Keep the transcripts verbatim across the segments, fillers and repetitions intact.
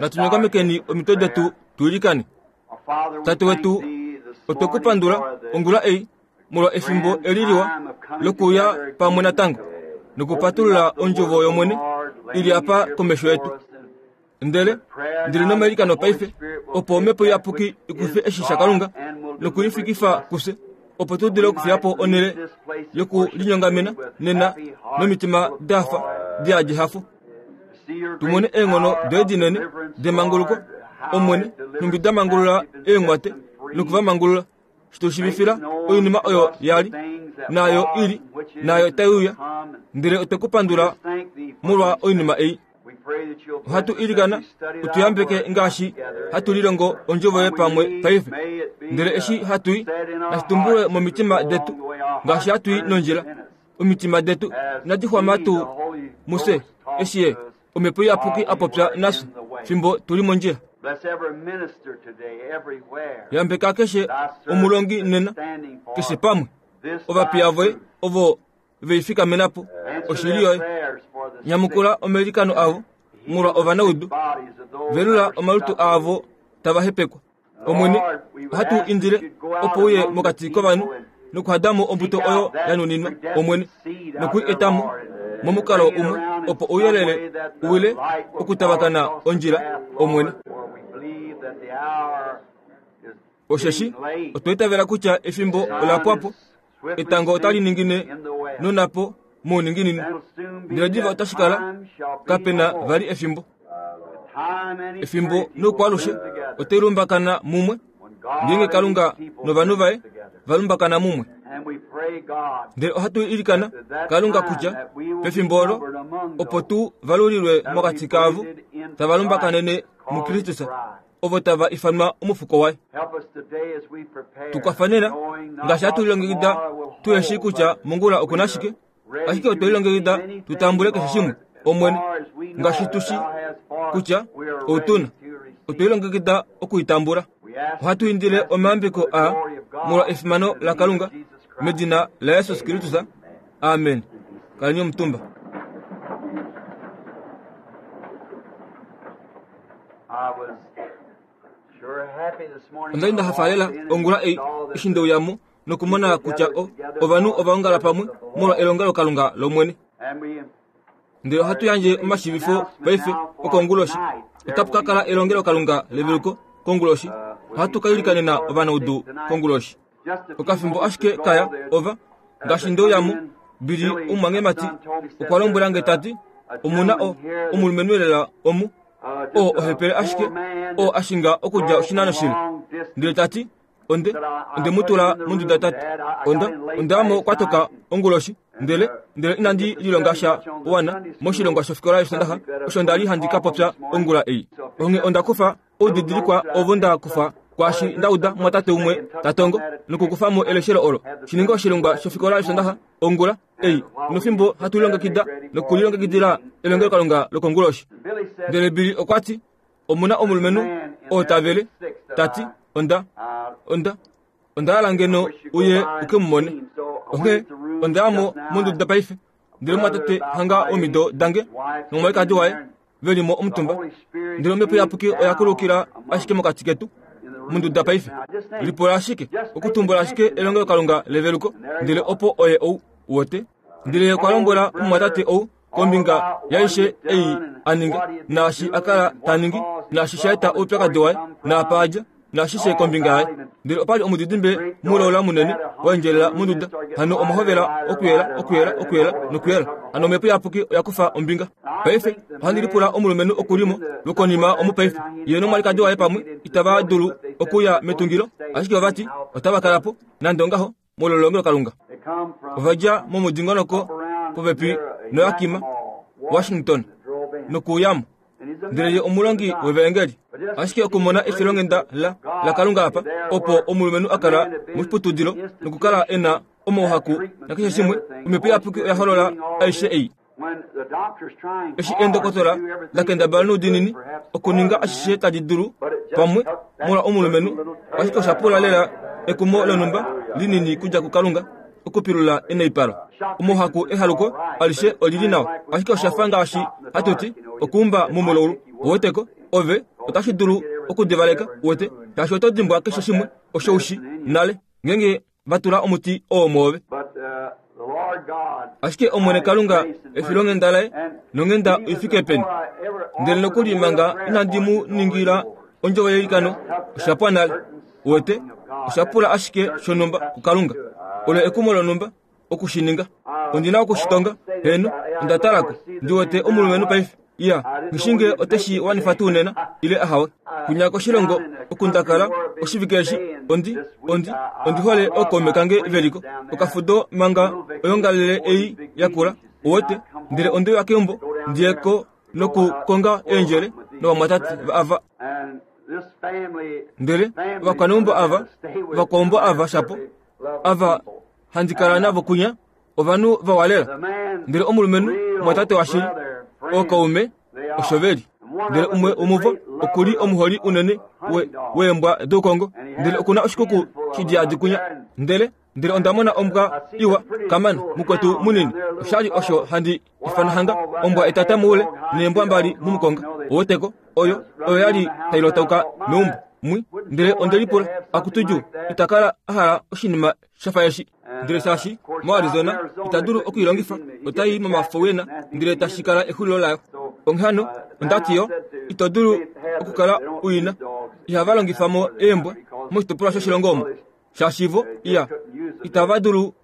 Natu omitwe detu tuilikane. Tate wetu, otwe ku pandula ongula ei molwa efimbo eli liwa lokuya pamwe natango nokupatulula ondjovo yOmwene ili apa komesho yetu. Ndele ndili nomailikano paife opo omhepo iyapuki ikufe eshi shaKalunga nokulifikifa kufye opo tu dule okufiya po onhele yokulinyongamena nena nomitima dafa di hafo. Tumone eenghono doye dinene demanguluko Omwene nhumbi da mangulula eenghwate nokuvamangulula shitushivifila oinima oyo yali nayo ili nayo tai uya ndele otwe ku pandula molwa oinima ei. Ohatu ilikana utuyambeke ngaashi hatu lilongo ondjovo yoye pamwe paife ndele eshi hatui nashitumbulwe momitima detu ngaashi hatui nondjila omitima detu inadi xwama tuu muse eshi ye omhepo iyapuki a popya nafye fimbo tuli mondjila. Yambeka keshe omulongi nena keshe pamwe ovapiya voye ovo veifikamenapo oshili yoye. Nyamukula omailikano avo molwa ovanaudu velula omalutu avo tava hepekwa. Omwene ohatu indile opo uye mokati kovanhu nokuhadamo ombuto oyo ya nuninwa Omwene nokui etamo momukalo umwe opo ouyelele uwile okutavakana ondjila Omwene. Osheshi otwa itavela kutya efimbo ola pwapo etango otali ningine nonapo mouninginino ndele diva otashi kala kapena vali efimbo. Efimbo noukwalushe otai lumbakana mumwe ngeenge Kalunga novanhu vaye valumbakana mumwe. Ndele ohatu ilikana Kalunga kutya pefimbo olo opo tu valulilwe mokati kavo tava lumbakanene muKristus ovo tava ifanwa omufuko waye. Tukwafanena ngaashi hatu lilongekida tuheshi kutya mongula okuna shike ashike otwe lilongekida tutambule keshe shimwe Omwene ngaashi tushi kutya outuna otwe lilongekida okuitambula. Ohatu indile omayambeko a molwa efimano laKalunga medina la Jesus Kristus. Amen. Kaleni omutumba. Onda li nda hafa ongula ei eshi ndeuyamo nokumona kutya ovanhu ova ongala pamwe molwa elongelokalunga lOmwene. Ndele ohatu yandje omashivifo paife okonguloshi. Otapu ka kala elongelokalunga leveluko konguloshi. Ohatu ka ilikanena ovanaudu konguloshi. Okafimbo ashike kaya ova ngaashi ndeuyamo Bili omumwangemati okwa lombwela nge tati omuna o omulumenhu elela omu oo ohepele ashike oo ashinga okudja oshinano shile. Ndele tati onde onde mutula monduda tati onda ondayamo kwatoka onguloshi ndele ndele inandi lilonga sha wana moshilongwa shofikola yosondaxa osho ndali handi ka popya ongula ei. Onge onda kufa oudidilikwa ovo nda kufa kwaashi ndauda mwatate umwe tatongo nokukufamo eleshelo olo shininga oshilongwa shofikola yosondaxa ongula ei nofimbo hatu lilongekida nokulilongekidila elongelokalunga lokonguloshi. Ndele Bili okwa ti omuna omulumenhu oo tavele tati onda onda onda hala ngeno uye uke mumone. Onghee ondayamo monduda paife ndele mwatate hanga omido dange nomwalikadi waye veli mo omutumba ndele omhepo iyapuki oya kulukila ashike mokati ketu monduda paife. Lipola ashike okutumbula ashike elongelokalunga leveluko ndele opo oye ou wote. Ndele okwa lombwela omumwatate ou kombinga yaishe ei aninga naashi akala taningi naashi shaeta oupyakadi waye naapa adja naashishe kombinga yaye. Ndele opali omudidimbe mulola munene waendjelela monduda hano omahovela okuyela okuyela okuyela nokuyela hano omhepo iyapuki oya kufa ombinga. Paife ohandi lipula omulumenhu okulimo lokonima omu paife ye nomwalikadi waye pamwe itava dulu okuya metungilo ashike ovati otava kalapo nande ongaho molwa elongelokalunga. Ova dja momudingonoko popepi noYakima Washington nokuyamo ndele ye omulongi wevaengeli ashike okumona efilonghenda la laKalunga apa opo omulumenhu akala moshiputudilo nokukala ena omauhaku nakeshe shimwe omhepo iyapuki oya holola aishe ei. Eshi eendokotola la kendabala noudinini okuninga ashishe tadi dulu pamwe molwa omulumenhu ashike osha pula lela ekumo lonhumba linini kudja kuKalunga okupilula eneipalo. Omauhaku ehaluko alishe olili nawa ashike osha fa ngaashi hatuti okuumba momulaulu oweteko Ove otashi dulu okudivaleka uwete, shaashi oto dimbwa keshe shimwe osho ushi nale ngeenge va tula omuti oo mwoove. Ashike Omwene Kalunga efilonghenda laye nonghenda oifike peni. Ndele nokuli manga inandi mu ningila ondjovo yeilikano, osha pwa nale. Uwete, osha pula ashike shonhumba kuKalunga. Olo ekumo lonhumba okushininga. Ondi na okushitonga, heno, onda talako. Ndi wete omulumenhu paife. Iya, ngishinge oteshi wanifa tuu nena, ile ahawe. Kunya koshilongo okundakala oshivike eshi, ondi, ondi, ondi hole ookaume kange veliko. Okafudo manga oyongalele ei yakula, uwete, ndele onde uya keumbo, ndiyeko nokukonga eendjele novamwatate ava. Ndele ovakwaneumbo ava, ovakwaumbo ava shapo, ava handi kala navo kunya, ovanhu vawalela. Ndele omulumenhu mwatate washili, ookaume osho veli. Ndele umwe womuvo okuli omuholi unene we, weembwa doukongo. Ndele okuna oshikuku shidiyadi kunya. Ndele ndele onda mona ombwa iwa kamana mukwetu munini. Oshali osho handi ifana hanga ombwa etata moule neembwa mbali mumukonga. Oweteko oyo oyo yali tailotauka meumbo mwi. Ndele onde lipula akutuju itakala ahala oshinima shafa eshi. Ndele shaashi moArizona ita dulu okuilongifa, otai momafowena ndele tashi kala exulilo layo. Onghee ondati yo ito dulu okukala uina. Ihava longifa mo eembwa moshitopolwa shoshilongo omo, shaashi vo iya itava dulu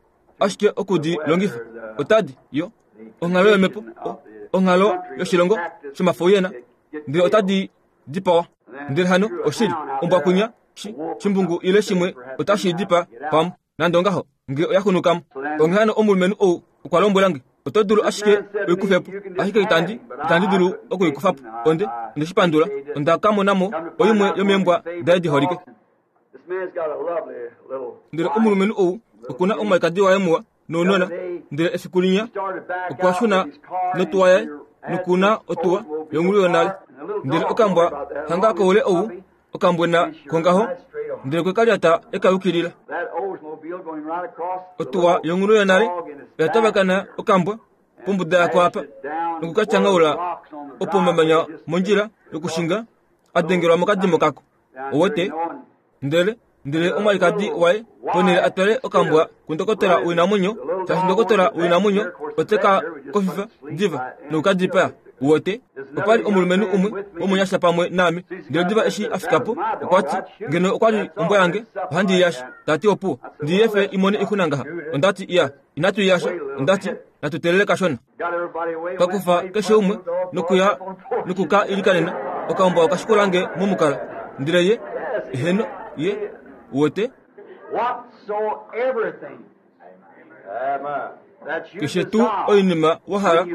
ashike okudi longifa. Otadi yo onghalo yomhepo, onghalo yoshilongo shomafowena, ndele otadi dipawa. Ndele hano oshili ombwa kunya shimbungu ile shimwe otashi dipa pamwe nande ongaho nge oya xunukamo. Onghee hano omulumenhu ou okwa lombwela nge, oto dulu ashike oikufepo, ashike itandi itandi dulu okuikufapo. Onde onde shi pandula, onda ka monamo oimwe yomeembwa daye diholike. Ndele omulumenhu ou okuna omwalikadi waye muwa nounona. Ndele efiku linya okwa shuna notuwa yaye nokuna otuwa yongulu yonale. Ndele okambwa hanga koule ou okambwena kongaho, ndele kwe kalyata ekayukilila. Otuwa yongulu yonale oya tavakana okambwa pombuda yako apa nokukatyangaula opo mamanya mondjila yokushinga adengelwa mokadimo kako. Owete ndele ndele omwalikadi waye ponele atwale okambwa kundokotola woinamwenyo, shaashi ndokotola woinamwenyo oteka kofifa diva nokukadipaya. Uwete opali omulumenhu umwe womunyasha pamwe naame. Ndele diva eshi afikapo okwati, ngeno okwali ombwa yange ohandi iyasha. Tati opuwo ndiyefe imone ixuna ngaha. Ondati iya inatu iyasha. Ondati natutelele kashona. Twakufa keshe umwe nokuya nokuka ilikanena okambwa okashikulange momukala. Ndele ye heno ye uwete keshe tuu oinima wahala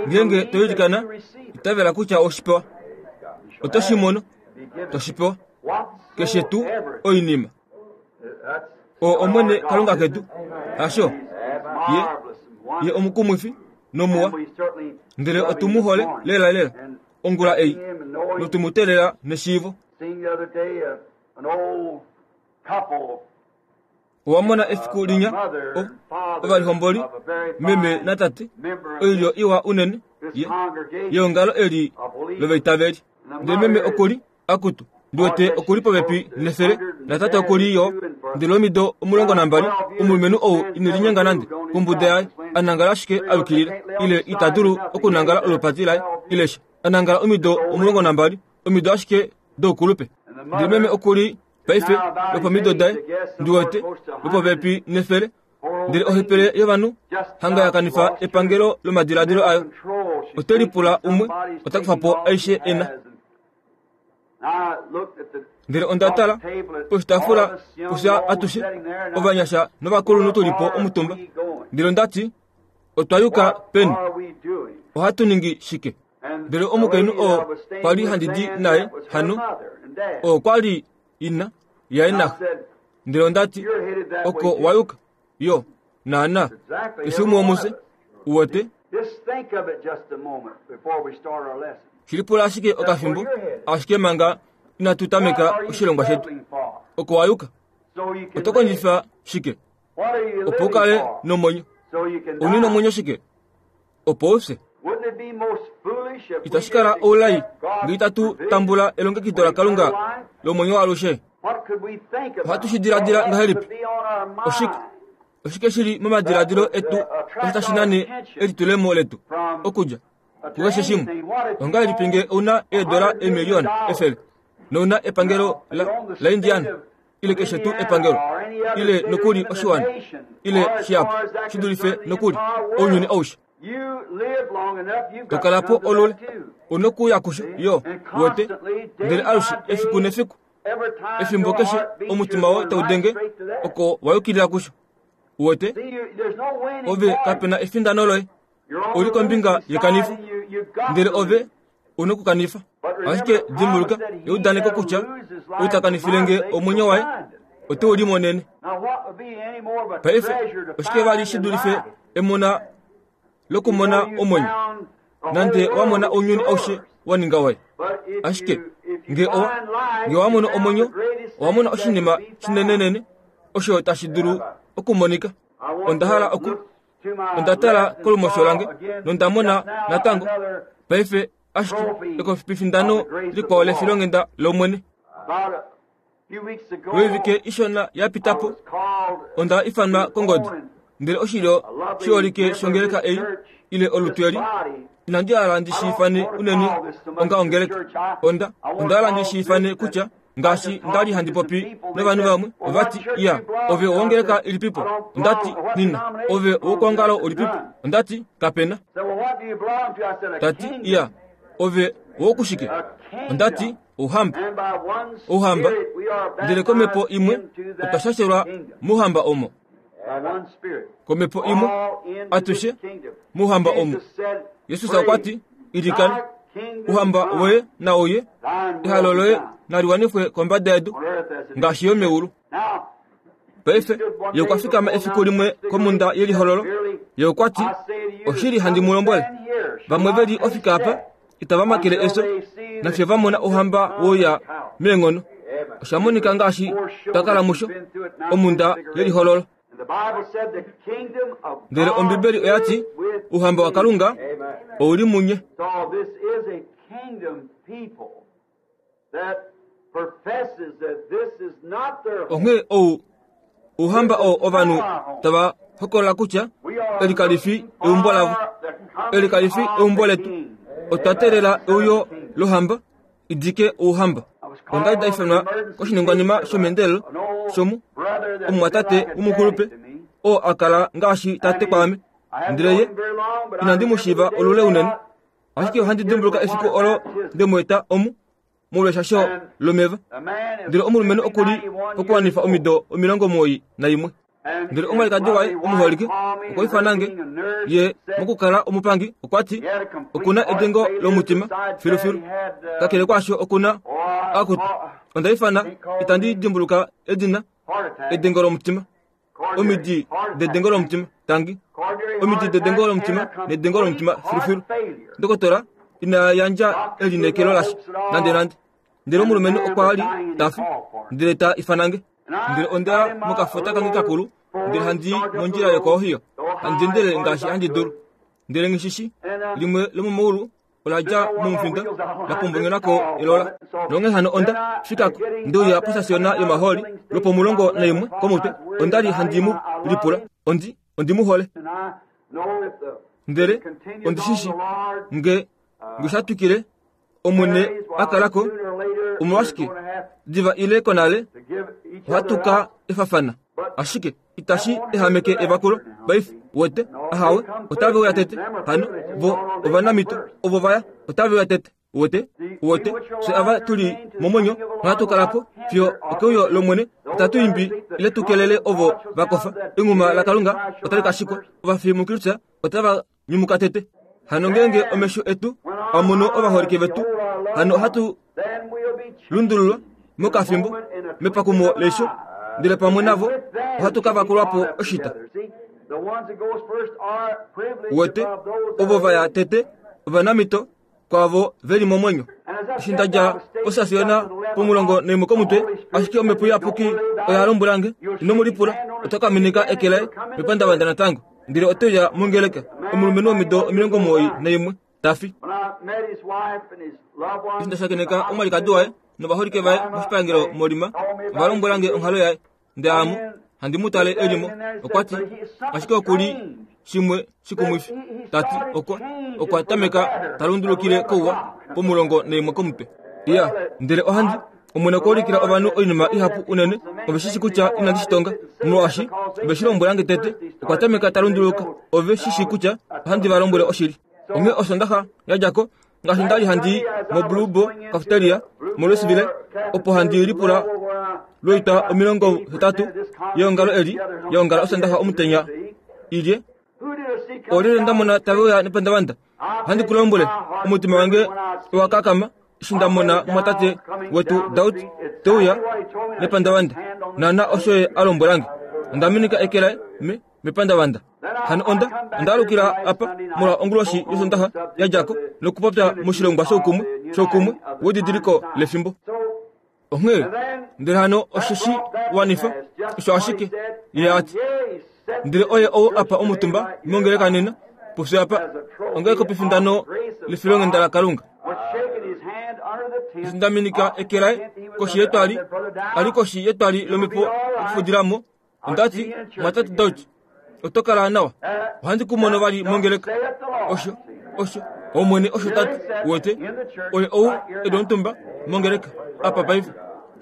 ngeenge toilikana itavela kutya oshipewa otoshimono toshipewa. Keshe tuu oinima o Omwene Kalunga ketu hasho ye ye omukumwifi nomuwa. Ndele otumuhole lela lela ongula ei notumutelela neshiivo. Owamona efiku linya ovalihomboli meme natate oilyo iwa unene yeongalo eli lovaitaveli. Ndele meme okuli akutu ndiwete okuli popepi nefele natate okuli yo ndele omido omulongo nambali. Omulumenhu ou ine linyenga nande kombuda yaye, anangala ashike ayukilila ile ita dulu okunangala olupati laye ile sha. Anangala omido omulongo nambali, omido ashike doukulupe. Ndele meme okuli paife lopomido daye ndiwete lopopepi nefele. Ndele ohepele yovanhu hanga yakanifa epangelo lomadiladilo ayo. Ote lipula umwe ota kufa po aishe ena. Ndele onda tala poshitaafula kufya atushe ovanyasha novakulunhu tulipo omutumba. Ndele ondati otwa yuka peni, ohatu ningi shike? Ndele omukainhu oo kwali handi di naye hano oo kwali ina yaye naxe. Ndele ondati oko wayuka yo naana keshe umwe womufye uwete. Shilipula ashike okafimbo ashike manga inatu tameka oshilongwa shetu. Oko wayuka oto kondjifa shike opo ukale nomwenyo? Uni nomwenyo shike opo ufye? Itashi kala oulai nge itatu tambula elongekido laKalunga lomwenyo waalushe. Ohatu shi diladila ngahelipi? Oshike oshike shili momadiladilo etu osho tashi nane elitulemo letu okudja kukeshe shimwe? Ongahelipi nge ouna eedola eemiliyona efele nouna epangelo la, la Indiana ile keshe tuu epangelo ile nokuli oshiwana ile shihapu shi dulife nokuli ounyuni aushe, tokalapo olule unokuya kusho yo wete ndele alushe efiku nefiku efimbo keshe omutima woye taudenge oko wayukilila kusho wete ove kapena efindano loye uli kombinga yekanifo ndele ove unokukanifa. Ashike dimbuluka eudaneko kutya utakanifile nge omwenyo waye ote uli monene. Paife oshike vali shi dulife emona lokumona omwenyo nande wamona ounyuni aushe waninga waye. Ashike nge owa nge wamona omwenyo owamona oshinima shinenenene osho tashi dulu okumonika. Onda hala oku onda tala kolumosho lange nondamona natango paife ashike ekofipifindano likwao lefilongenda lomwene. Lwoivike ishona yapitapo onda ifanwa kongodi ndele oshilyo shiholike shongeleka ei ile olutu eli inandi hala ndi shi ifane unene onga ongeleka. Onda onda hala ndi shi ifane kutya ngaashi ndali handi popi novanhu vamwe ovati iya ove owongeleka ilipipo, ondati nina ove owokuongalo ulipipo, ondati kapena. Tati iya ove owokushike, ondati ouhamba ouhamba ndele komhepo imwe otwa shashelwa mouhamba omo, komhepo imwe atushe mouhamba omo. Yesus okwati ilikana ouhamba woye nauye ehalo loye naliwanifwe kombada yedu ngaashi yo meulu. Paife ye okwa fikama efiku limwe komunda yelihololo ye okwati oshili handi mu lombwele vamwe veli ofika apa itava makele eso nafye vamona ouhamba woya meenghono. Osha monika ngaashi twakala musho omunda yelihololo. Ndele Ombibeli oyati ouhamba waKalunga ouli munye. Onghee ou ouhamba oo ovanhu tava hokolola kutya eli kali fi eumbo lavo, eli kali fi eumbo letu. Otwa teelela euyo lohamba idike ouhamba. Onda li daifanwa koshiningwanima shomeendelelo shomu omumwatate womukulupe oo akala ngaashi tate kwaame, ndele ye inandi mu shiiva olule unene. Ashike ohandi dimbuluka efiku olo nde mu eta omu molweshasho lomeva. Ndele omulumenhu okuli pokuwanifa omido omilongo omuwoi naimwe. Ndele omwalikadi waye omuholike okwa ifana nge ye mokukala omupangi okwati okuna edengo lomutima filufilu. Kakele kwaasho okuna akutu onda ifana itandi dimbuluka edina edengo lomutima omidi dedengo lomutima tangi omidi dedengo lomutima nedengo lomutima filufilu. Ndokotola ina yandja elinekelo lashe nande nande. Ndele omulumenhu okwa li tafi ndele ta ifanange. Ndele onda mokafota kange kakulu ndele handi mondjila yokoohiyo handi endele ngaashi handi dulu. Ndele ngishishi limwe lomomaulu ola dja momufinda la pombongenako elola. Nonghee hano onda fikako ndeuya posasiona yomahooli lwopomulongo naimwe komutwe. Onda li handi mu lipula ondi ondi mu hole. Ndele ondishishi nge ngishatwikile omwene akalako omolwashike diva ile konale ohatuka efafana. Ashike itashi ehameke evakulo paife wete ahawe otave uya tete hano vo ovanamito ovo vaya otave uya tete wete wete fye ava tuli momwenyo nohatu kalapo fiyo okeuyo lomwene otatu imbi ile tukelele ovo vakofa. Enghuma laKalunga otali ka shikwa ovafi muKristus otava nyumuka tete. Hano ngeenge omesho etu amono ovaholike vetu hano ohatu lundululwa mokafimbo mepakumo leisho ndele pamwe navo ohatu ka vakulwapo oshita. Wete ovo vaya tete ovanamito kwavo veli momwenyo. Eshi ndadja posasiona pomulongo naimwe komutwe ashike omhepo iyapuki oya lombwela nge ino mu lipula oto ka minika eke laye mepandavanda natango ndele ote uya mongeleka. Omulumenhu womido omilongo omuwoi naimwe ta fi. Eshi nda shakeneka omwalikadi waye novaholike vaye moshipangelo molima, ova lombwela nge onghalo yaye, ndele amo handi mu tale elimo, okwa ti ashike okuli shimwe shikumwifi, tati okwa okwa tameka ta lundulukile kouwa pomulongo naimwe komutwe. Iya, ndele ohandi Omwene okwa ulikila ovanhu oinima ihapu unene, ove shi shi kutya inandi shi tonga, molwaashi ove shi lombwela nge tete, okwa tameka ta lunduluka, ove shi shi kutya ohandi va lombwele oshili. Onghee Osondaxa ya dja ko, ngaashi nda li handi i moBlue Boar Cafeteria moLouisville, opo handi lipula lwoitwa omilongo hetatu yeongalo eli yeongala Osondaxa omutenya ilye. Olyelye nda mona tave uya nepandavanda? Ohandi ku lombwele, omutima wange owa kakama eshi nda mona mwatate wetu Daud te uya nepandavanda. Naana osho ye a lombwela nge. Onda minika eke laye me mepandavanda. Hano onda onda alukila apa molwa onguloshi yOsondaxa ya dja ko nokupopya moshilongwa shoukumwe shoukumwe wedidiliko lefimbo. Onghee ndele hano osho shi wanifa osho ashike ye a ti. Ndele oye ou apa omutumba mongeleka nena pufye apa onge kopifindano lefilonghenda laKalunga. Eshi nda minika eke laye koshi yetwali, ali koshi yetwali lomhepo okufudila mo, onda ti, mwatate Dauch, oto kala nawa. Ohandi ku mono vali mongeleka. Osho, osho, Omwene osho tati, uwete, oye ou e li omutumba mongeleka apa paife,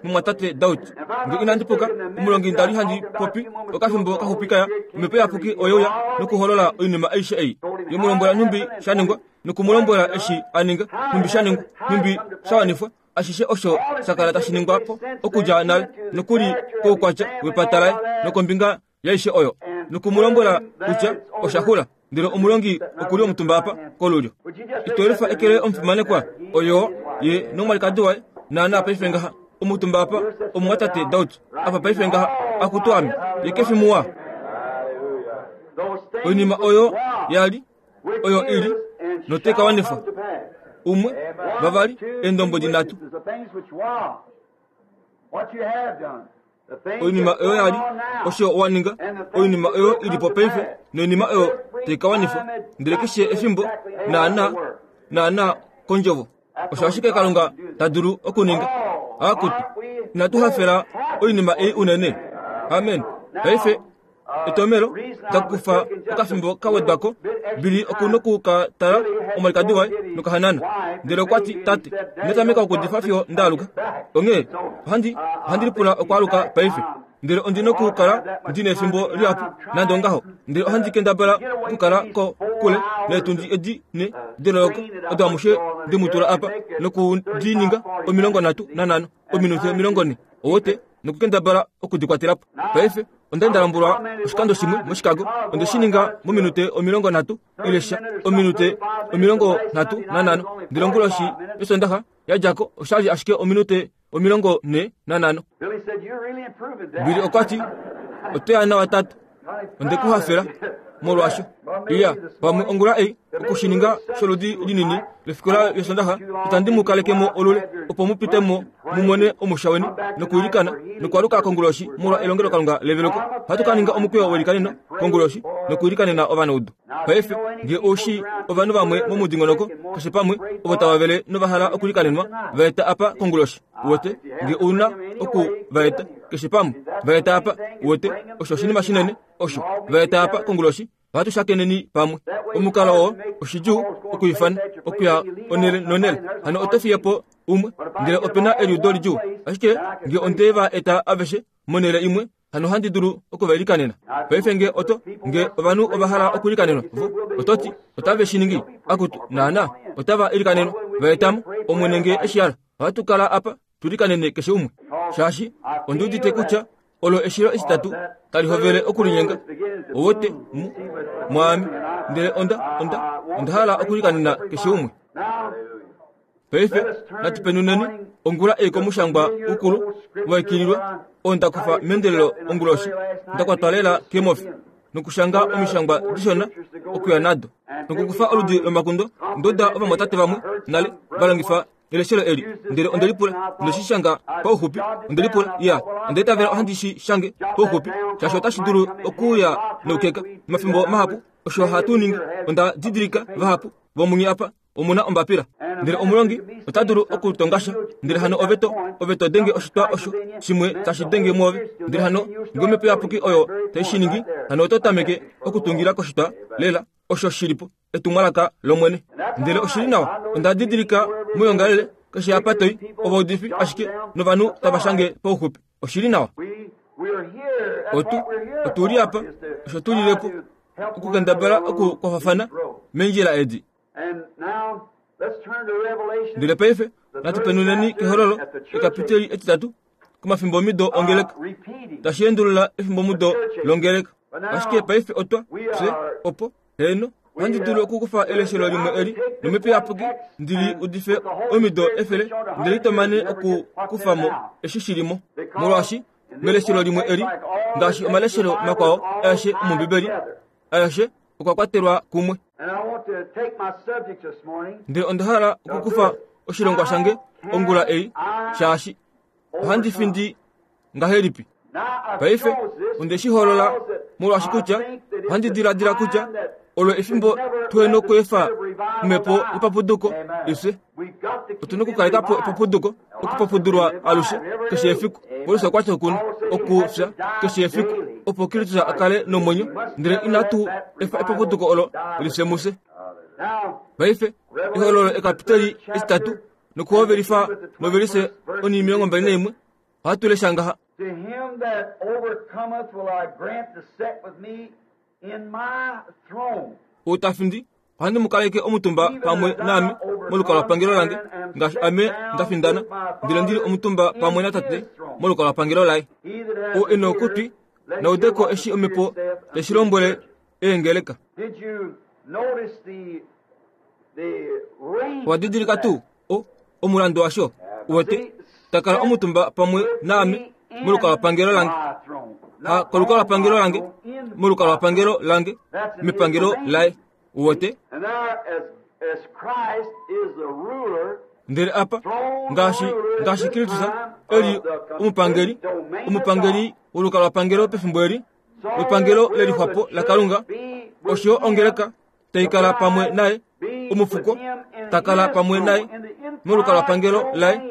mumwatate Daud. Nge inandi puka, omulongi nda li handi popi okafimbo kaxupi kaya, omhepo iyapuki oye uya nokuholola oinima aishe ei. Ye mu lombwela nhumbi sha ningwa, noku mu lombwela eshi a ninga, nhumbi sha ningwa, nhumbi sha wanifwa, ashishe osho sha kala tashi ningwa po okudja nale, nokuli koukwatya wepata laye nokombinga yaishe oyo, noku mu lombwela kutya osha xula. Ndele omulongi okuli omutumba apa kolulyo. Ito lifa ekele omufimanekwa oyo ye nomwalikadi waye naana paife ngaha omutumba apa omumwatate Daud apa paife ngaha akutu ame ye kefi muwa. Oinima oyo ya li oyo ili notai ka wanifwa. Umwe, vavali, eendombwedi nhatu. Oinima oyo ya li osho wa ninga, oinima oyo ili po paife noinima oyo tai ka wanifwa. Ndele keshe efimbo naana naana kondjovo. Osho ashike Kalunga ta dulu okuninga. Akutu, inatu hafela oinima ei unene. Amen. Paife etomelo takufa okafimbo ka wedwa ko, Billy oku noku ka tala omwalikadi waye nokahanana. Ndele okwa ti, tate, inda tameka okudifa fiyo nda aluka. Onghee ohandi ohandi lipula okwaaluka paife. Ndele ondi nokukala ndi nefimbo lihapu nande ongaho. Ndele ohandi kendabala okukala ko kule neetundi edi ne deloloko odo amushe ndi mu tula apa noku di ninga omilongo nhatu nanhano ominute omilongo nhe owote nokukendabala okudikwatela po. Paife onda nda lombwelwa oshikando shimwe moChicago, onde shi ninga mominute omilongo nhatu ile sha ominute omilongo nhatu nanhano. Ndele onguloshi yOsondaxa ya dja ko osha li ashike ominute omilongo nhe nanhano. Billy okwa ti, oto ya nawa tate, onde ku hafela molwaasho. Iya, pamwe ongula ei okushininga sholudi linini lefikola yOsondaxa, itandi mu kaleke mo olule opo mu pite mo mu mone omusha weni nokuilikana nokwaluka konguloshi molwa elongelokalunga leveloko. Ohatu ka ninga omukweyo welikaneno konguloshi nokuilikanena ovanaudu. Paife nge ou shii ovanhu vamwe momudingonoko keshe pamwe ovo tava vele nova hala okulikanenwa, va eta apa konguloshi. Uwete, nge ou na oku va eta keshe pamwe, va eta apa. Uwete, osho oshinima shinene osho, va eta apa konguloshi. Ohatu shakeneni pamwe. Omukalo oo oshidjuu okuifana okuya onele nonele. Hano oto fiye po umwe, ndele ope na eliudo lidjuu. Ashike nge onde va eta aveshe monhele imwe, hano ohandi dulu okuvailikanena. Paife nge oto nge ovanhu ova hala okulikanenwa, vo oto ti otave shi ningi, akutu naana otava ilikanenwa, va etamo Omwene nge eshi hala. Ohatu kala apa tulikanene keshe umwe, shaashi ondi udite kutya olo eshilo etitatu tali hovele okulinyenga. Owote mu mwaame, ndele onda onda onda hala okulikanena keshe umwe. Paife natu penuneni ongula ei komushangwa ukulu waikililwa oo nda kufa meendelelo onguloshi, nda kwatwa lela keemofi nokushanga omishangwa dishona okuya nado nokukufa oludi lomakundo. Ndoda ovamwatate vamwe nale va longifa eleshelo eli, ndele onde lipula onde shi shanga pauxupi. Onde lipula ya onda itavela ohandi shi shange pauxupi, shaashi otashi dulu okuuya noukeka. Omafimbo mahapu osho hatu ningi. Onda didilika vahapu vomunye apa Omuna ombapila. Ndele omulongi ota dulu okutongasha. Ndele hano ove to ove to denge oshitwa osho shimwe tashi denge mwoove. Ndele hano ngee omhepo iyapuki oyo tai shi ningi, hano oto tameke okutungila koshitwa lela osho shilipo etumwalaka lOmwene. Ndele oshili nawa, onda didilika moyongalele keshe apa toi ovaudifi ashike novanhu tava shange pauxupi. Oshili nawa. Otu otuli apa osho tulilepo okukendabala okukwafafana meendjila edi. Ndele paife natu penuneni kehololo ekapiteli etitatu komafimbomido ongeleka tashi endulula efimbomudo longeleka. Ashike paife otwa fye opo heno ohandi dulu okukufa eleshelo limwe eli nomhepo iyapuki ndili udife omido efele ndele itomane okukufa mo eshi shilimo, molwaashi meleshelo limwe eli ngaashi omaleshelo makwao aeshe omOmbibeli aeshe okwa kwatelwa kumwe. Ndele onda hala okukufa oshilongwa shange ongula ei shaashi ohandi findi ngahelipi. Paife onde shi holola molwaashi kutya ohandi diladila kutya olo efimbo tuhena okweefa omhepo yepapuduko ifye. Otuna okukaleka po epapuduko, okupapudulwa alushe keshe efiku. Paulus okwa ti okuna okufya keshe efiku opo Kristus a kale nomwenyo, ndele inatu efa epapuduko olo lifye mufye. Paife ehololo ekapiteli etitatu nokuhovelifa novelise onimilongo mbali naimwe ohatu lesha ngaha. To him that overcometh will I grant to sit with me in my throne. Outafindi ohandi mu kaleke omutumba pamwe naame molukalwapangelo lange ngaashi ame nda findana ndele ndili omutumba pamwe natate molukalwapangelo laye. He that hath O ena an ear, okutwi let him naudeko hear what eshi the omhepo Spirit saith tashi unto the lombwele churches. eengeleka. Did you notice the the arrangement Owa didilika of tuu that? o omulandu washo uwete takala omutumba pamwe naame molukalwapangelo lange ha kolukalwapangelo lange molukalwapangelo lange mepangelo laye uwete. And there, as, as Christ is the ruler, Ndele apa ngaashi ngaashi Kristus eli omupangeli omupangeli wolukalwapangelo pefimbo eli wepangelo lelixwapo laKalunga, osho ongeleka taikala pamwe naye omufuko takala pamwe naye molukalwapangelo laye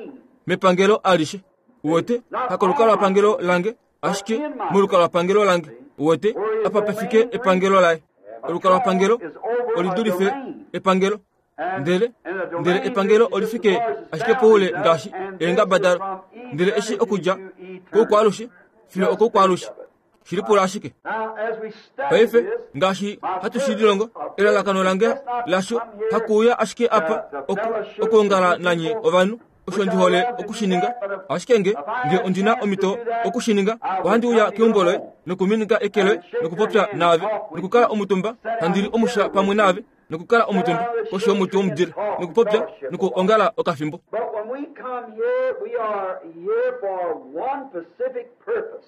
mepangelo alishe. Uwete hakolukalwapangelo lange ashike molukalwapangelo lange. Uwete apa pefike epangelo laye. Olukalwapangelo olidulife epangelo. Ndele ndele epangelo olifike ashike poule ngaashi eengaba dalo. Ndele eshi okudja koukwalushe fiyo okoukwaalushe shilipula ashike. Now, as we study Paife this, ngaashi hatu shi lilongo elalakano lange lasho hakuuya ashike apa oku- okuongala nanye ovanhu osho ndi hole okushininga. Ashike nge nge ondina omhito okushininga, ohandi uya keumbo loye nokuminika eke loye nokupopya naave nokukala omutumba handili omusha pamwe naave nokukala omutumba koshi yomuti womudile nokupopya nokuongala okafimbo. But when we come here, we are here for one specific purpose.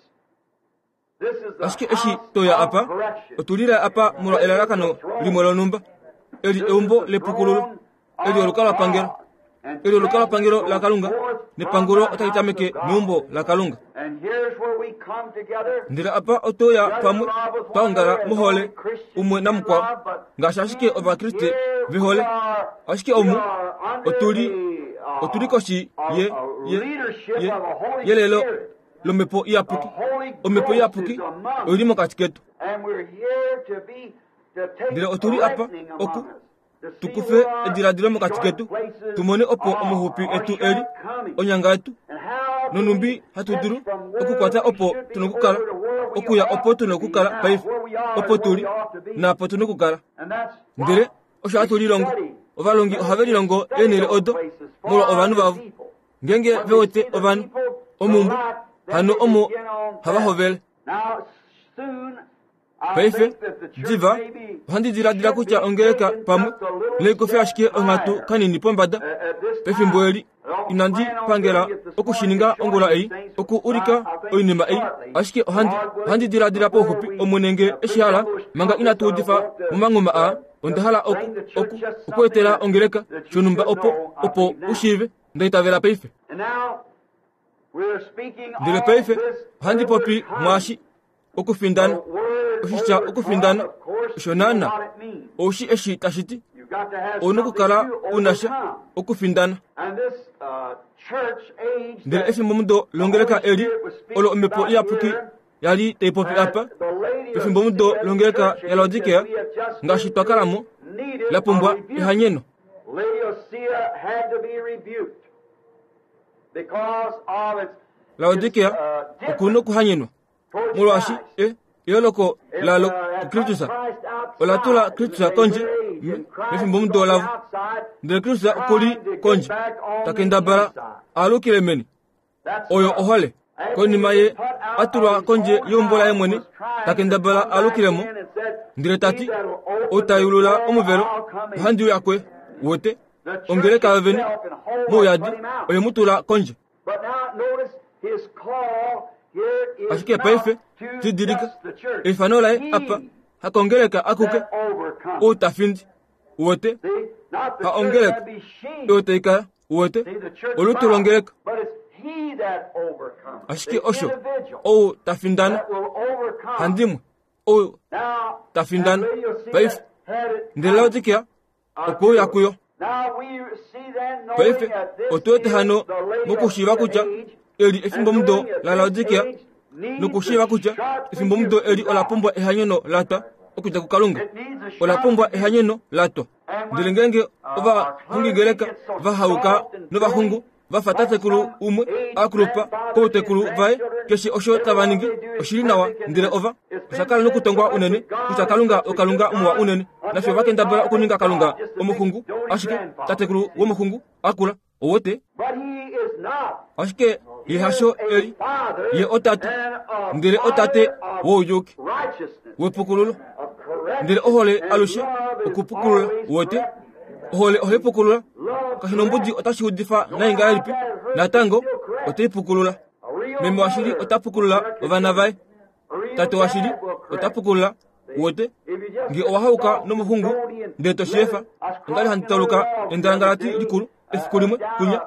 This is the Ashike eshi house toya of apa correction. otulila apa molwa elalakano limwe lonumba. Eli eumbo lepukululo, eli olukalwapangelo, eli olukalwapangelo laKalunga, nepangulo otali tameke meumbo laKalunga. And here's where we come together. Ndele apa otoya pamwe twaongala mohole umwe namukwao ngaashi ashike ovakriste vehole. Ashike omu otuli otuli koshi ye ye ye yelelo lomhepo iyapuki. Omhepo iyapuki oyili mokati ketu. And we're here to be to take Ndele otuli apa reckoning among oku us, to see tukufe where our ediladilo mokati short ketu places tumone opo are, omaxupi our etu eli shortcomings, onyanga yetu and how do nonumbi we hatu get dulu from where okukwata we opo should be tuna okukala over to where we okuya ought opo to tuna be okukala now, paife where we are opo and where tuli we ought to be. naapo tuna okukala. And that's Ndele what osho hatu lilongo study. ovalongi ohave lilongo eenhele odo molwa ovanhu vavo. Ngeenge ve wete ovanhu omumbu hano omo hava hovele. Now, soon, I Paife think that the church diva may be- ohandi diladila kutya ongeleka pamwe leikofe ashike onghatu kanini pombada at this pefimbo time. eli. Inandi pangela okushininga ongula ei oku ulika oinima ei, ashike ohandi ohandi diladila pauxupi Omwene nge eshi hala manga inatu udifa momanghuma aa. Onda hala oku oku okuetela ongeleka shonhumba opo opo ushiive ndaitavela paife. And now, we're speaking Ndele all paife this ohandi popi early mwaashi Okufindana oshitya okufindana osho naana oushi eshi tashi ti ouna okukala unasha okufindana. Ndele efimbomudo longeleka eli olo omhepo iyapuki yali tai popi apa pefimbomudo longeleka yaLaodikea ngaashi twa kalamo la pumbwa ehanyeno. Laodikea okuna okuhanyenwa molwaashi e eyooloko lalo kuKristus ola tula Kristus kondje mefimbomudo lavo, ndele Kristus okuli kondje takendabala aalukile meni. Oyo ohole. Konima ye atulwa kondje yeumbo laye mwene takendabala aalukilemo, ndele tati otayulula omuvelo ohandi uya kwe wote ongeleka yovene mouyadi oye mutula kondje. Ashike paife didilika eifano laye apa hakongeleka akuke outafindi wote haongeleka otaikala wote olutu longeleka. Ashike osho ou tafindana handimwe ou tafindana paife ndele Laodikea okuuya kuyo. Paife otuwete hano mokushiiva kutya eli efimbomudo la Laodikea nokushiiva kutya efimbomudo eli ola pumbwa ehanyeno latwa okudja kuKalunga. Ola pumbwa ehanyeno latwa. Ndele ngeenge ovahungingeleka vahauka novaxungu vafa tatekulu umwe akulupa koutekulu vaye keshe osho tava ningi oshili nawa, ndele ova osha kala nokutongwa unene kutya Kalunga oKalunga muwa unene, nafye vakendabala okuninga Kalunga omuxungu, ashike tatekulu womuxungu akula owote. Ashike ye hasho eli, ye otate, ndele otate wouyuki wepukululo, ndele ohole alushe okupukulula wote. Ohole ohaipukulula kashi nombudi otashi udifa nai ngahelipi, natango otaipukulula. Meme washili ota pukulula ovana vaye, tate washili ota pukulula wote. Nge owahauka nomuxungu ndele tosheefa, ondali handi tauluka endangalati likulu efiku limwe kunya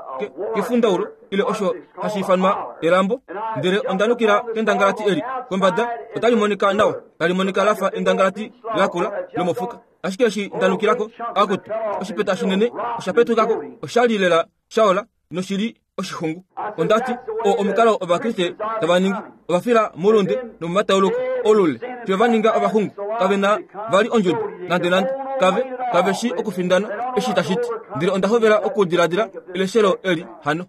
kefundaulo ile osho hashi ifanwa elambo, ndele ondanukila kendangalati eli kombada otali monika nawa, tali monika lafa endangalati lakula lomofuka. Ashike eshi ndanukilako akutu oshipeta shinene osha petukako, oshali lela shaola noshili oshixungu. Ondati o omukalo ovakriste tava ningi ovafila moulunde nomomatauluko olule fiyo va ninga ovaxungu, kave na vali ondjudo nande nande, kave kave shi okufindana eshi tashi ti. Ndele onda hovela okudiladila eleshelo eli hano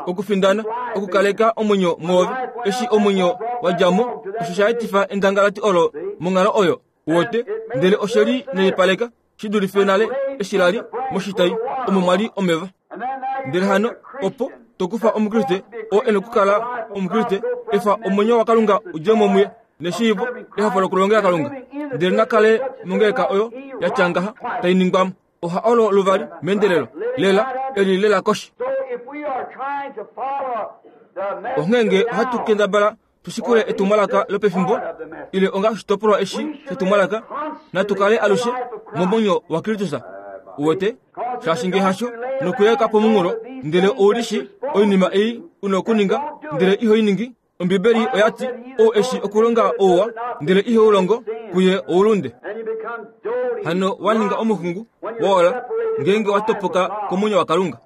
okufindana okukaleka omwenyo mwoove eshi omwenyo wadjamo osho sha etifa endangalati olo monghalo oyo wote, ndele osheli neipaleka shi dulife nale eshi lali moshitai omo mwali omeva. Ndele hano opo tokufa omukriste oo ena okukala omukriste efa omwenyo waKalunga udjemo muye neshiivo ehafo lokulongela Kalunga, ndele nakale mongeleka oyo yatya ngaha tai ningwamo oha olo luvali meendelelo lela eli lela koshi. Onghee ohatu kendabala tushikule etumwalaka lopefimbo ile onga oshitopolwa eshi shetumwalaka, natu kale alushe momwenyo waKristus wote, shaashi nge hasho nokuyeka pomunghulo, ndele oulishi oinima ei una okuninga ndele ihoiningi. Ombibeli oyati ou eshi okulonga ouwa ndele ihoulongo kuye oulunde. Hano waninga omuxungu wola ngeenge watopoka komwenyo waKalunga.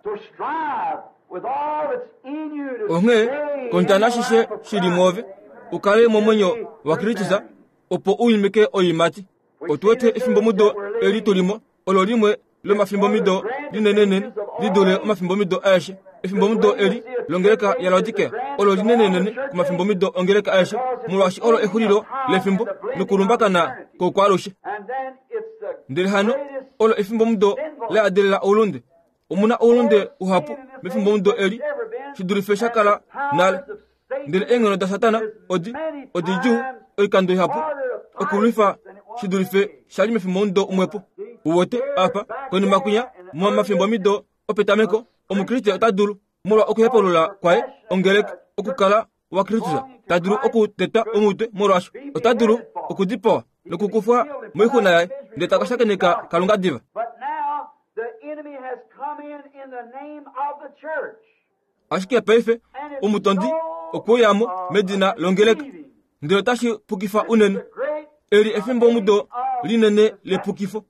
Onghee kondjana shishe shili mwoove ukale momwenyo waKristus opo uimike oiimati. Otuwete efimbomudo eli tulimo olo limwe lomafimbomido linenenene lidule omafimbomido aeshe. Efimbomudo eli longeleka yaLaodikea olo linenenene komafimbomido ongeleka aeshe, molwaashi olo exulilo lefimbo nokulumbakana koukwalushe. Ndele hano olo efimbomudo la adelela oulunde. Omuna oulunde uhapu mefimbomudo eli shi dulife sha kala nale. Ndele eenghono daSatana odi odidjuu oikando ihapu okulwifa shi dulife shali mefimbomudo umwepo. Uwote apa konima kwinya momafimbomido opetameko omukriste ota dulu molwa okuhepulula kwaye ongeleka okukala waKristus, ta dulu okuteta omutwe molwaasho ota dulu okudipawa nokukufwa moixuna yaye, ndele taka shakeneka Kalunga diva. Ashike paife omutondi okweuyamo medina longeleka, Ndele otashi pukifa unene. Eli efimbo mudo linene lepukifo.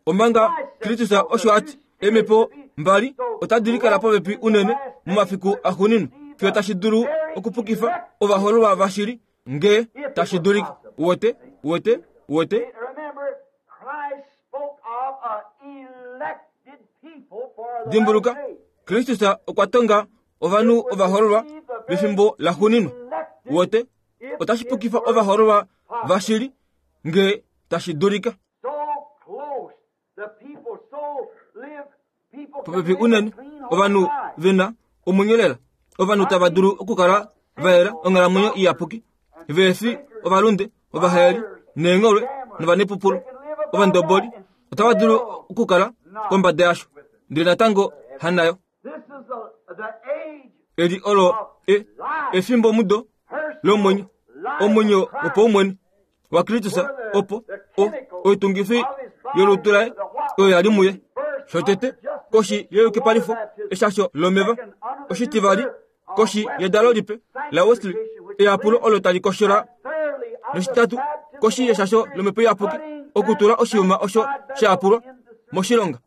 Omanga Kristus osho ati emepo mbali otadi likala popepi unene momafiku axuuninwa fiyo tashi dulu okupukifa ovahololwa vashili nge tashi dulika. Wote, wote, wote. Dimbuluka, Kristus okwa tonga ovanhu ovahololwa vefimbo laxuuninwa. Wote, otashi pukifa ovahololwa vashili nge tashi dulika. Popepi unene ovanhu vena omwenyo lela, ovanhu tava dulu okukala va yela onghalamwenyo iyapuki, vefi ovalunde, ovahaeli, neengholwe novanepupulo, ovandoboli, otava dulu okukala kombada yasho, ndele natango hanayo. Eli olo e efimbo mudo lomwenyo, omwenyo wopaumwene waKristus, opo o oitungifi yolutu laye oyo yali muye. Shotete koshi yeyukipalifo eshasho lomeva, oshitivali koshi yedalo lipe la Wesley eyapulo olo tali koshola, noshitatu koshi yeshasho lomhepo iyapuki okutula oshiyuma osho shayapulwa moshilonga.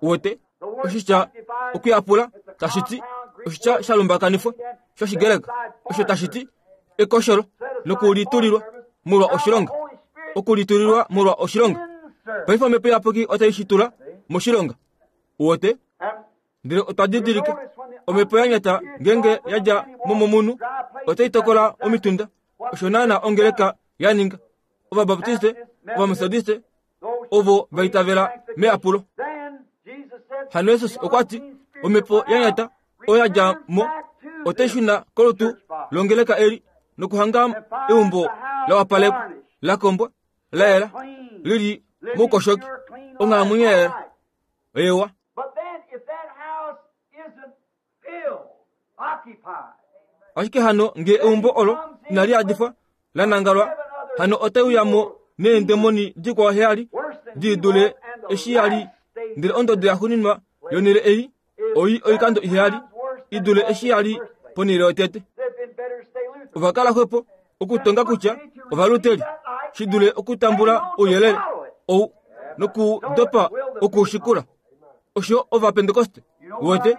Wote oshitya okuyapula tashi ti oshitya sha lumbakanifwa shOshigreka osho tashi ti ekosholo nokulitulilwa molwa oshilonga, okulitulilwa molwa oshilonga. Paife omhepo iyapuki otai shi tula moshilonga. Wote ndele otwa didilika omhepo ya nyata ngenge yadja mo momunhu otai tokola omitunda. Osho naana ongeleka ya ninga. Ovabaptiste, Ovametodiste ovo va itavela meyapulo. Hano Jesus okwa ti omhepo ya nyata oya dja mo otai shuna kolutu longeleka eli nokuhanga eumbo la wapalekwa, la kombwa, la yela, lili moukoshoki, onghalamwenyo ya yela. Ewa. Ashike hano nge eumbo olo inali yadifwa la nangalwa, hano otai uya mo neendemoni dikwao heyali di dule eshi yali, ndele ondodo yaxuuninwa yonhele ei oi oikando iheyali i dule eshi yali ponhele yotete. Ova kala xwepo okutonga kutya ovaluteli shi dule okutambula ouyelele ou nokudopa okuushikula. Osho Ovapentekoste wote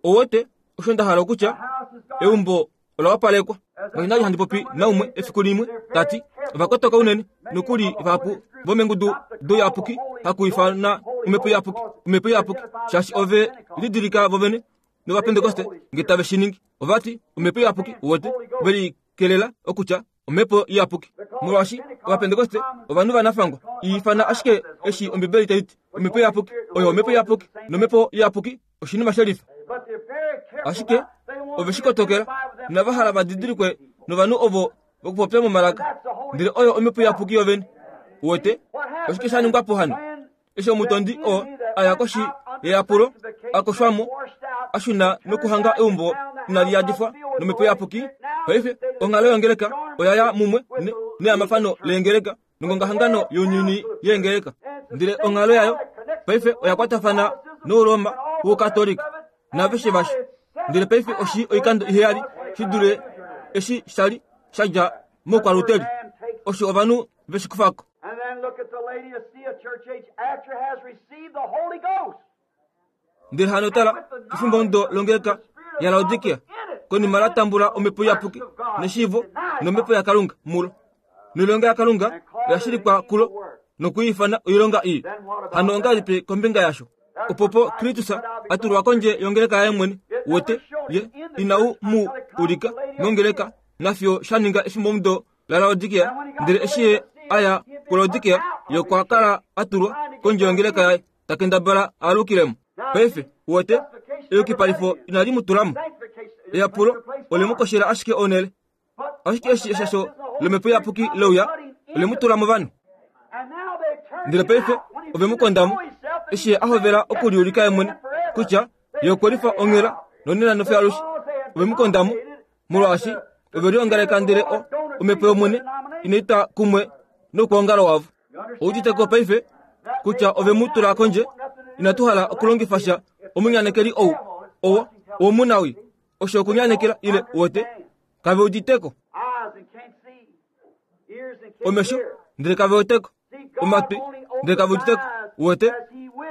owote osho nda hala okutya eumbo ola wapalekwa. Ngaashi handi popi naumwe efiku limwe tati ovakotoka unene nokuli vahapu vomengudu douyapuki hakuifana omhepo iyapuki, omhepo iyapuki, shaashi ove lidilika vovene nOvapentekoste nge tave shi ningi. Ovati omhepo iyapuki wote ve likelela okutya omhepo iyapuki, molwaashi Ovapentekoste ovanhu vanafangwa ifana ashike eshi Ombibeli tai ti omhepo iyapuki oyo omhepo iyapuki, nomhepo iyapuki oshinima shelifa. Ashike ove shi kotokela inava hala va didilikwe novanhu ovo vokupopya momalaka, ndele oyo omhepo iyapuki yovene. Wote oshike sha ningwa po hano? Eshi omutondi oo aya koshi yeyapulo, a koshwamo, a shuna nokuhanga eumbo inali yadifwa nomhepo iyapuki. Paife onghalo yongeleka oya ya mumwe neyamafano leengeleka nongongahangano younyuni yeengeleka, ndele onghalo yayo paife oya kwatafana nouroma wOukatolika naveshe vasho. Ndele paife oshi oikando iheyali shi dule eshi shali sha dja moukwaluteli, osho ovanhu veshi kufako. Ndele hano tala efimbo mudo longeleka yaLaodikia konima la tambula omhepo iyapuki neshiivo nomhepo yaKalunga mulo, noilonga yaKalunga oya shilikwa kulo nokuifana oilonga ii. Hano ongahelipi kombinga yasho? Opopo Kristus a tulwa kondje yongeleka yaye mwene. Wote ye inau mu ulika mongeleka nafiyo sha ninga efimbo mudo laLaodikia. Ndele eshi ye aya kuLaodikia, ye okwa kala a tulwa kondje yongeleka yaye, ta kendabala a alukilemo. Paife wote eyukipalifo inali mu tulamo, eyapulo ole mu koshela ashike onhele. Ashike eshi eshasho lomhepo iyapuki leuya, ole mu tula movanhu. Ndele paife ove mu kondamo eshi ye a hovela okuliulika ye mwene kutya ye okwe lifa onghela nonena nofiyo alushe. Ove mu kondamo molwaashi ove liongaleka, ndele o omhepo yOmwene inai twa kumwe noukwaongalo wavo. Outite ko paife kutya ove mu tula kondje. Inatu hala okulongifa sha omunyanekeli ou owo womunawi, osho okunyanekela ile wote kave uditeko. Omesho ndele kave weteko, omatwi ndele kave uditeko. Uwete,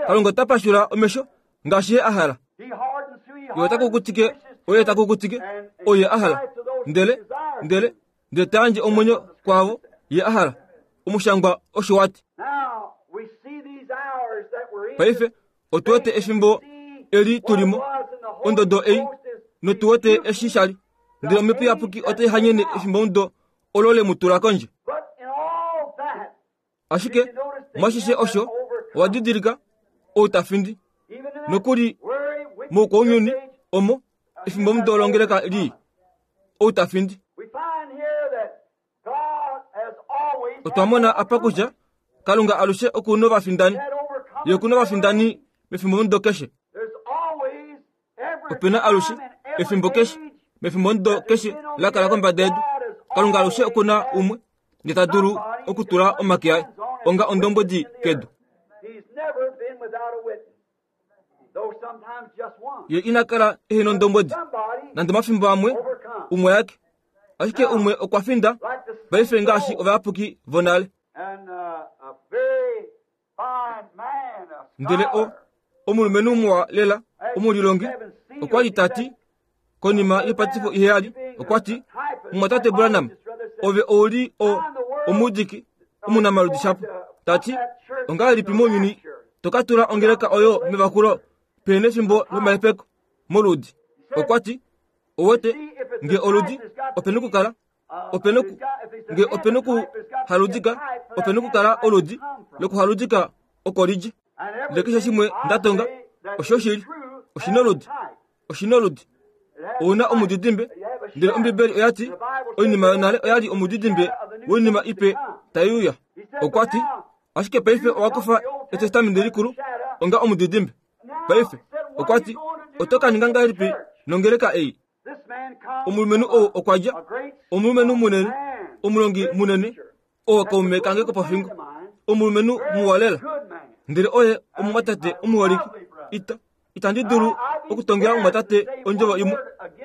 Kalunga ota pashula omesho ngaashi ye a hala. Ye ota kukutike, oye ta kukutike, oye a hala. Ndele, ndele, ndele ta yandje omwenyo kwaavo ye a hala. Omushangwa osho wati. Paife otu wete efimbo eli tulimo, ondodo ei, notu wete eshi shali. Ndele omhepo iyapuki otai hanyene efimbo mudo olo le mu tula kondje. Ashike mwashishe osho owa didilika ou ta findi nokuli moukwaunyuni omo efimbo mudo longeleka lii ou ta findi. Otwa mona apa kutya Kalunga alushe oku novafindani, ye oku novafindani mefimbo mudo keshe. Opena alushe efimbo keshe mefimbo mudo keshe la kala kombada yedu. Kalunga alushe oku na umwe ndele ta dulu okutula omake aye onga ondombwedi kedu. Ye ina kala ehe nondombwedi nande omafimbo amwe umwe yake, ashike umwe okwa finda paife ngaashi ovayapuki vonale. Ndele o omulumenhu muwa lela omulilongi okwa li tati konima yepatifo iheyali, okwa ti, Mumwatate Branham, ove ouli o omudiki omunamaludi shapo. Tati, ongahelipi mounyuni to ka tula ongeleka oyo mevakulo pehena efimbo lomahepeko moludi? Okwa ti, owete nge oludi opena okukala opena nge opena okuhaludika opena okukala oludi lokuhaludika oko lidje. Ndele keshe shimwe ndatonga osho shili oshina oludi, oshina oludi. Ouna omudidimbe. Ndele Ombibeli oya ti oinima yonale oya li omudidimbe woinima ipe tai uya. Okwa ti, ashike paife owa kufa Etestamenti likulu onga omudidimbe. Paife okwa ti, oto ka ninga ngahelipi nongeleka ei? Omulumenhu ou okwa dja, omulumenhu munene, omulongi munene, oo kaume kange kopofingo, omulumenhu muwa lela. Ndele oye omumwatate omuholike. Ita itandi dulu okutongela omumwatate ondjovo imwe.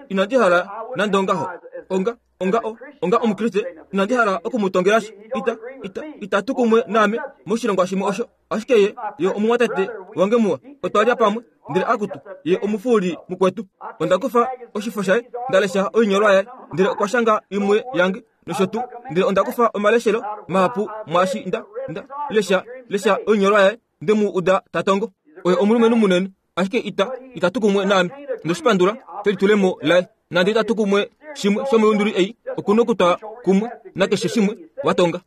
Inandi hala nande ongaho. Onga onga o onga omukriste inandi hala okumutongela sha. Ita ita itatu kumwe naame moshilongwa shimwe osho. Ashike ye ye omumwatate wange muwa. Otwa lya pamwe ndele akutu ye omufuuli mukwetu. Onda kufa oshifo shaye ndalesha oinyolwa yaye ndele okwa shanga imwe yange nosho tuu. Ndele onda kufa omaleshelo mahapu mwaashi nda nda lesha lesha oinyolwa yaye nde mu uda tatongo. Oye omulumenhu munene, ashike ita itatu kumwe naame. Ndoshipandula kelitulemo laye. Nande itatu kumwe shimwe shomoyunduli ei okuna okutwa kumwe nakeshe shimwe watonga.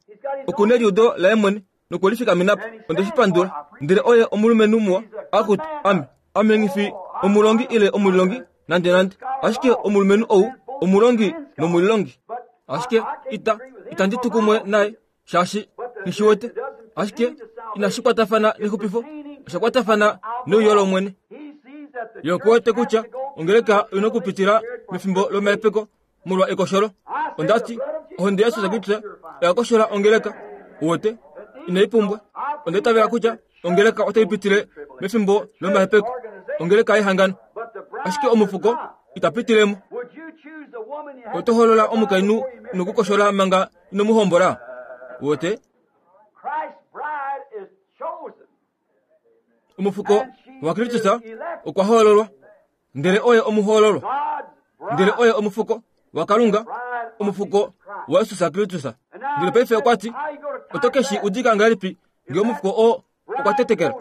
Okuna eliudo laye mwene nokwelifikamena po. Ondeshipandula. Ndele oye omulumenhu muwa. Akutu ame ame ngifi omulongi ile omulilongi nande nande, ashike omulumenhu ou omulongi nomulilongi. Ashike ita itandi tu kumwe naye shaashi nishiwete. Ashike inashi kwatafana nexupifo, osha kwatafana neuyo lOmwene. Ye okuwete kutya ongeleka oina okupitila mefimbo lomahepeko molwa ekosholo. Ondati ohonde yaJesus Kristus oya koshola ongeleka. Uwete, inai pumbwa. Onda itavela kutya ongeleka otai pitile mefimbo lomahepeko, ongeleka yehangano. Ashike omufuko ita pitilemo. Oto holola omukainhu nokukoshola manga ino mu hombola. Uwete, omufuko waKristus okwa hoololwa, ndele oye omuhoololwa, ndele oye omufuko waKalunga, omufuko waJesus Kristus. Ndele paife okwa ti, oto keshi udika ngahelipi nge omufuko oo okwa tetekela,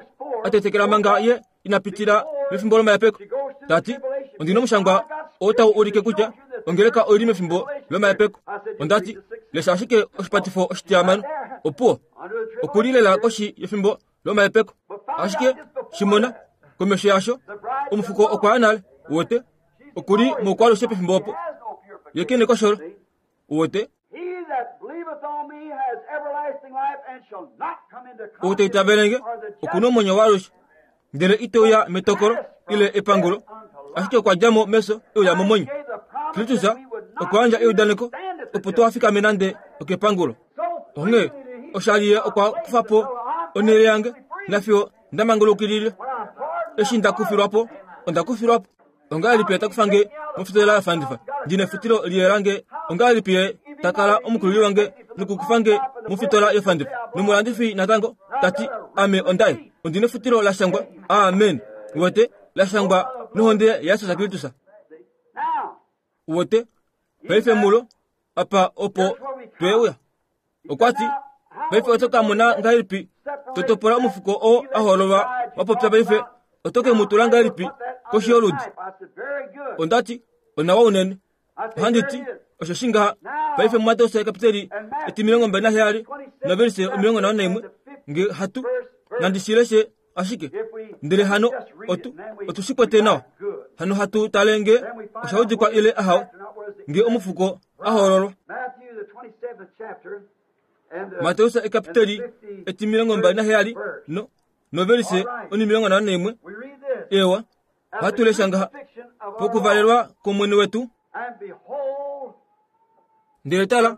a tetekela manga ye ina pitila mefimbo lomahepeko? Tati, ondina omushangwa oo tau ulike kutya ongeleka oili mefimbo lomahepeko. Ondati, lesha ashike oshipatifo oshitihamano. Opuwo, okuli lela koshi yefimbo lomahepeko. Ashike shimona komesho yasho, omufuko okwa ya nale. Uwete, okuli moukwalushe pefimbo opo ye kene kosholo. Uwete, ou ta itavelenge okuna omwenyo waalushe, ndele ite uya metokolo ile epangulo, ashike okwa dja mo mefyo e uya momwenyo. Kristus okwa yandja eudaneko opo tuhafikame nande okepangulo. Onghee oshali ye okwa kufa po onhele yange nafiyo nda mangulukilile. Eshi nda kufilwa po, onda kufilwa po. Ongahelipi ta kufa nge mofitola ya fandifa ndina efutilo liye lange? Ongahelipi ye ta kala omukulili wange nokukufa nge mofitola yofandifa nomulandifi natango tati ame ondaye ondina efutilo la shangwa amen wote la shangwa nohonde yaJesus Kristus wote paife mulo apa opo tweuya okwati paife otoka mona ngahelipi totopola omufuko oo ahololwa wapopya paife otoke mutula ngahelipi koshi yoludi ondati onawa unene ohanditi osho shingaha paife muMateus kapiteli etimilongo mbali naheyali novelise omilongo nhano naimwe nge hatu nandishileshe ashike ndele hano otu otushikwete nawa hano hatu tale nge oshaudikwa ile ahawe nge omufuko ahololwa Mateus ekapiteli etimilongo mbali naheyali no novelise onimilongo nhano naimwe ewa hatulesha ngaha pokuvalelwa komwene wetu ndele tala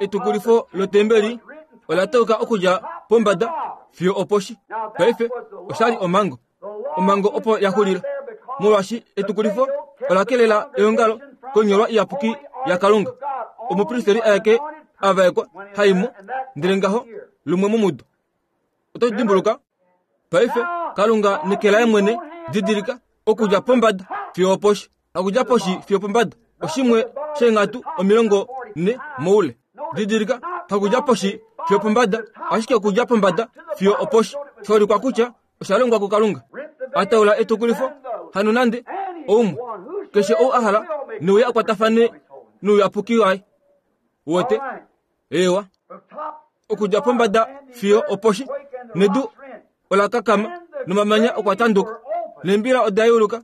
etukulifo lotembeli ola toka okudja pombada fiyo oposhi paife oshali omango omango opo yaxulila molwashi etukulifo ola kelela eongalo konyolwa iyapuki yaKalunga omupristeri aeke avaekwa haimo ndele ngaho lumwe momudo oto dimbuluka paife Kalunga nekelaye mwene didilika okudja pombada fiyo oposhi okudja poshi fiyo pombada oshimwe sheenghatu omilongo ne moule didilika hakudja poshi fiyo pombada ashike okudja pombada fiyo oposhi shaulikwa kutya oshalongwa kuKalunga ataula etukulifo hano nande oumwe keshe ou ahala neuya akwatafane nouyapuki waye wote ewa okudja pombada fiyo oposhi nedu ola kakama nomamanya okwa tanduka nembila oda yuluka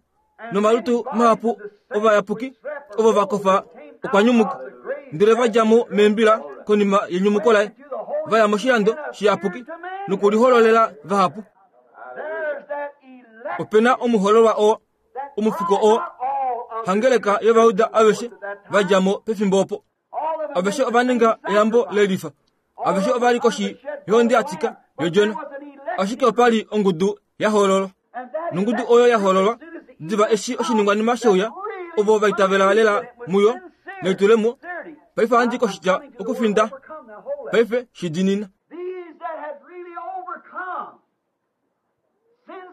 nomalutu mahapu ovayapuki ovo vakofa okwa nyumuka ndele vadja mo membila konima yenyumuko laye vaya moshilando shiyapuki nokulihololela vahapu opena omuhololwa oo omufuko oo hangeleka yovayuda aveshe vadja mo pefimbo opo aveshe ova ninga eyambo lelifa aveshe ovali koshi yohonde yatika yodjona ashike opali ongudu yahololwa nongudu oyo yahololwa diva eshi oshiningwanima sheuya ovo vaitavela lela muyo nelitulemo paife ohandi koshitya okufinda paife shidinina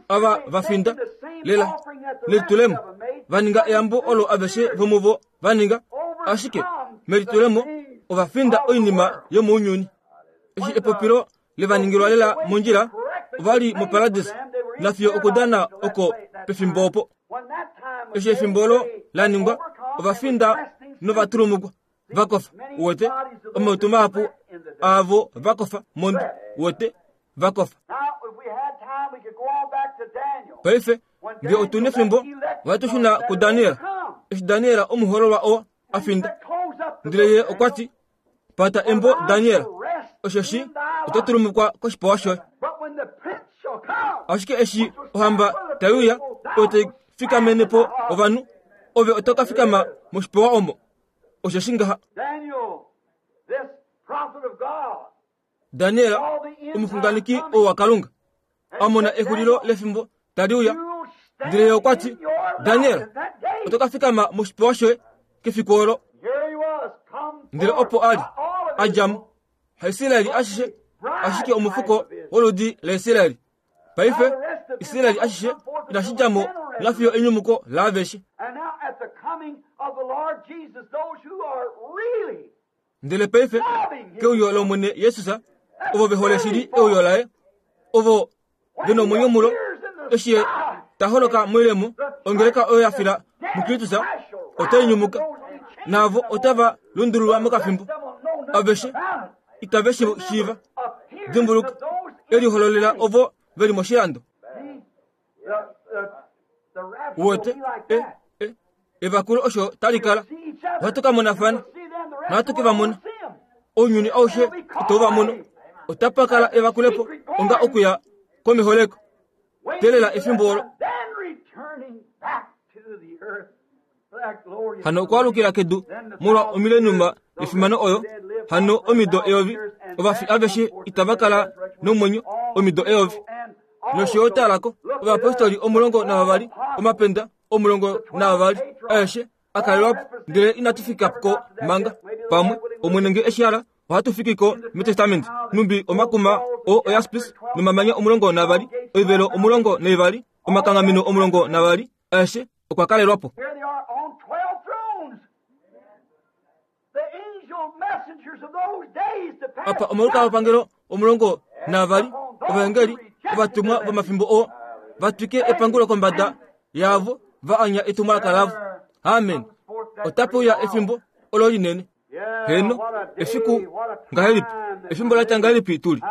ava vafinda lela nelitulemo vaninga eyambo olo aveshe vomuvo vaninga ashike melitulemo ovafinda oinima yomounyuni eshi epopilo levaningilwa lela mondjila ovali moparadisa nafiyo okudana oko pefimbo opo eshi efimbo olo la ningwa ovafinda novatulumukwa vakofa wote omautu mahapu aavo vakofa mondo wote vakofa paife nge otuna efimbo ohatu kuDaniel eshi Daniel omuhololwa oo afinda ndele ye okwati pata embo Daniel oshoshi oto tulumukwa koshipewa shoye ashike eshi ohamba taiuya oyo tai fikamene po ovanhu ove oto ka fikama moshipewa omo oshoshi ngaha Daniel omuxunganeki oo waKalunga amona exulilo lefimbo taliuya ndele ye okwati Daniel oto ka fikama moshipewa shoye kefiku olo ndele opo ali adjamo haIsraeli ashishe ashike omufuko woludi laIsraeli paife Israeli ashishe inashidjamo nafiyo enyumuko laaveshe ndele paife keuyo lOmwene Jesus ovo vehole shili euyo laye ovo vena omwenyo mulo eshi ye taholoka moilemo ongeleka oyo yafila muKristus otai nyumuka naavo otava lundululwa mokafimbo aveshe itave shi shiiva dimbuluka elihololela ovo veli moshilando wote e e evakulo osho talikala ohatu ka monafana nohatu ke va mona ounyuni aushe ito va mono otapa kala evakulepo onga okuya komiholeko telela efimbo olo hano okwaalukila kedu molwa omilenuma yefimano oyo hano omido eyovi ovafi aveshe itava kala nomwenyo omido eyovi nosho talako ovapostoli omulongo navavali omapenda omulongo navavali aeshe akalelwapo ndele inatu fika ko manga pamwe Omwene nge eshi hala Ohatu fiki ko metestamenti numbi omakuma o oyaspis nomamanya omulongo navali, oivelo omulongo naivali, omakanghameno omulongo navali, aeshe okwa kalelwapo. Apa omalukalwapangelo omulongo navali, ovaengeli ovatumwa vomafimbo oo vatwike epangulo kombada yavo va anya etumwalaka lavo. Amen. Otape uya efimbo olo linene. Heno, efiku ngahelipi, efimbo latya ngahelipi tuli.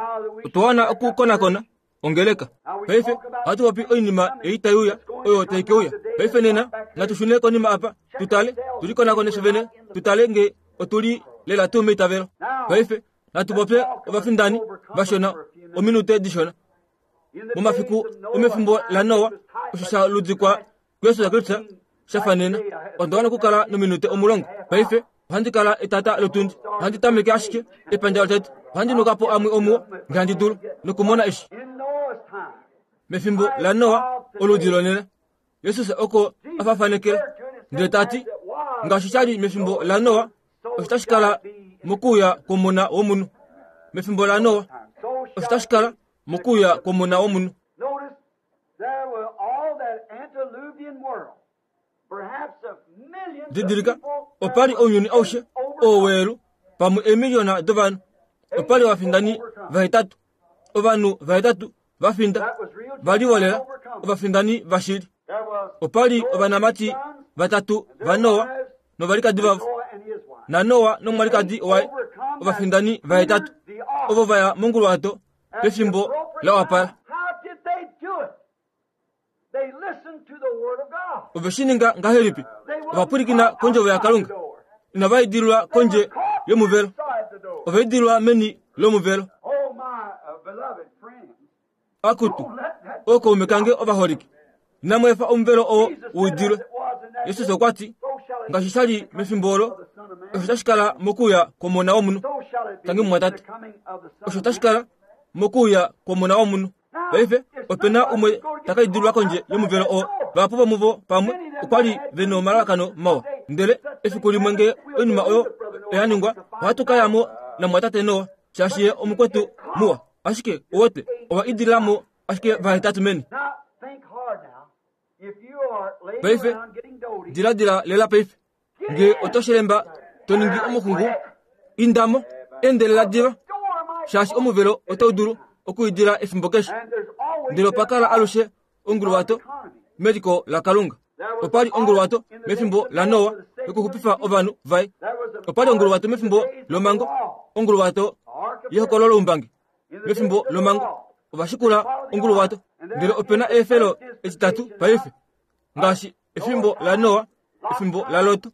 Otwa wana okukonakona ongeleka. Paife ohatu popi oinima ei tai uya, oyo tai ke uya. Paife nena natu shune konima apa, tutale, tulikonakone fye vene, tutale nge otuli lela tuu meitavelo. Paife natu popye ovafindani vashona ominute dishona. Momafiku omefimbo laNoa, osho sha ludikwa kuJesus Kristus sha fanena. Onda wana okukala nominute omulongo. Paife ohandi kala etata lotundi, ohandi tameke ashike epandja lotete, ohandi nuka po amwe omuo nge handi dulu nokumona eshi. Mefimbo laNoa oludi lonena, Jesus oko afafanekela ndele tati ngaashi sha li mefimbo laNoa, osho tashi kala mokuuya kwomona womunhu. Mefimbo laNoa osho tashi kala mokuuya kwomona womunhu. Didilika, opali ounyuni aushe oo weelu pamwe eemiliona dovanhu. Opali ovafindani vahetatu, ovanhu vahetatu vafinda vali volela ovafindani vashili. Opali ovanamati vatatu vaNoa novalikadi vavo, naNoa nomwalikadi waye, ovafindani vahetatu ovo vaya monguluwato pefimbo la wapala. Ove shi ninga ngahelipi? Ovapwilikina kondjovo yaKalunga. Inava idililwa kondje yomuvelo, ova idililwa meni lomuvelo. Akutu, ookaume kange ovaholike, inamu efa omuvelo oo u idilwe. Jesus okwa ti, ngaashi sha li mefimbo olo, osho tashi kala mokuuya kwomona womunhu. Tangi mumwatate, osho tashi kala mokuuya kwomona womunhu. Paife ope na umwe taka idililwa kondje yomuvelo oo. Vahapu vomuvo pamwe okwa li ve nomalalakano mawa, ndele efiku limwe nge oinima oyo oya ningwa, ohatu ka ya mo namwatate Noa, shaashi ye omukwetu muwa. Ashike uwete owa idilila mo ashike vahetatu meni. Paife diladila lela paife nge oto shilemba to ningi omuxungu, indamo endelela diva, shaashi omuvelo otau dulu okuidila efimbo keshe. Ndele opa kala alushe onguluwato meliko laKalunga. Opali onguluwato mefimbo laNoa yokuxupifa ovanhu vaye. Opali onguluwato mefimbo lomango, onguluwato yehokololo loumbangi mefimbo lomango. Ovashikula onguluwato. Ndele opena eefelo etitatu paife, ngaashi efimbo laNoa, efimbo laLot,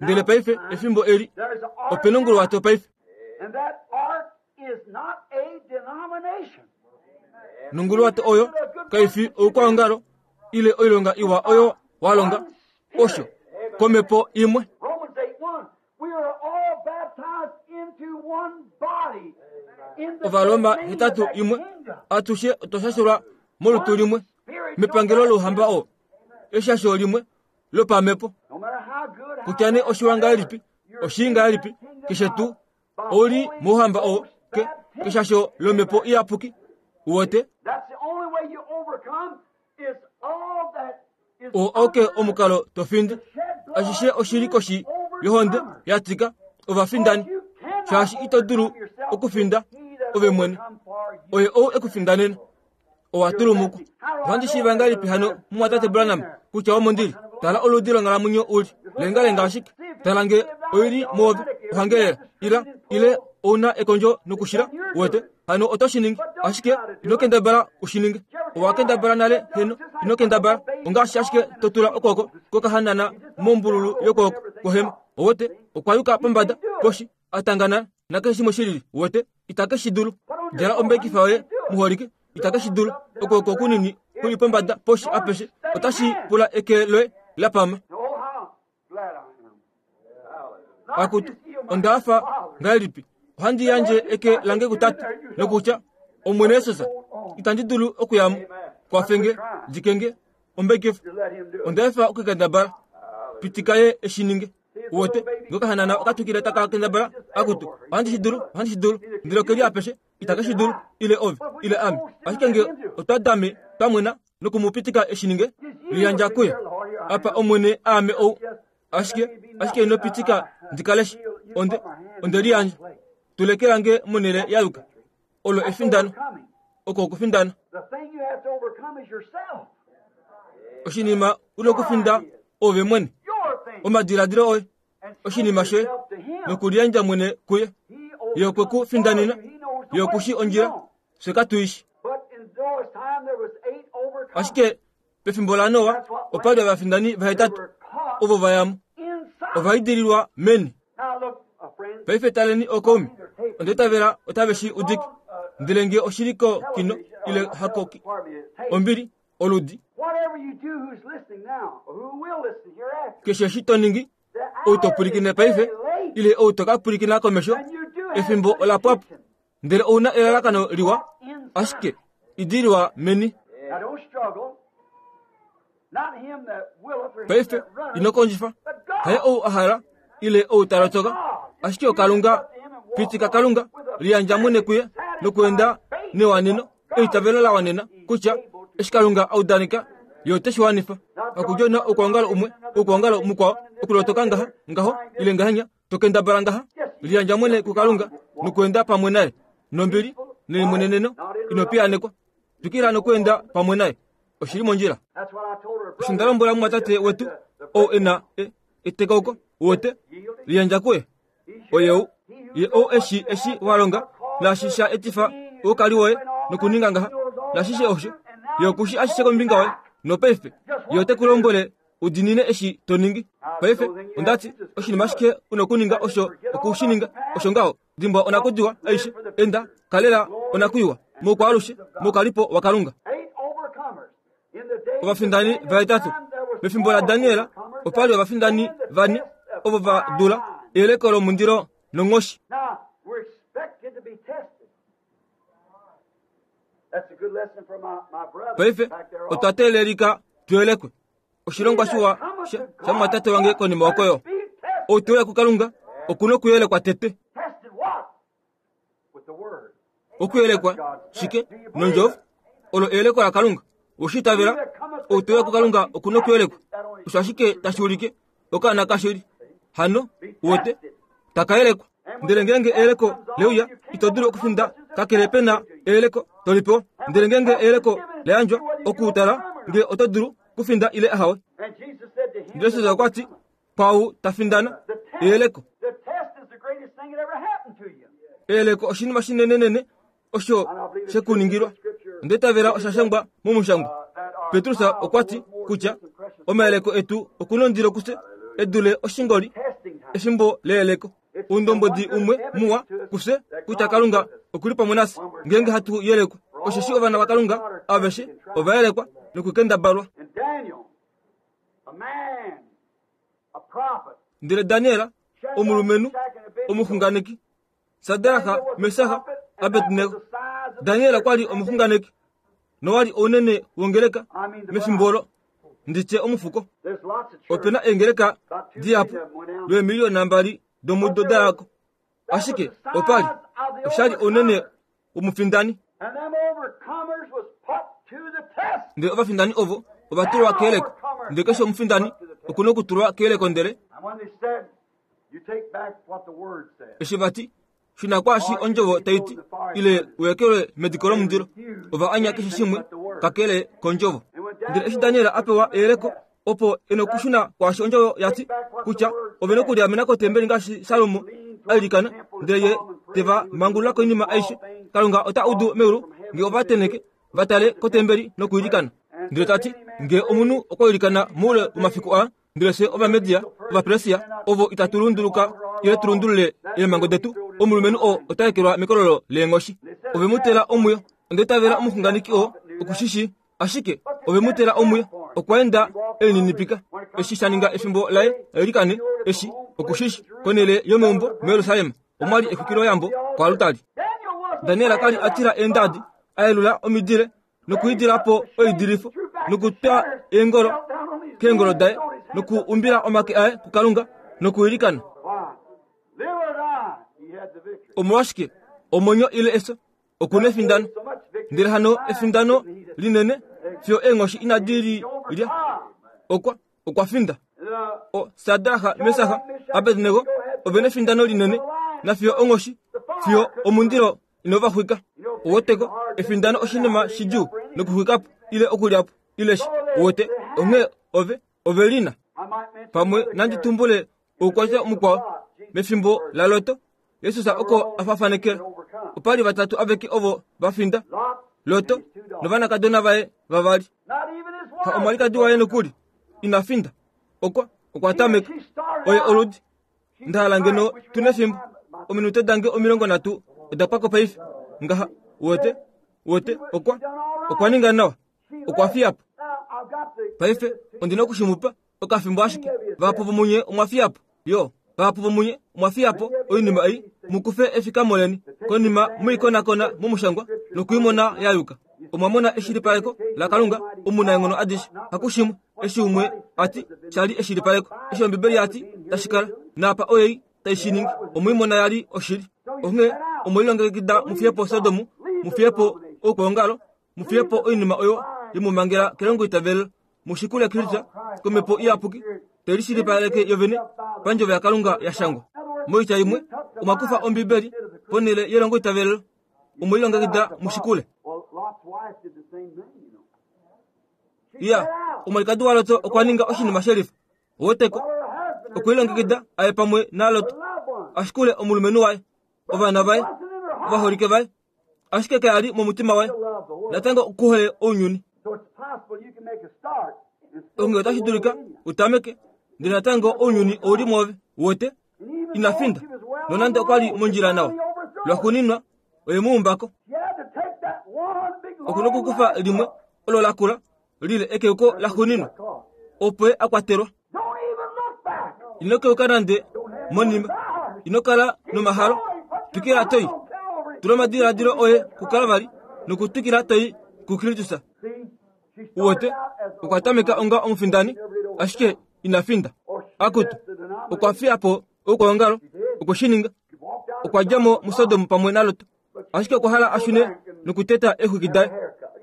ndele paife efimbo eli opena onguluwato paife. Nonguluwato oyo kaifi oukwaongalo ile oilonga iwa oyo walonga, osho komhepo imwe. Ovaloma hetatu imwe, atushe otwa shashelwa molutu limwe mepangelo louhamba oo, eshasho limwe lopamhepo. Kutya nee oshiwa ngahelipi, oshii ngahelipi, keshe tuu ouli mouhamba oo ke keshasho lomhepo iyapuki. Uwete oo oke omukalo tofindi. Ashishe oshili koshi yohonde yatika ovafindani, shaashi ito dulu okufinda ove mwene. Oye ou ekufindanena, owa tulumukwa. Ohandi shiiva ngahelipi hano mumwatate Branham kutya omondili? Tala oludi longhalamwenyo uli lengalenga ashike. Tala nge oili moove ohangelela ila ile ouna ekondjo nokushila. Uwete hano oto shi ningi, ashike ino kendabala u shi ninge. Owa kendabala nale heno, ino kendabala. Ongaashi ashike to tula okwooko kokahanana mombululu yokwooko kwohema. Uwete okwa yuka pombada poshi atangana nakeshe shimwe shilili. Uwete itake shi dulu. Djala ombekifa yoye muholike, itake shi dulu. Okwooko kunini kuli pombada poshi apeshe, otashi pula eke loye la pama. Akutu, onda hafa ngahelipi. Ohandi yandje eke lange kutate nokutya, Omwene Jesus, itandi dulu okuyamo. Kwafenge, dikenge ombekifa. Onda efa okukendabala. Pitika ye eshi ninge. Uwete ngokahanana okatukile taka kendabala akutu ohandi shi dulu ohandi shi dulu ndele okeli apeshe itake shi dulu ile ove ile ame ashike nge otwa dame twamwena nokumupitika eshininge liyandja kuye apa omwene aame ou ashike ashike inopitika ndikaleshi onde onde liyandja tulekelange monele yaluka olo efindano oko okufindana oshinima unokufinda ove mwene omadiladilo oye oshinima shoye nokuliyandja mwene kuye ye okwe ku findanina ye okushi ondjila fye katuishi ashike pefimbo laNoa opali ovafindani vahetatu ovo vayamo ovaidililwa meni. Paife taleni okoumi ondetavela otave shi udike ndele nge oshiliko kino ile hako ombili oludi keshe eshi to ningi ou to pwilikine paife ile ou to ka pwilikina komesho efimbo ola pwapo ndele ouna elalakano liwa ashike idililwa meni. Paife ino kondjifa haye ou ahala ile ou talotoka ashike okalunga pitika kalunga liyandja mwene kuye nokuenda newaneno eitavelo la wanena kutya eshi kalunga audaneka ye ote shi wanifa. Hakudjona okuongalo umwe okuongalo mukwao okulotoka ngaha ngaho ile ngahenya tokendabala ngaha liyandja mwene kukalunga nokuenda pamwe naye nombili nelimweneneno inopiyanekwa twikila nokuenda pamwe naye oshili mondjila. Osho nda lombwela mumwatate wetu ou ena etekauko wote liyandja kuye oyeu ye ou eshi eshi walonga naashi sha etifa oukali woye nokuninga ngaha nashishe osho ye okushi ashishe kombinga woye nopaife ye ote ku lombwele udinine eshi to ningi. Paife ondati oshinima ashike unokuninga osho okushininga osho ngaho dimbwa onakudiwa aishe enda kalela onakuiwa moukwaalushe moukalipo wakalunga. Ovafindani vahetatu mefimbo la Daniel opali ovafindani vane ovo va dula eyeleko lomundilo nonghoshi. Paife otwa teelelika tuyelekwe oshilongwa shiwa sha mwatate wange konima okoyo ou teuya kukalunga okuna okuyelekwa tete. Okuyelekwa shike nondjovo olo eyeleko la kalunga oshitavela ou teuya kukalunga okuna okuyelekwa osho ashike tashi ulike okaana kashili hano wote takayelekwa. Ndele ngenge eyeleko leuya ito dulu okufinda kakele pena eyeleko tolipewa. Ndele ngenge eyeleko layandjwa okuutala nge oto dulu kufinda ile ahawe. Ndele Jesus okwa ti kwau tafindana eyeleko. Eyeleko oshinima shinenenene osho shekuningilwa. Ndetavela osha shangwa momushangwa. Petrus okwa ti kutya omayeleko etu okunondilo kuse edule oshingoli efimbo leyeleko. Undombodi umwe muwa kuse kutya kalunga okuli pamwe nafye ngenge hatu yelekwa. Osheshi ovana vakalunga aveshe ovayelekwa nokukendabalwa. Ndele Daniel omulumenhu omuxunganeki Sadraka Mesaha Abednego. Daniel okwali omuxunganeki nowali ounene wongeleka mefimbo olo nditye omufuko. Opena eengeleka dihapu lweemiliyona mbali domudo dayako ashike opali oshali ounene womufindani. Ndele ovafindani ovo ovatulwa keyeleko. Ndele keshe omufindani okuna okutulwa keyeleko. Ndele eshi vati shina kwaashi ondjovo taiti ile uyekelwe mediko lomundilo ova anya keshe shimwe kakele kondjovo. Ndele eshi Daniel apewa eyeleko opo ena okushuna kwaashi ondjovo yati kutya ove nokuliamena kotembeli ngaashi Salomo ailikana ndele ye teva mangulula koinima aishe. Kalunga ota udu meulu nge ovateneke vatale kotembeli nokuilikana. Ndele tati nge omunhu okwa ilikana moule womafiku aa ndele fye Ovamedia Ovapersia ovo itatu lunduluka ile tulundulule eemhango detu omulumenhu oo ota ekelwa mekololo leenghoshi. Ove mu tela omwiyo. Ondetavela omuxunganeki oo okushishi ashike ove mu tela omwiyo. Okwa enda elininipika eshi sha ninga efimbo laye ailikane eshi okushishi konele yomeumbo muJerusalem omwali exwikiloyambo koalutali. Daniel kali atila eendadi ayelula omidile nokuidilapo oidilifo nokutwa eengolo keengolo daye nokuumbila omake aye kukalunga Nokuilikana. Omolwashike omwenyo ile efyo okuna efindano. Ndele hano efindano linene fiyo eenghoshi inadi li lya. Okwa okwa finda. O Sadraha, Mesaha, Abednego ovena efindano linene na fiyo onghoshi fiyo omundilo inovaxwika. Oweteko efindano oshinima shidjuu nokuxwikapo ile okulyapo ile shi. Owete onghee ove ovelina. Pamwe nandi tumbule oukwatya mukwao mefimbo la Loto. Jesus oko afafanekela. Opali vatatu aveke ovo vafinda. Loto novanakadona vaye vavali. Ha omwalikadi waye nokuli ina finda. Okwa okwa tameka oye oludi. Ndahala ngeno tuna efimbo ominute dange omilongo nhatu oda pwako paife. Ngaha wote wote okwa okwa ninga nawa. Okwa fiyapo. Paife ondina okushimupa okafimbo ashike. Vahapu vomunye omwa fiyapo. Yo vahapu vomunye omwa fiyapo oinima ei mukufe efikamo leni konima muikonakona momushangwa nokuimona yayuka. Omwa mona eshilipaleko la Kalunga omunaenghono adishe. Hakushimwe eshi umwe ati shali eshilipaleko eshi Ombibeli yati tashikala napa oyei taishiningi omwimona yali oshili. Onghee omwelilongekida mufiyepo Sodomu, mufiyepo oukwaongalo, mufiyepo oinima oyo yemumangela kelongo itavelo, mushikule Kristo komhepo iyapuki telishilipaleke yovene pandjovo yaKalunga yashangwa. Moitya imwe omwa kufa Ombibeli ponhele yelongo itavelo, omwelilongekida mushikule. Iya, omwalikadi waLoto okwa ninga oshinima shelifa. Oweteko okwelilongekida aye pamwe naLoto ashikule omulumenhu waye, ovana vaye, ovaholike vaye, ashike kayali momutima waye natango okuhole ounyuni. Onge otashi dulika utameke ndele natango ounyuni ouli mwoove. Wote ina finda nonande okwali mondjila nawa. Lwaxuuninwa oye muumbako. Okuna okukufa limwe olo lakula lile ekeuko laxuuninwa opo ye akwatelwa. Ino keuka nande monima. Ino kala nomahalo. Twikila toi. Tula omadiladilo oye kuKalvari nokutwikila toi kuKristus. Uwete okwa tameka onga omufindani ashike ina finda. Akutu okwa fiyapo oukwaongalo okushininga. Okwa dja mo muSodom pamwe naLot ashike okwa hala ashune nokuteta exwiki daye.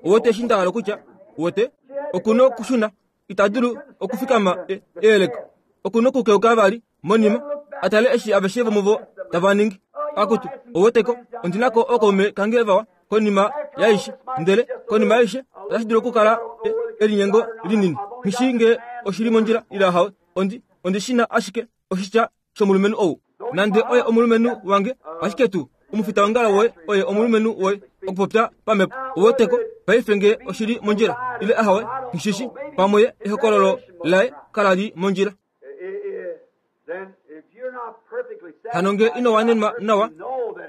Uwete eshi nda hala kutya uwete okuna okushuna ita dulu okufikama eyeleko. Okuna okukeuka vali monima atale eshi aveshe vomuvo tava ningi. Akutu oweteko ondinako okaume kange vawa konima yaishe ndele konima yaishe otashi dulu okukala elinyengo linini. Nghishi nge oshili mondjila ile ahawe. Ondi ondishina ashike oshitya shomulumenhu ou. Nande oye omulumenhu wange ashike tuu omufitaongalo woye oye omulumenhu woye okupopya pamhepo. Oweteko paife nge oshili mondjila ile ahawe ngishishi pamwe ehokololo laye kalali mondjila. Hano nge ino wanenwa nawa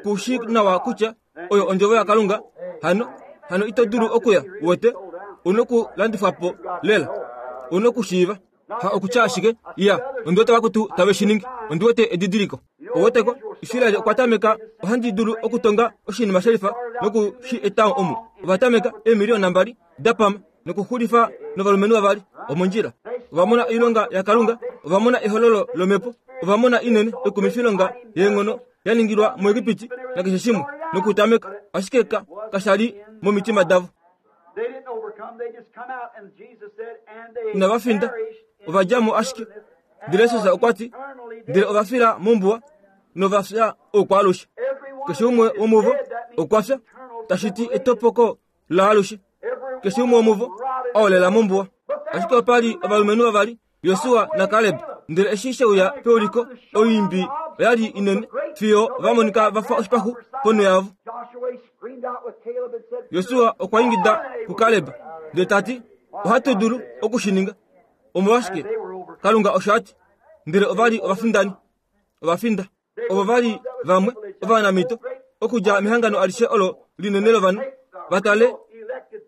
kushi nawa kutya oyo ondjovo yaKalunga hano hano ito dulu okuya. Wote una okulandifwapo lela una okushiiva. Ha okutya ashike iya ondiwete vakutu tave shiningi ondiwete edidiliko. Oweteko Israel okwa tameka ohandi dulu okutonga oshinima shelifa noku shi eta omu. Ova tameka eemiliona mbali dapama nokuxulifa novalumenhu vavali omondjila. Ova mona oilonga yaKalunga, ova mona ehololo lomhepo, ova mona inene ekumifilonga yeenghono ya ningilwa muEgipiti nakeshe shimwe nokutameka ashike ka kashali momitima davo. Inava finda ova dja mo ashike. Ndele Jesus okwa ti ndele ova fila mombuwa nova fya oukwaalushe. Keshe umwe womuvo okwa fya tashi ti etopoko laalushe. Keshe umwe womuvo aolela mombuwa. Ashike opali ovalumenhu vavali, Josua naKaleb. Ndele eshi sheuya peuliko oimbi oyali inene fiyo vamonika vafa oshipaxu ponho yavo. Josua okwa ingida kuKaleb ndele tati ohatu dulu okushininga. Omolwashike Kalunga osho ati. Ndele ovali ovafindani ovafinda. Ovo vali vamwe ovanamito okudja mehangano alishe olo linene lovanhu vatale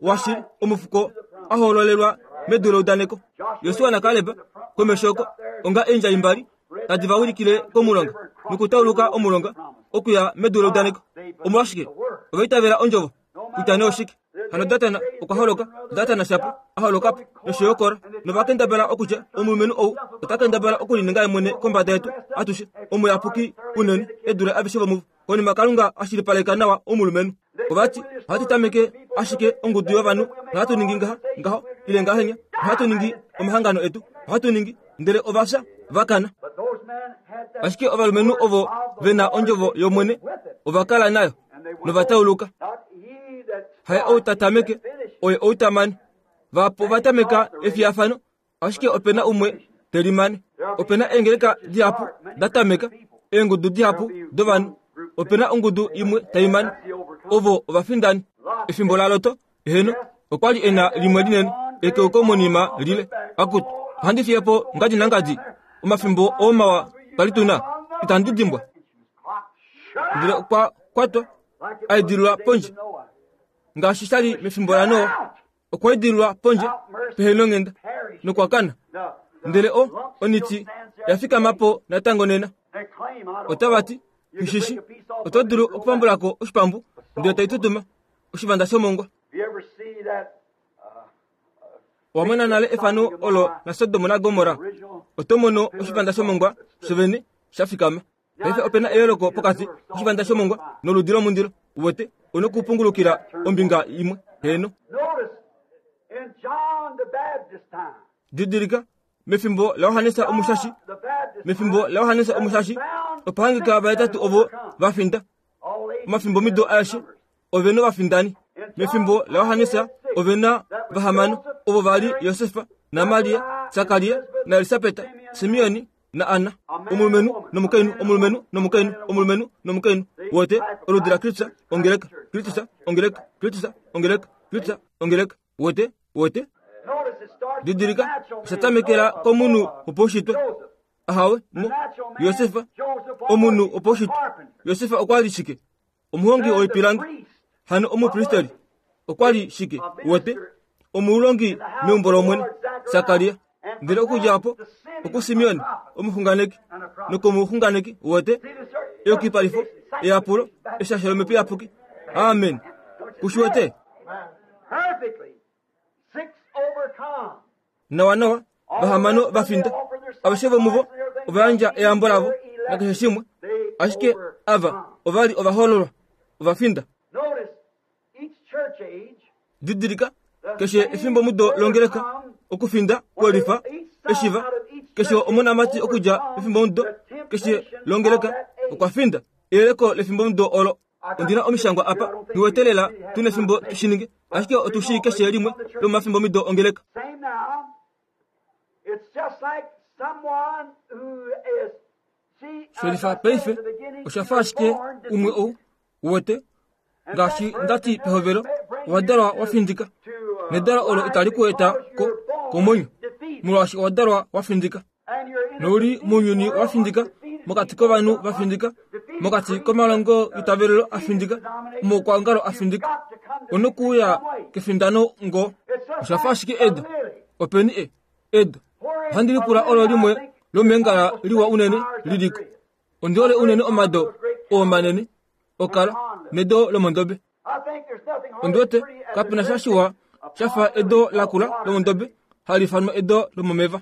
washili omufuko ahoololelwa medu leudaneko. Josua naKaleb komesho oko onga eendjai mbali tadi va ulikile komulonga nokutauluka omulonga okuya medu leudaneko. Omolwashike ova itavela ondjovo kutya nee oshike. Hano Datana okwa holoka, Datana shapo a holoka po nosho yo Kora, nova kendabala okutya omulumenhu ou ota kendabala okulininga ye mwene kombada yetu atushe, omuyapuki unene e dule aveshe vomuvo. Konima Kalunga a shilipaleka nawa omulumenhu. Ovati ohatu tameke ashike ongudu yovanhu nohatu ningi ngaha ngaho ile ngahenya, nohatu ningi omahangano etu, ohatu ningi, ndele ova fya va kana. Ashike ovalumenhu ovo ve na ondjovo yOmwene ova kala nayo nova tauluka. Haye ou ta tameke, oye ou ta mane. Vahapu ova tameka efiyafano, ashike ope na umwe te limane. Ope na eengeleka dihapu da tameka, eengudu dihapu dovanhu, ope na ongudu imwe tai mane. Ovo ovafindani. Efimbo laLoto, eheno, okwa li e na limwe linene ekeuko monima lile. Akutu, ohandi fiye po ngadi nangadi omafimbo oomawa twali tu na, itandi dimbwa. Ndele okwa kwatwa a idililwa pondje, ngaashi sha li mefimbo laNoa, okwa idililwa pondje pehenonghenda nokwa kana. Ndele o oniti ya fikama po natango nena. Otava ti, Hishishi, oto dulu okupambulako oshipambu ndele tai tutuma oshivanda shomongwa. Owa mona nale efano olo laSodom naGomorra, oto mono oshivanda shomongwa shovene sha fikama. Paife ope na eyooloko pokati koshivanda shomongwa noludi lomundilo. Uwete, una okupungulukila ombinga imwe. Heeno. Didilika, mefimbo laJohannes Omushashi, mefimbo laJohannes Omushashi, opa hangika vahetatu ovo va finda. Omafimbo mido aeshe ove na ovafindani. Mefimbo laJohannes ove na vahamano, ovo va li Josefa naMaria, Sakaria naElisabeta, Simeoni na Anna, omulumenhu nomukainhu, omulumenhu nomukainhu, omulumenhu nomukainhu. Wote oludi laKristus ongeleka, Kristus ongeleka, Kristus ongeleka, Kristus ongeleka. Wote, wote. Didilika, osha tamekela komunhu wopaushitwe. Ahawe, mo Josefa, omunhu wopaushitwe. Josefa okwa li shike? Omuhongi woipilangi. Hano omupristeri okwa li shike? Wote omulongi meumbo lOmwene, Sakaria. Ndele okudja opo okuSimeon omuxunganeki nokomuxunganeki wote eyukipalifo, eyapulo, eshasho lomhepo iyapuki. Amen. Kushiwete? Nawa nawa vahamano va finda. Aveshe vomuvo ova yandja eyambo lavo nakeshe shimwe, ashike ava ova li ovahoololwa, ova finda. Didilika, keshe efimbo mudo longeleka okufinda kwelifa eshiva, keshe omonamati okudja efimbo mudo keshe longeleka okwa finda eyeleko lefimbo mudo olo. Ondina omishangwa apa niwetelela tuna efimbo tushininge, ashike otushii keshe limwe lomafimbo mido ongeleka. Shelifa paife osha fa ashike umwe ou uwete ngaashi ndati pehovelo owa dalwa wa findika, nedalo olo itali ku eta ko komwenyo, molwaashi owa dalwa wa findika. Nouli mounyuni wa findika, mokati kovanhu va findika, mokati komalongo itavelelo a findika, omaukwaongalo a findika. Onokuuya kefindano ngo. Osha fa ashike edo. Openi e edo. Ohandi lipula olo limwe lomeengala liwa unene liliko. Ondi hole unene omado oo manene okala nedo lomondobe. Ondi wete kapena sha shiwa sha fa edo lakula lomondobe hali ifanwa edo lomomeva.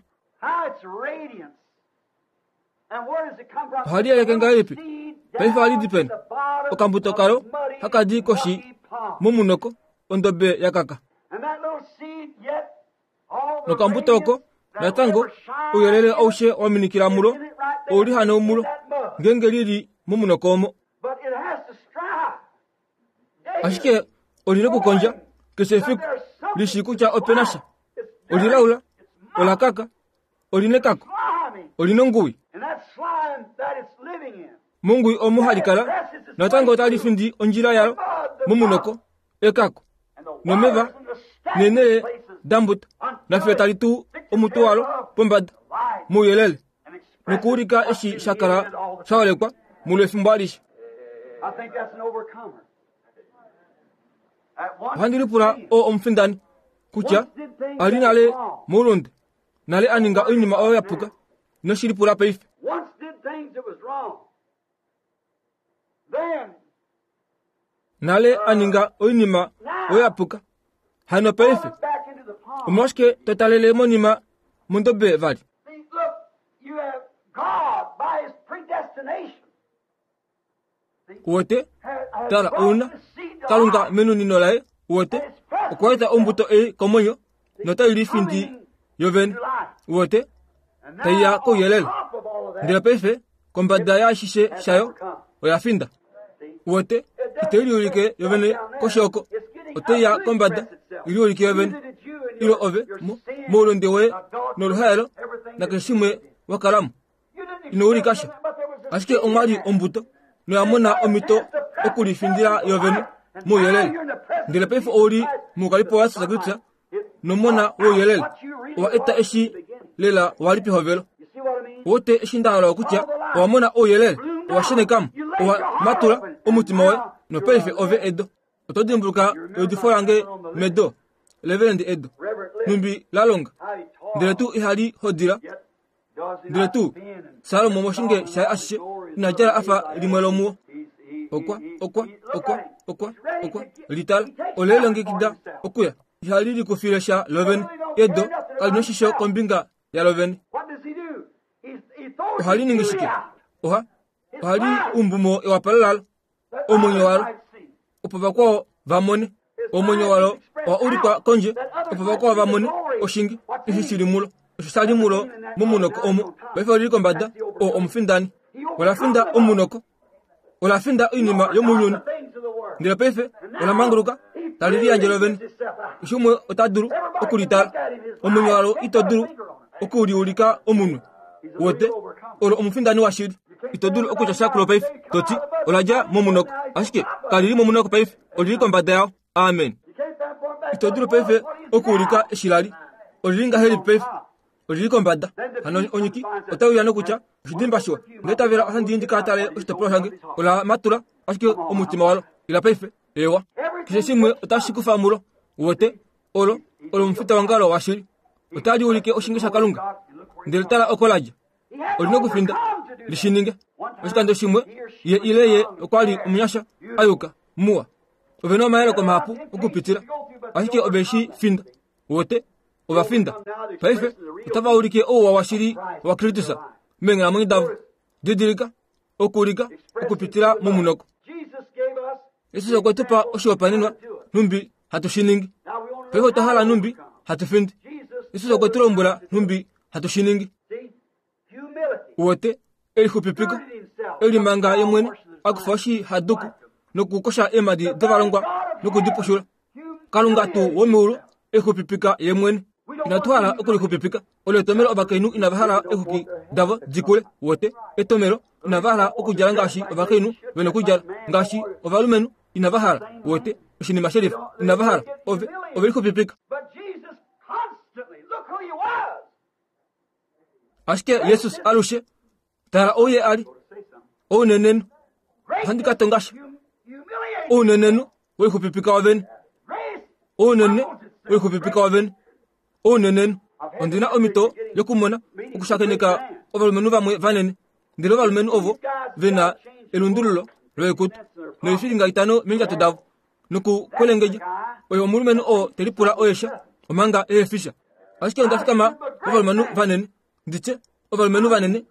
Ohali yeleke ngahelipi? Paife ohali di peni? Okambuto kalo haka di koshi momunoko ondobe ya kaka. Nokambuto oko natango ouyelele aushe wa minikila mulo ouli hano mulo ngenge lili momunoko omo. Ashike olina okukondja keshe efiku lishi kutya ope na sha. Olilaula, olakaka, olina ekako, olina ongui. Mongui omo hali kala natango otali findi ondjila yalo momunoko ekako nomeva neenele dambuta nafiyo tali tuu omutu walo pombada mouyelele nokuulika eshi sha kala sha holekwa mulo efimbo alishe. Ohandi lipula oo omufindani kutya ali nale moulunde, nale a ninga oinima oyo ya puka, noshi lipula paife. Nale a ninga oinima oyo ya puka, Hano paife omolwashike to talele monima mondobe vali? Uwete tala ouna Kalunga menunino laye uwete okwa eta ombuto ei komwenyo notai lifindi yovene uwete taiya kouyelele. Ndele paife kombada yaashishe shayo oya finda. Uwete itai liulike yovene koshoko otaiya kombada iliulike yovene ilo ove moulonde woye noluhaelo nakeshe shimwe wakalamo ino ulika sha. Ashike omwali ombuto noya mona omhito okulifindila yovene mouyelele. Ndele paife ouli moukalipo waJesus Kristus nomona wouyelele owa eta eshi lela wali pehovelo. Uwete eshi nda hala okutya owa mona ouyelele owa shenekamo owa matula omutima woye nopaife ove edo. Oto dimbuluka eudifo lange medo Reverend Edo numbi la longa ndele tuu ihali hodila ndele tuu Salomo moshinge shaye ashishe ina djala afa limwe lomuwo. Okwa okwa okwa okwa okwa litala ole longekida okuya ihali likufile sha lovene. Edo kali noshisho kombinga yalovene. Ohali ningi shike? Oha ohali umbumo ewapalo lalo omwenyo walo opo vakwao vamone. Omwenyo walo owa ulikwa kondje opo vakwao vamone oshinge eshi shili mulo osho shali mulo momunoko omo. Paife olili kombada oo omufindani ola finda omunoko ola finda oinima yomounyuni. Ndele paife ola manguluka tali liyandje lovene. Shimwe ota dulu okulitala omwenyo walo ito dulu okuliulika omunwe. Wote olo omufindani washili. Ito dulu okutya sha kulo paife toti ola dja momunoko ashike kalili momunoko paife olili kombada yao. Amen. Ito dulu paife okuulika eshilali olili ngahelipi paife olili kombada. Hano onyiki otauya nokutya oshidimba shiwa ndele tavela ohandi ndika tale oshitopolwa shange ola matula ashike omutima walo ila paife ewa keshe shimwe otashi kufa mulo. Wote olo olo omufita wangalo washili otali ulike oshinge shaKalunga. Ndele tala oko ladja olina okufinda lishininge. Oshikando shimwe ye ile ye okwali omunyasha ayuka muwa ove omayeleko mahapu okupitila ashike ove shi finda. Wote ova finda paife otava ulike ouwa washili waKristus meenghalamwenyo davo. Didilika okuulika okupitila momunoko. Jesus okwe tu pa oshihopaenenwa nhumbi hatu shi ningi. Paife otwa hala nhumbi hatu findi. Jesus okwe tu lombwela nhumbi hatu shi ningi. Uwete elixupipiko elimanga ye mwene akufa oshihaduku nokukosha eemhadi dovalongwa nokudipushula. Kalunga tuu womeulu exupipika ye mwene. Inatu hala okulixupipika. Olo etomelo ovakainhu inava hala exuki davo dikule. Wote etomelo inava hala okudjala ngaashi ovakainhu vena okudjala ngaashi ovalumenhu inava hala. Wote oshinima shelifa inava hala ove ove lixupipika. Ashike Jesus alushe tala ouye ali ounenenhu ohandi ka tonga sha ounenenhu welixupipika wovene ounene welixupipika wovene ounenenhu. Ondina omhito yokumona okushakeneka ovalumenhu vamwe vanene ndele ovalumenhu ovo vena elundululo loikutu noifilinga itano meendjato davo nokukwelengedja. Oyo omulumenhu oo telipula oyesha omanga eefisha. Ashike onda fikama ovalumenhu vanene nditye ovalumenhu vanene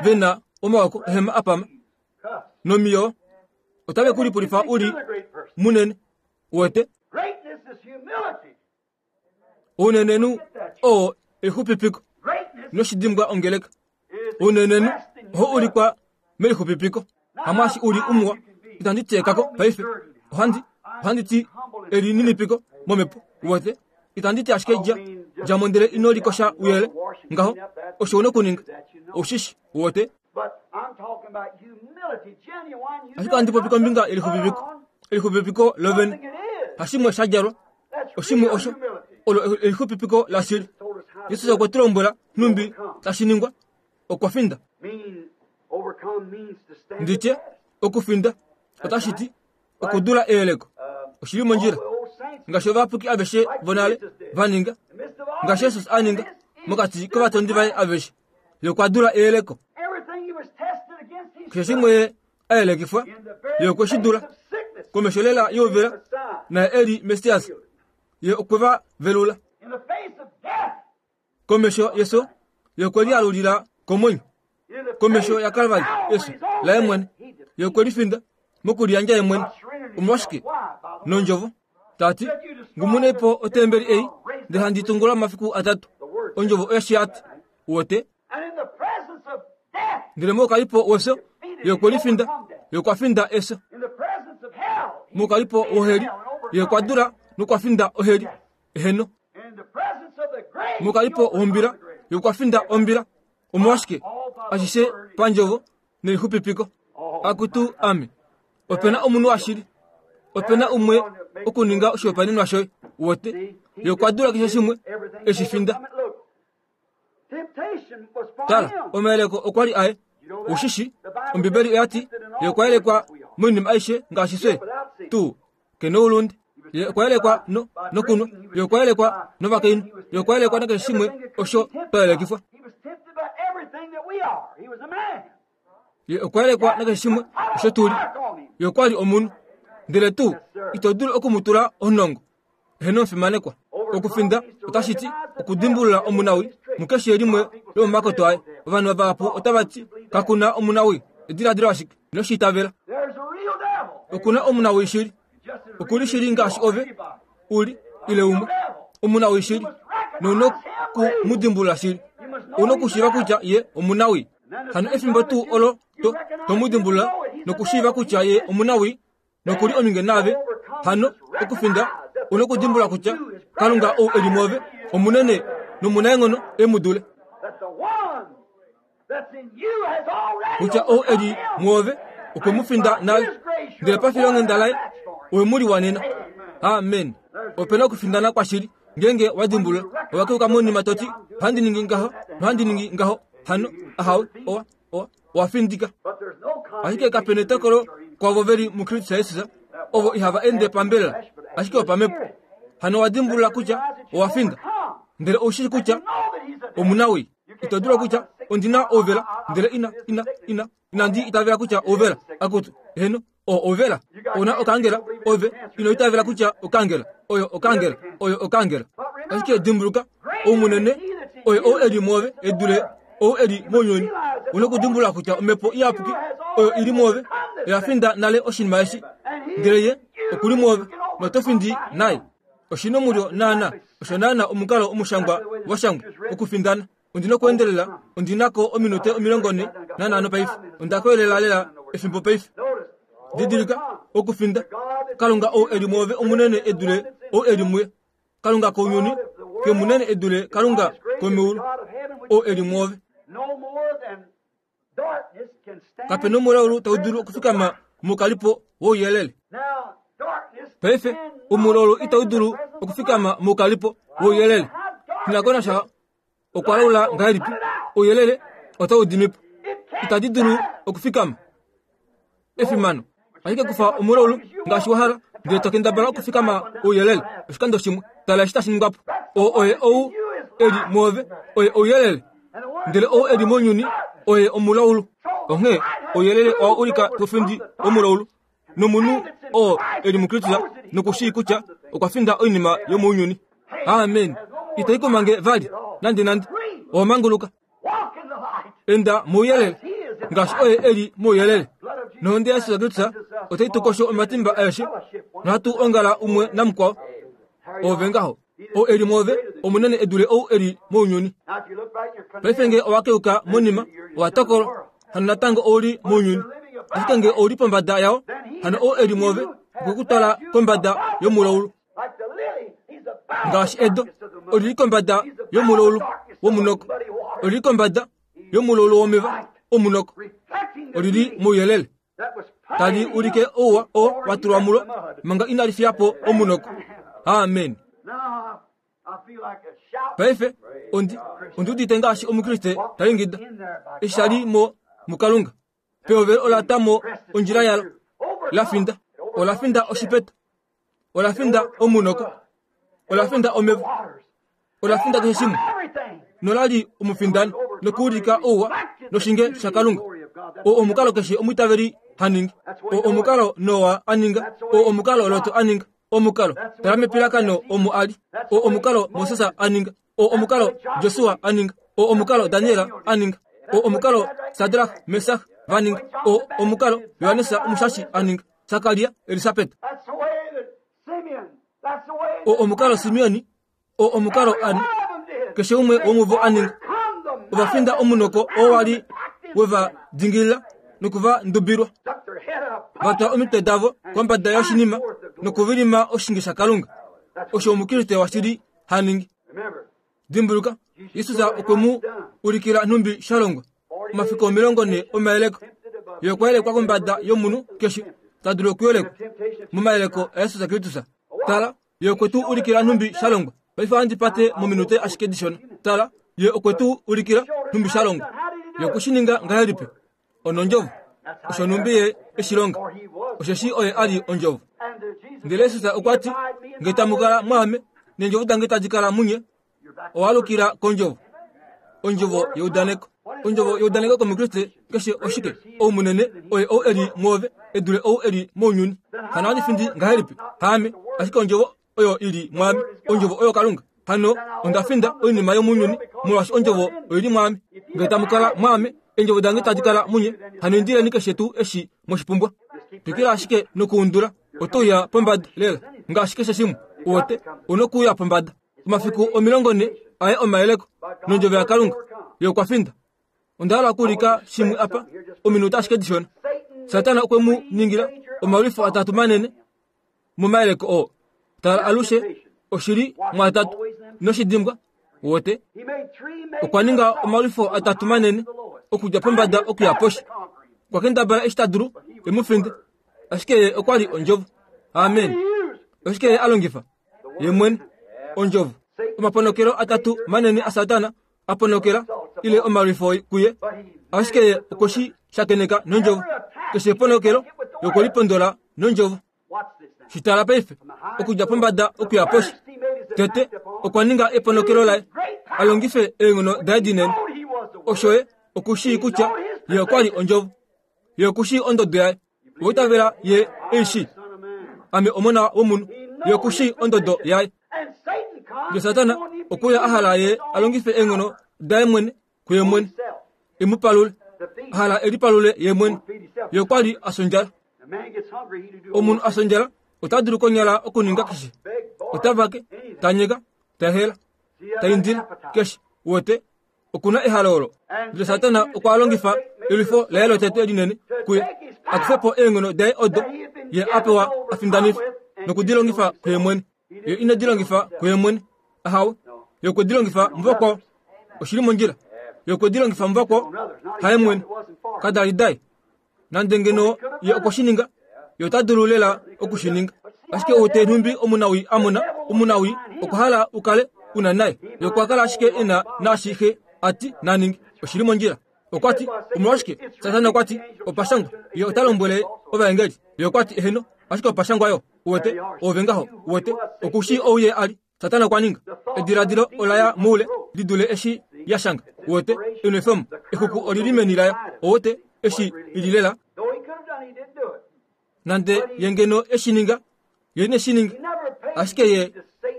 vena omawako ehema apama nomiyo otave kulipulifa uli munene. Uwete ounenenhu oo elixupipiko noshidimbwa ongeleka. Ounenenhu oho ulikwa melixupipiko. Hamwaashi uli umuwa itandi tyekako paife ohandi ohandi ti elininipiko momhepo. Uwete itandi ti ashike dja djamo ndele ino likosha uyele ngaho osho una okuninga oshishi. Uwete ashike ohandi popi kombinga yelixupipiko elixupipiko lovene hashimwe sha djalwa oshimwe osho olo elixupipiko lashili. Jesus okwe tu lombwela nhumbi tashi ningwa okwa finda. Nditye okufinda otashi ti okudula eyeleko oshili mondjila ngaashi ovapuki aveshe vonale vaninga ngaashi Jesus a ninga mokati kovatondi vaye aveshe ye okwa dula eyeleko. Keshe shimwe a yelekifwa ye okwe shi dula komesho lela youvela naye eli Messias Ye okwe va velula. In the face of death, Komesho yeso, ye okwe lialulila komwenyo. in the Komesho face ya Kalvari, of yeso, Calvary's own laye death, mwene. he defeated Ye okwe lifinda, mokuliyandja ye mwene. by surrendering Omolwashike? himself. Why? By the Nondjovo. Tati, ngumunepo otembeli ei, ndele handi tungula momafiku atatu. Ondjovo oya shiyati. Uwete, And in the presence of death, ndele mokalipo weso, ye okwe lifinda, ye okwa finda eso. in the presence of hell, he Mokalipo defeated woheli, hell and ye overcome okwa dula nokwa finda oheli. Eheno. it. In the presence of the grave, he Mokalipo overcome wombila, the grave. ye okwa finda ombila. Omolwashike? Ashishe pandjovo nelixupipiko. Akutu ame. Opena omunhu washili. Opena umwe okuninga oshihopaenenwa shoye. Uwete, ye okwa dula keshe shimwe Everything eshi finda. overcome it. Look, temptation was for Tala, him. omayeleko okwa li aye. Ushishi, Ombibeli oya ti, ye okwa yelekwa moinima aishe ngaashi fye tuu kena oulunde. Ye okwa yelekwa no nokunwa, ye okwa yelekwa novakainhu, ye okwa yelekwa nakeshe shimwe osho twa yelekifwa. He was tempted by everything that we are. He was a man. Ye okwa yelekwa nakeshe shimwe osho tuli. Ye okwa li omunhu. Ndele tuu ito dulu okumutula onongo. Eheno omufimanekwa. Okufinda otashi ti okudimbulula omunawi mukeshe limwe lomomakoto aye. Ovanhu vahapu otava ti kakuna omunawi. Ediladilo ashike inoshi itavela. There's a real devil. Okuna omunawi shili. Just as Okuli real as shili you ngaashi are, ove anybody. uli ile umwe. Omunawi shili. Nouna okumudimbulula shili. Ouna okushiiva kutya ye omunawi. Hano efimbo tuu olo to tomudimbulula nokushiiva kutya ye omunawi nokuli ominge naave. Hano okufinda ouna okudimbulula kutya Kalunga ou eli mwoove omunene nomunaenghono e mu dule. That the one that's in you has already Kutya ou eli overcome him. mwoove okwe mu finda nale. Ndele pafilonghenda laye owe mu liwanena. Amen. Opena okufindana kwashili. Ngeenge wa dimbulula, owa keuka monima toti, ohandi ningi ngaho, nohandi ningi ngaho. Hano, ahawe, owa, owa, owa findika. But there's no Ashike kapena etokolo kwavo veli muKristus Jesus, ovo ihava ende pambelela, ashike opamhepo. Hano owa dimbulula kutya owa finda. Ndele oushili kutya know that he's a devil. omunawi. Ito dulu kutya ondina ouvela, ndele ina, ina, ina, inandi itavela kutya ouvela. Akutu, eheno, o ouvela. Ouna okangela, ove, ino itavela kutya okangela. Oyo okangela, oyo okangela. Ashike dimbuluka, oumunene, oyo ou eli mwoove, edule ou eli mounyuni. Ouna okudimbulula kutya omhepo iyapuki, oyo ili mwoove, oya finda nale oshinima eshi. Ndele ye okuli mwoove, noto findi naye. Oshina omulyo naana, osho naana omukalo omushangwa wa shangwa okufindana. Ondina okuendelela, ondinako ominute omilongo nne nanhano paife. Onda koyelela lela efimbo paife. Notice, Didilika okufinda. Kalunga ou eli mwoove omunene edule ou eli muye. Kalunga kounyuni ke munene edule Kalunga komeulu ou eli mwoove. no more than darkness can stand. Kapena omulaulu tau dulu okufikama mokalipo wouyelele. Now, darkness Paife cannot omulaulu stand itau in the dulu presence of okufikama light. mokalipo wouyelele. Shinakonasha okwa laula ngahelipi ouyelele otau dimipo. It can't Itadi dulu stand. okufikama. Efimano. Ashike kufa omulaulu ngaashi wa hala, ndele to kendabala okufikama ouyelele oshikando shimwe. Tala eshi tashi ningwa po. Oo oye ou eli mwoove, oye ouyelele. And the one Ndele ou eli mounyuni oye omulaulu. Onghee ouyelele owa ulika tofindi omulaulu. Nomunhu oo eli muKristus nokushii kutya okwa finda oinima yomounyuni. Amen. Itai komange vali nande nande. Owa manguluka. walk in the light. Enda mouyelele ngaashi oye eli mouyelele. Nohonde yaJesus Kristus otai tu kosho omatimba aeshe nohatu ongala umwe namukwao. Ove ngaho. Ou eli mwoove omunene edule ou eli mounyuni. Now, if you look back, you're Paife condemned. nge owa keuka monima, owa tokolwa. Hano natango ouli mounyuni. Ashike nge ouli pombada yao, hano ou eli mwoove okwe ku twala kombada yomulaulu. Like the lily, he's above Ngaashi the edo, darkness of the mud. olili kombada He's above yomulaulu the darkness of the womunoko. muddy water. Olili kombada yomulaulu womeva omunoko. Reflecting the Olili beauty mouyelele. that was Tali plain in ulike him ouwa oo before wa he tulwa left mulo the mud. manga inali fiya po omunoko. Amen. Now, I feel like a shout Paife ondi ondi udite ngaashi omukriste ta ingida. in there by Eshi ali God. mo muKalunga. Pehovelo ola ta mo ondjila yalo. La finda. Ola finda oshipeta. Ola finda omunoko. Ola finda omeva. Ola finda keshe shimwe. Everything. Nola li omufindani nokuulika ouwa noshinge shaKalunga. O omukalo keshe omwiitaveli ha ningi. O omukalo Noa a ninga. O omukalo Lot a ninga. omukalo tala mepilakano omo ali o omukalo Moses a ninga o omukalo Josua a ninga o omukalo Daniel a ninga o omukalo Sadrach Mesach va ninga o omukalo Johannes omushashi a ninga Sakaria Elisabet o omukalo Simeoni o omukalo An keshe umwe womuvo a ninga ovafinda omunoko oo wali weva dingilila nokuva ndubilwa vatwa omitwe davo kombada yoshinima nokuvilima oshinge shaKalunga osho omukriste washili haningi. Dimbuluka Jesus okwe mu ulikila nhumbi shalongwa omafiku omilongo ne omayeleko ye okwa yelekwa kombada yomunhu keshe ta dulu okuyelekwa momayeleko aJesus Kristus. Tala ye okwe tu ulikila nhumbi shalongwa. Paife ohandi pate mominute ashike dishona. Tala ye okwe tu ulikila nhumbi shalongwa. Ye okwe shi ninga ngahelipi? Onondjovo. Osho nhumbi ye eshilonga. Osheshi oye ali ondjovo. Ndele Jesus okwa ti, nge tamu kala mwaame, neendjovo dange tadi kala munye, owalukila kondjovo. Ondjovo yeudaneko. Ondjovo yeudaneko komukriste keshe oshike? Ou munene oye ou eli mwoove edule ou eli mounyuni. Hano ohandi findi ngahelipi? Haame, ashike ondjovo oyo ili mwaame, ondjovo oyo Kalunga. Hano onda finda oinima yomounyuni molwaashi ondjovo oili mwaame. Nge tamu kala mwaame, eendjovo dange tadi kala munye, hano indileni keshe tuu eshi mweshipumbwa. Twikila ashike nokuundula, oto uya pombada lela ngaashi keshe shimwe. Uwete, onokuuya pombada. Omafiku omilongo ne aye omayeleko nondjovo yaKalunga ye okwa finda. Onda hala okuulika shimwe apa ominute ashike dishona. Satana okwe mu ningila omalwifo atatu manene momayeleko oo. Tala alushe oshili mwatatu noshidimbwa. Uwete, okwa ninga omalwifo atatu manene okudja pombada okuya poshi. Okwa kendabala eshi ta dulu e mu finde, ashike ye okwa li ondjovo. Amen. Oshike ye a longifa? Ye mwene ondjovo. Omaponokelo atatu manene aSatana a ponokela ile omalwifo kuye, ashike ye okwe shi shakeneka nondjovo. Keshe eponokelo yokwelipondola nondjovo. Shitala paife okudja pombada okuya poshi. Tete okwa ninga eponokelo laye a longife eenghono daye dinene. Osho ye okushii kutya ye okwa li ondjovo. Ye okushii ondodo yaye. Oitavela ye eishi. Ame omona womunhu. Ye okushii ondodo yaye. Ndele Satana okuya a hala ye a longife eenghono daye mwene kuye mwene e mu palule. A hala e lipalule ye mwene. Ye okwa li a sondjala. Omunhu a sondjala ota dulu konyala okuninga keshe. Ota vake, ta nyeka, ta hela, ta indile keshe. Uwete, okuna ehalo olo. Ndele Satana okwa longifa elwifo laye lotete linene kuye a kufe po eenghono daye odo ye a pewa a findanife nokudilongifa kuye mwene. Ye ine dilongifa kuye mwene. Ahawe, ye okwe dilongifa muvakwao. Oshili mondjila. Ye okwe dilongifa muvakwao, haye mwene. Kada li daye. Nande ngeno ye okwe shi ninga, ye ota dulu lela oku shi ninga. Ashike ou te nhumbi omunawi a mona omunawi okwa hala u kale una naye. Ye okwa kala ashike e na naashihe a ti naninge. Oshili mondjila. Okwa ti, omolwashike? Satana okwa ti, opashangwa. Ye ota lombwele ovaengeli. Ye okwa ti, eheno, ashike opashangwa yo. Uwete, ove ngaho. Uwete, okushii ou ye a li. Satana okwa ninga. Ediladilo ola ya moule li dule eshi ya shanga. Uwete, enwefemo, exuku olili meni layo. Uwete, eshi ili lela. Nande ye ngeno eshi ninga, ye ine shi ninga. Ashike ye,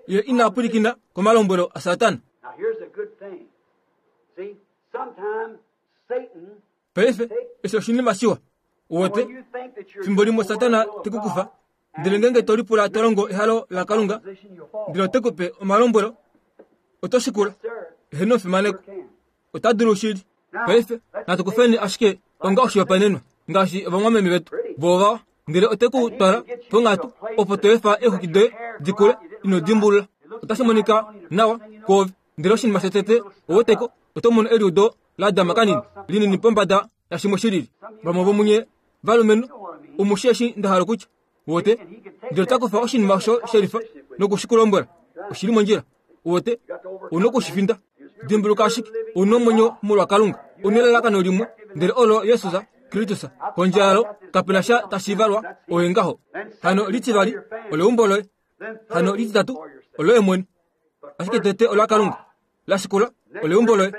ye ina pwilikina komalombwelo aSatana. Paife, eshi oshinima shiwa. Uwete, fimbo limwe Satana te ku kufa, ndele ngeenge to lipula to longo ehalo laKalunga, ndele ote ku pe omalombwelo, oto shikula. Eheno fimaneko. Ota dulu shili. Paife, natu kufeni ashike onga oshihopaenenwa, ngaashi ovamwameme vetu vovawa, ndele ote ku twala ponghatu opo to efa eexwiki doye di kule ino dimbulula. Otashi monika nawa kwoove, ndele oshinima shotete oweteko, oto mono eliudo la dama kanini linini pombada yashimwe shilili. Vamwe vomunye valumenhu omushi eshi nda hala okutya. Uwete, ndele ota kufa oshinima osho shelifa nokushikulombwela. Oshili mondjila. Uwete, una okushifinda. Dimbuluka ashike, una omwenyo molwa Kalunga. Una elalakano limwe, ndele olo Jesus Kristus. Kondje yalo kapena sha tashi valwa, oye ngaho. Hano litivali oleumbo loye. Hano lititatu oloye mwene. Ashike tete ola Kalunga. La shikula oleumbo loye.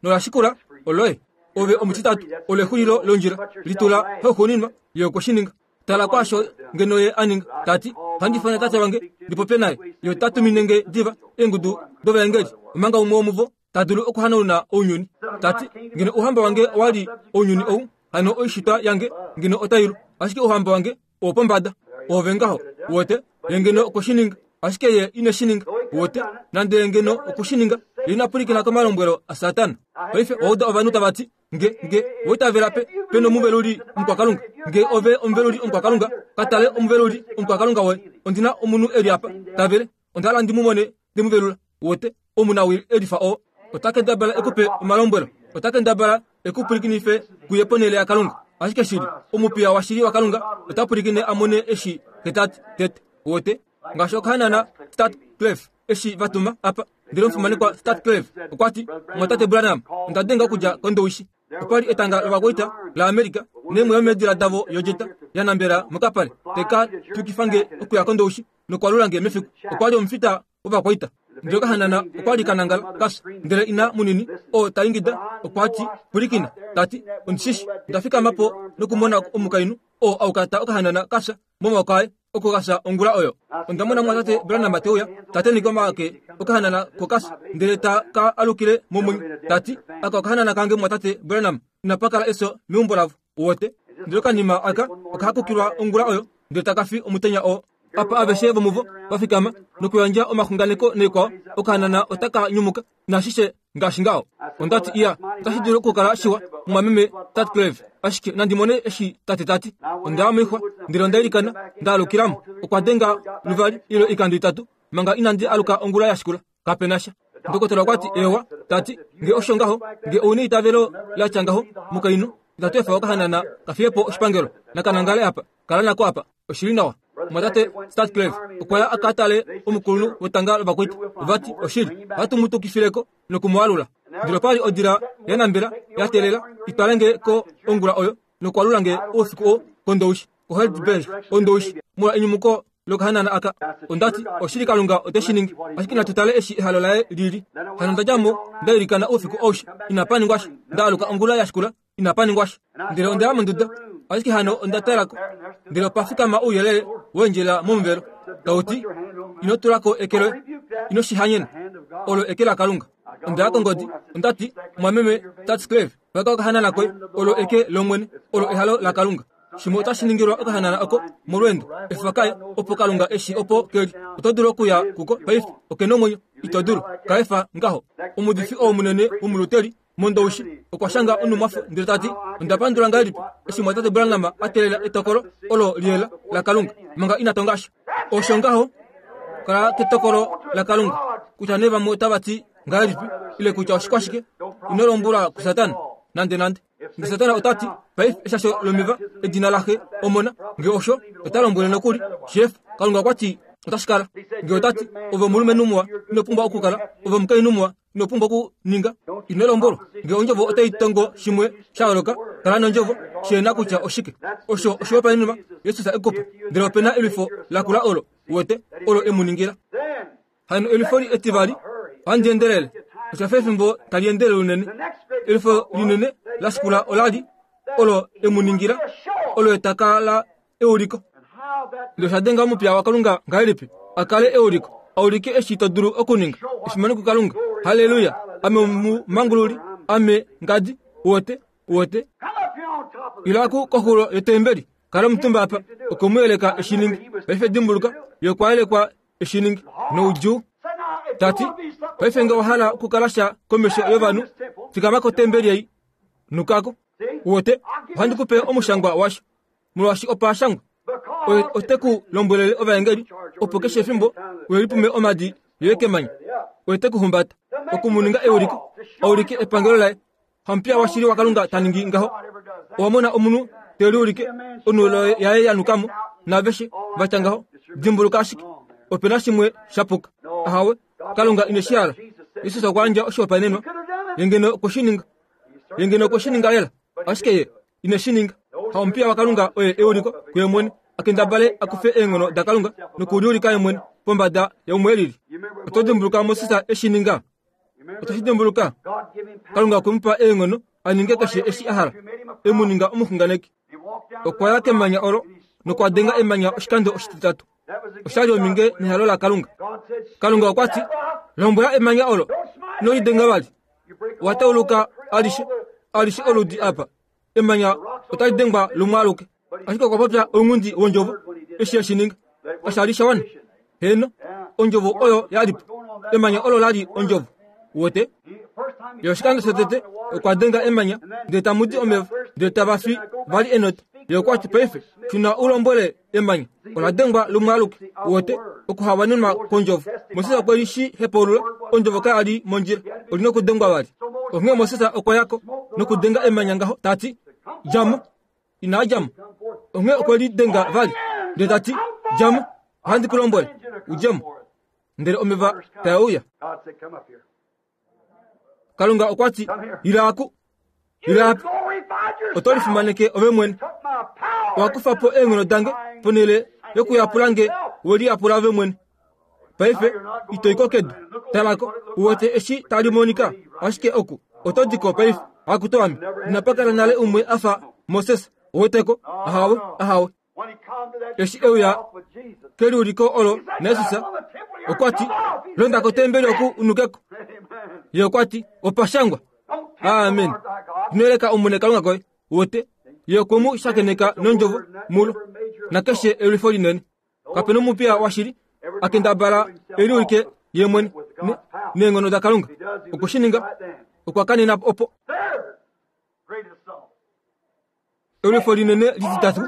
Nola shikula oloye. Ove omutitatu olexulilo londjila. Litula hauxuuninwa ye okwe shi ninga. Tala kwaasho ngeno ye a ninga. Tati, Ohandi ifana tate wange ndi popye naye, ye ota tumine nge diva eengudu dovaengeli, omanga umwe womuvo ta dulu okuhanauna ounyuni. Tati, ngeno ouhamba wange owa li ounyuni ou, hano oishitwa yange ngeno otai lu, ashike ouhamba wange owopombada. Oove ngaho, wote, ye ngeno okweshininga, ashike ye ine shi ninga. Wote, nande ye ngeno okushininga, ye ina pwilikina komalombwelo aSatana. Paife owa uda ovanhu tava ti, nge nge owaitavela pe pe nomuveluli omukwakalunga, nge ove omuveluli omukwakalunga, ka tale omuveluli omukwakalunga woye. Ondina omunhu e li apa tavele, onda hala ndi mu mone te mu velula. Wote, omunawii e lifa oo ota kendabala ekupe omalombwelo, ota kendabala ekupwilikinife kuye ponhele yaKalunga. Ashike shili, omupiya washili waKalunga ota pwilikine a mone eshi ketati tete. Wote, ngaashi okahanana Statclef eshi va tuma apa, ndele omufimanekwa Statclef okwa ti, mwatate Branham, onda denga okudja kOndowishi. Okwa li etanga lovakwaita laAmerika neemwe yomeedila davo yodjeta ya nambela mokapale teka tukifa nge okuya kOndowishi nokwalula nge mefiku. Okwa li omufita wovakwaita. Ndele okahanana okwa li kanangala kafya, ndele ina munini oo ta ingida okwa ti, pwilikina, ta ti, ondishishi nda fikama po nokumona omukainhu oo aukata okahanana kafya momaoko aye oko kafya ongula oyo. Onda mona mwatate Branham te uya, ta tenheke omake okahanana kokafya, ndele ta ka alukile momwenyo. Ta ti, aka okahanana kange mwatate Branham, inapa kala efyo meumbo lavo. Wote, ndele okanima aka okahakukilwa ongula oyo, ndele taka fi omutenya oo. Apa aveshe vomuvo va fikama nokuyandja omaxunganeko naikwao, okahanana otaka nyumuka nashishe ngaashi ngaho. Onda ti, iya, otashi dulu okukala shiwa mumwameme Tatcleve, ashike nandi mone eshi tate tati. Onda ya moixwa, ndele onda ilikana, nda alukilamo. Okwa denga luvali ile oikando itatu manga inandi aluka ongula ya shikula. Kape na sha. Ndokotola okwa ti, ewa, tati, nge osho ngaho, nge ouna eitavelo la tya ngaho, mukainhu, itatu efa okahanana ka fiye po oshipangelo, nakanangale apa, kala nako apa, oshili nawa. Mwatate Statcleve okwa ya a ka tale omukulunhu wetanga lovakwaita. Vati oshili, ohatu mu tukifileko noku mu alula. Ndele opa li odila ya nambela ya teelela i twale nge ko ongula oyo nokwalula nge oufiku oo kOndowishi, koHeidelberg, Ondowishi, molwa enyumuko lokahanana aka. Onda ti, oshili Kalunga ote shi ningi, ashike natu tale eshi ehalo laye lili. Hano nda dja mo, nda ilikana oufiku aushe, inapa ningwa sha. Nda aluka ongula ya shikula, inapa ningwa sha. Ndele onda ya monduda, ashike hano onda talako, ndele opa fikama ouyelele weendjela momuvelo, tau ti, ino tulako eke loye, ino shi hanyena, olo eke laKalunga. Onda ya kongodi, onda ti, mwameme Tatscleve, paka okahanana koye, olo eke lOmwene, olo ehalo laKalunga. Shimwe otashi ningilwa okahanana oko molweendo, efa kaye, opo Kalunga eshi opo keli. Oto dulu okuya kuko paife, oke nomwenyo, ito dulu, kaefa ngaho. Omuudifi oo munene womuluteli mOndowishi okwa shanga onumwafo ndele ta ti, onda pandula ngahelipi eshi mwatate Branham a teelela etokolo olo liyela laKalunga manga ina tonga sha. Osho ngaho, kala ketokolo laKalunga, kutya nee vamwe otava ti ngahelipi ile kutya oshikwashike, ino lombwelwa kuSatana nande nande. Nge Satana ota ti, paife eshasho lomeva edina laxe omona, nge osho ota lombwele nokuli, chef, Kalunga okwa ti otashi kala. Nge ota ti, ove omulumenhu muwa, ino pumbwa okukala, ove omukainhu muwa, ino pumbwa okuninga, ino lombwelwa. Nge ondjovo otai tongo shimwe sha yooloka, kala nondjovo, sheena kutya oshike. Osho oshihopaenenwa Jesus e kupa, ndele opena elwifo lakula olo, uwete, olo e mu ningila. Hano elwifo li etivali, ohandi endelele, osha fa efimbo tali endelele unene. Elwifo linene la shikula ola li olo e mu ningila, olo etaka la euliko. Ndele osha denga omupiya waKalunga ngahelipi a kale euliko, a ulike eshi to dulu okuninga. Efimano kuKalunga. Halleluya! Ame omumangululi, ame ngadi, uwete, uwete. Ila ku koxulo yotembeli, kala omutumba apa, okwe mu yeleka eshi ningi. Paife dimbuluka, ye okwa yelekwa eshi ningi noudjuu. Ta ti, paife nge owa hala okukala sha komesho yovanhu, fikama kotembeli ei, nukako. Uwete, ohandi ku pe omushangwa washo, molwaashi opa shangwa. Oye ote ku lombwelele ovaengeli, opo keshe efimbo we lipume omadi yoye kemanya. Oye te ku humbata, oku mu ninga euliko, a ulike epangelo laye. Hamupiya washili waKalunga ta ningi ngaho. Owa mona omunhu te liulike onulo yaye ya nukamo, naaveshe va tya ngaho. Dimbuluka ashike, ope na shimwe sha puka. Ahawe, Kalunga ine shi hala. Jesus okwa yandja oshihopaenenwa, ye ngeno okwe shi ninga. Ye ngeno okwe shi ninga lela, ashike ye ine shi ninga. Hamupiya waKalunga oye euliko kuye mwene, a kendabale a kufe eenghono daKalunga nokuliulika ye mwene pombada yaumwe elili. Oto dimbuluka Moses eshi ninga? Oto shi dimbuluka? Kalunga okwe mu pa eenghono a ninge keshe eshi a hala, e mu ninga omuxunganeki. Okwa ya kemanya olo nokwa denga emanya oshikando oshititatu. Oshali ominge nehalo laKalunga. Kalunga okwa ti, lombwela emanya olo, ino lidenga vali. Watauluka alishe, alishe oludi apa. Emanya otali dengwa lumwe aluke. Ashike okwa popya ounghundi wondjovo eshi e shi ninga. Osha li sha wana. Heno, ondjovo oyo ya li po. Emanya olo la li ondjovo. Wote? Ye oshikando shotete okwa denga emanya, ndele tamu di omeva, ndele tava fi vali enota. Ye okwa ti paife, shuna u lombwele emanya, ola dengwa lumwe aluke. Wote, okuhawanenwa kwondjovo. Moses okwe li shi hepaulula, ondjovo kaya li mondjila, oli nokudengwa vali. Onghee Moses okwa ya ko nokudenga emanya ngaho, ta ti, dja mo. Inaa dja mo. Onghee okwe li denga vali, ndele ta ti, dja mo, ohandi ku lombwele, u dje mo. Ndele omeva tae uya. Kalunga okwa ti, ila aku, ila apa, oto lifimaneke ove mwene. Owa kufa po eenghono dange ponhele yokuyapula nge, we liyapula ove mwene. Paife ito i ko kedu. Talako, u wete eshi tali monika, ashike oku oto di ko paife. Akuto ame, inapa kala nale umwe a fa Moses. Uweteko? Ahawe, ahawe. Eshi e uya keliuliko olo naJesus, okwa ti, londa kotembeli oku unukeko. Ye okwa ti, opa shangwa. Amen. Ino yeleka Omwene Kalunga koye. Uwete? Ye okwe mu shakeneka nondjovo mulo, nakeshe elwifo linene. Kape nomupiya washili a kendabala e liulike ye mwene neenghono daKalunga. Okwe shi ninga, okwa kanena opo. Elwifo linene lititatu,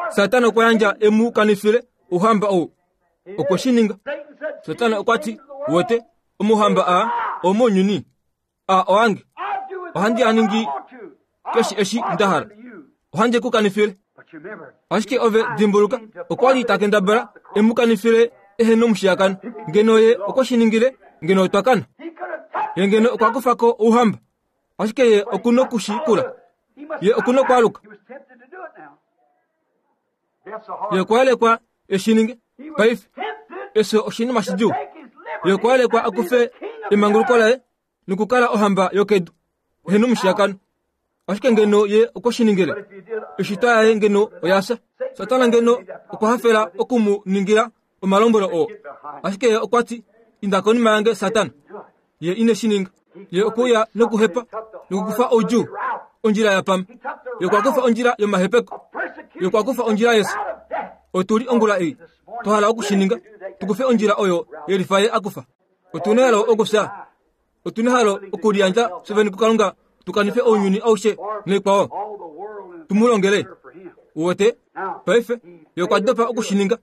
Satana okwa yandja e mu kanifile ouhamba ou. Okwe shi ninga. Satana okwa ti, wote, omauhamba aa omounyuni, a oange. Ohandi a ningi keshe eshi nda hala. Ohandi ku kanifile. Ashike ove dimbuluka, okwa li ta kendabala e mu kanifile ehe nomushiyakano. Ngeno ye okwe shi ningile, ngeno otwa kana. Ye ngeno okwa kufa ko ouhamba. Ashike ye oku nokushikula. Ye oku nokwaaluka. Ye okwa yelekwa e shi ninge. Paife, efyo oshinima shidjuu. Ye okwa yelekwa a kufe emanguluko laye nokukala ohamba yokedu, ehe nomushiyakano. Ashike ngeno ye okwe shi ningile, oishitwa yaye ngeno oya fya. Satana ngeno okwa hafela oku mu ningila omalombwelo oo. Ashike ye okwa ti, inda konima yange Satana. Ye ine shi ninga. Ye okwe uya nokuhepa nokukufa oudjuu, ondjila ya pama. Ye okwa kufa ondjila yomahepeko. Ye okwa kufa ondjila yefyo. Otu li ongula ei, twa hala oku shi ninga, tu kufe ondjila oyo yelifa ye a kufa. Otu nehalo okufya. Otu nehalo okuliyandja fyevene kuKalunga, tu kanife ounyuni aushe noikwao, tu mu longele. Uwete? Paife, ye okwa dopa oku shi ninga,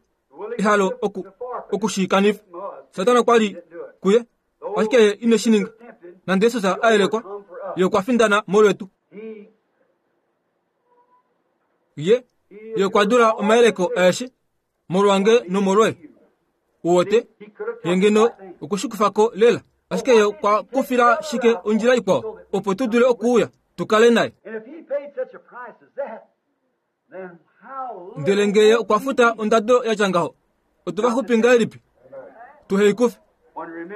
ehalo oku, oku shi kanifa. Satana okwa li kuye, ashike ye ine shi ninga. Nande Jesus a yelekwa, ye okwa findana molwetu. Ye, ye okwa dula omayeleko aeshe, molwange nomolwoye. Uwete? Ye ngeno okwe shi kufa ko lela. Ashike ye okwa kufila shike ondjila ikwao, opo tu dule okuuya, tu kale naye. Ndele nge ye okwa futa ondado ya tya ngaho, otu va xupi ngahelipi? Tu heikufe.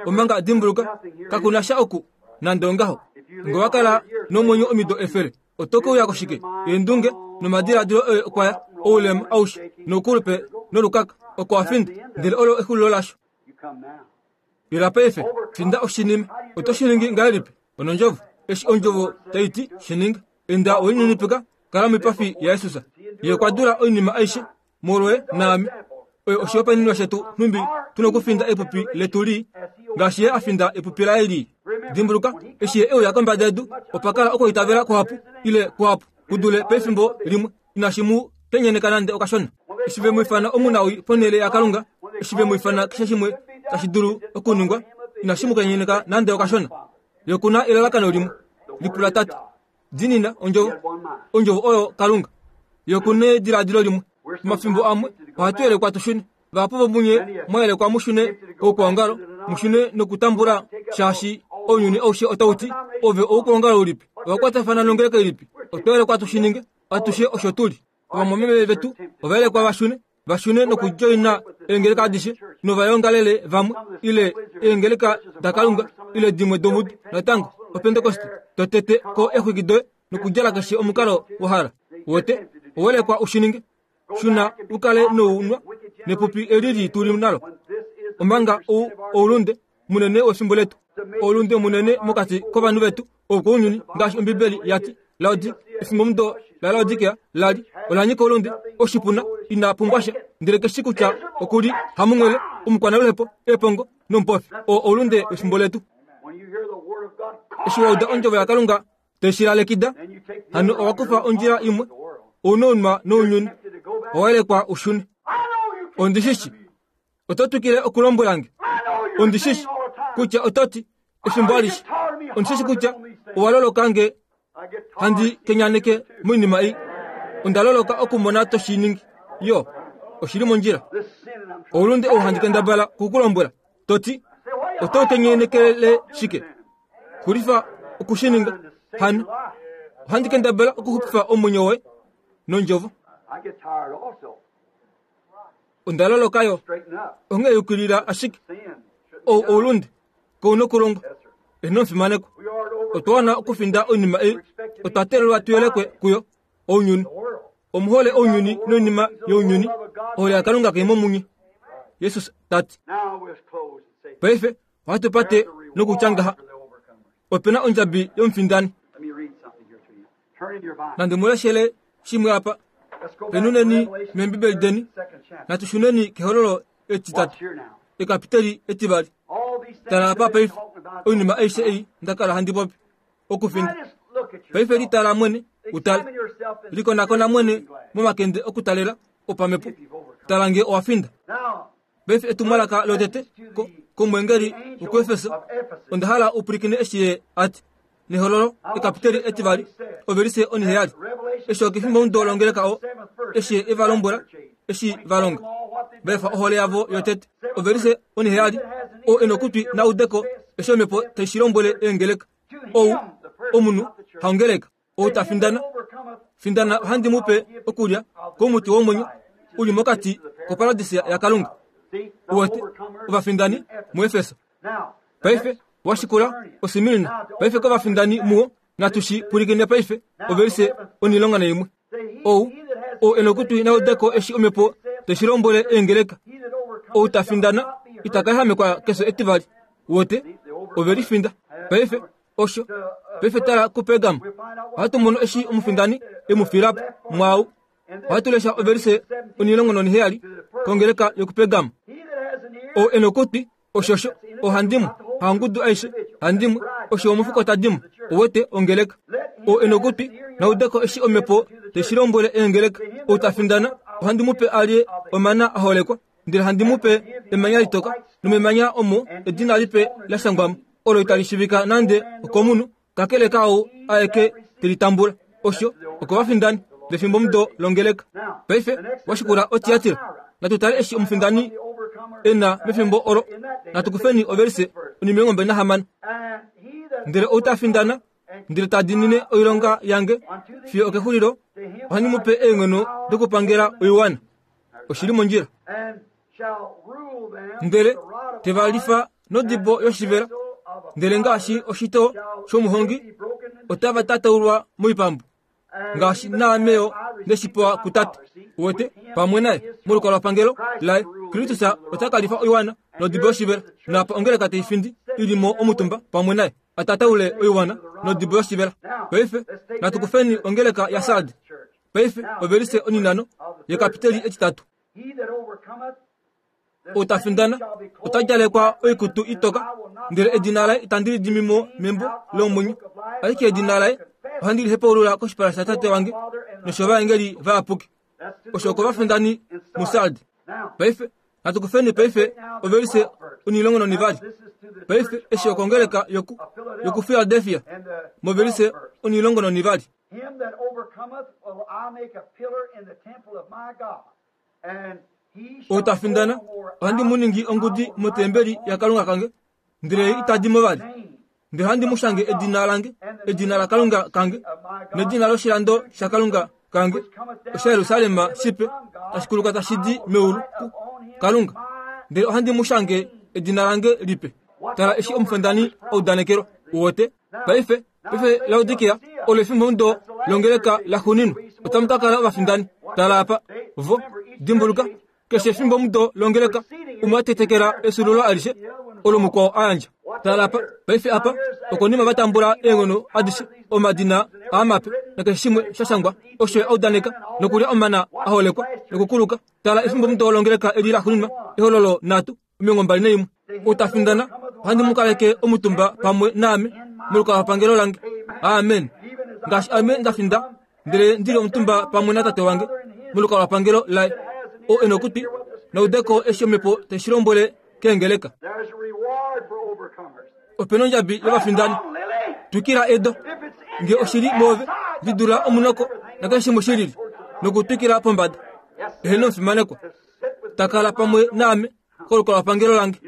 Omanga dimbuluka, kaku na sha oku, nande ongaho. Nge owa kala nomwenyo omido efele, oto ke uya koshike? Eendunge nomadiladilo oye okwa ya, oulema aushe, noukulupe nolukaka, oko wa finda, ndele olo exulilo lasho. Ila paife, finda oshinima. Oto shi ningi ngahelipi? Onondjovo. Eshi ondjovo tai ti, shi ninga. Enda welinenepeka, kala moipafi yaJesus. Ye okwa dula oinima aishe molwoye naame. Oyo oshihopaenenwa shetu nhumbi tu nokufinda epupi letu lii, ngaashi ye a finda epupi laye lii. Dimbuluka, eshi ye e uya kombada yedu, opa kala okwiitavela kuhapu ile kuhapu ku dule pefimbo limwe, inashi mu kenyeneka nande okashona. Eshi ve mu ifana omunawii ponhele yaKalunga, eshi ve mu ifana keshe shimwe tashi dulu okuningwa, inashi mu kenyeneka nande okashona. Ye oku na elalakano limwe, lipula tati, diinina ondjovo, ondjovo oyo Kalunga. Ye oku nediladilo limwe. Omafimbo amwe ohatu yelekwa tu shune. Vahapu vomunye mwa yelekwa mu shune koukwaongalo, mu shune nokutambula, shaashi ounyuni aushe otau ti, ove oukwaongalo ulipi? Owa kwatafana nongeleka ilipi? Otwa yelekwa tu shi ninge, atushe osho tu li. Ovamwameme vetu ova yelekwa va shune, va shune nokudjoina eengeleka adishe novayongalele vamwe, ile eengeleka daKalunga, ile dimwe domudo. Natango, Opentekoste, to tete ko exwiki doye nokudjala keshe omukalo wa hala. Wote, owa yelekwa u shi ninge. Shuna u kale nounwa Nepupi eli tuli nalo. Omanga ou oulunde munene wefimbo letu. Oulunde munene mokati kovanhu vetu okounyuni ngaashi Ombibeli yati Laodi efimbo la Laodikea lali olanyika oulunde oshipuna ina pumbwasha ndele keshi kutya okuli hamunghele omukwanaluhepo epongo nomupofi o oulunde wefimbo letu. Eshi wauda ondjovo yaKalunga teshilalekida hano owakufa ondjila imwe ounounwa nounyuni owelekwa ushune. Ondishishi oto twikile okulombwelange. Ondishishi kutya ototi efimbo alishe. Ondishishi kutya owalolokange handi kenyaneke moinima ei. Ondaloloka okumona toshiningi yo oshili mondjila. Oulunde ou handi kendabala kukulombwela toti oto kenyenekele shike xulifa okushininga hano ohandi kendabala okuxupifa omwenyo woye nondjovo. Ondaloloka yo onghee yukilila ashike ou oulunde kounokulonga enomufimaneko. Otwa wana okufinda oinima ei. Otwa teelelwa tuyelekwe kuyo ounyuni. Omuhole ounyuni noinima younyuni. Ohole yaKalunga kai momunye. Jesus tati. Paife ohatu pate nokutya ngaha. Opena ondjabi yomufindani. Nande muleshele shimwe apa. Penuneni membibeli deni. Natushuneni kehololo etitatu. Ekapiteli etivali. Tala apa paife oinima aishe ei ndakala handi popi okufinda. Paife litala mwene utale. Likonakona mwene momakende okutalela opamepo. Tala nge owafinda. Paife etumwalaka lotete komwengeli wokuEfeso. Onda hala upulikine eshi ye ati nehololo ekapiteli etivali overise oniheyali. Eshi okefimbo mudo longeleka o eshi evalombwela eshi valonga vefa ohole yavo yotete overise oniheyali o enokutwi naudeko eshi omhepo taishilombwele eengeleka ou omunhu haongeleka ou tafindana findana ohandi mupe okulya komuti womwenyo uli mokati koparadisa yaKalunga. Uwete ovafindani muEfeso. Paife washikula oSmirna. Paife kovafindani muo natushi pulikine paife overise onilonga naimwe ou o enokutwi naudeko eshi omhepo teshilombwele eengeleka ou tafindana itakaehamekwa keso etivali. Wote ovelifinda. Paife osho paife tala kuPergamo. Ohatu mono eshi omufindani emufilapo mwau. Ohatu lesha overise onilongo noniheyali kongeleka yokuPergamo. O enokutwi oshosho ohandimwe hangudu aishe handimwe osho omufuko tadimwe owete ongeleka. O enokutwi naudeko eshi omhepo teshilombwele eengeleka ou tafindana ohandi mupe alye omana aholekwa ndele handi mupe emanya litoka nomemanya omo edina lipe lashangwamo olo itali shivika nande okomunhu kakele kaou aeke telitambula. Osho okovafindani vefimbo mudo longeleka. Paife washikula oTiatira. Natutale eshi omufindani ena mefimbo olo. Natukufeni overise onimilongo mbali nahamano. Ndele ou tafindana ndele tadinine oilonga yange fiyo okexulilo ohandi mupe eenghono dokupangela oiwana. Oshili mondjila. Ndele tevalifa nodibo yoshivela. Ndele ngaashi oshito shomuhongi otava tataulwa moipambu ngaashi naameyo ndeshipewa kutate. Uwete pamwe naye molukalwapangelo laye Kristus otakalifa oiwana nodibo yoshivela. Napa ongeleka teifindi ilimo omutumba pamwe naye atataule oiwana nodibo yoshivela. Paife natukufeni ongeleka yaSardi. Paife overise oninano yekapiteli etitatu. Otafindana otadjalekwa oikutu itoka ndele edina laye itandi lidimimo membo lomwenyo ashike edina laye ohandi lihepaulula koshipala shatate wange noshovaengeli vayapuki. Osho okovafindani muSardi. Paife natukufeni paife overise onilongo nonivali. Paife eshi okongeleka yoku yoku Philadelphia moverise onilongo nonivali. Otafindana ohandi muningi ongudi motembeli yaKalunga kange ndele itadimo vali. Ndele handi mushange edina lange edina laKalunga kange nedina loshilando shaKalunga kange osha Yerusalem shipe tashikuluka tashidi meulu Kalunga. Ndele ohandi mushange edina lange lipe. Tala eshi omufindani oudanekelwa uwote. Paife paife Laodikea olo efimbo mudo longeleka laxuuninwa otamu ka kala ovafindani. Tala apa vo dimbuluka Keshe efimbo mudo longeleka umwe atetekela esulolo alishe olo mukwao ayandja. Tala apa, paife apa, okonima vatambula eenghono adishe, omadina aamape, nakeshe shimwe shashangwa, osho audaneka, nokulya omana aholekwa, nokukuluka. Tala efimbo mudo longeleka eli laxuuninwa, ehololo nhatu, omilongo mbali naimwe. Utafindana, ohandi mu kaleke omutumba pamwe naame, molukalwapangelo lange. Amen. Ngaashi ame ndafinda, ndele ndili omutumba pamwe natate wange, molukalwapangelo laye. O enokutwi, naudeko eshi omhepo teshi lombwele keengeleka. Opena ondjabi yovafindani. Twikila edo. Nge oshili moove, lidula omunoko nakeshe shimwe shilili, nokutwikila pombada. Eheno omufimanekwa. Takala pamwe naame kolukalwapangelo lange.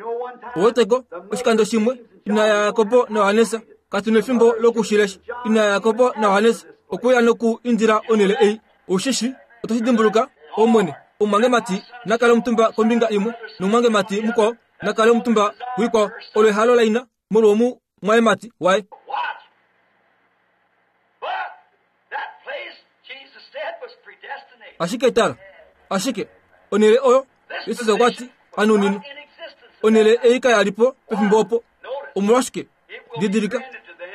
Oweteko oshikando shimwe ina yaJakobo naJohannes katu nefimbo lokushilesha. Ina yaJakobo naJohannes okuya noku indila onhele ei. Ushishi otoshi dimbuluka Omwene, omumwangemati nakale omutumba kombinga imwe nomumwangemati mukwao nakale omutumba kuikwao. Olo ehalo laina molwomumwayemati waye. Ashike tala, ashike onhele oyo Jesus okwa ti anuninwa. Onhele ei kaya li po pefimbo opo. Omolwashike? Didilika,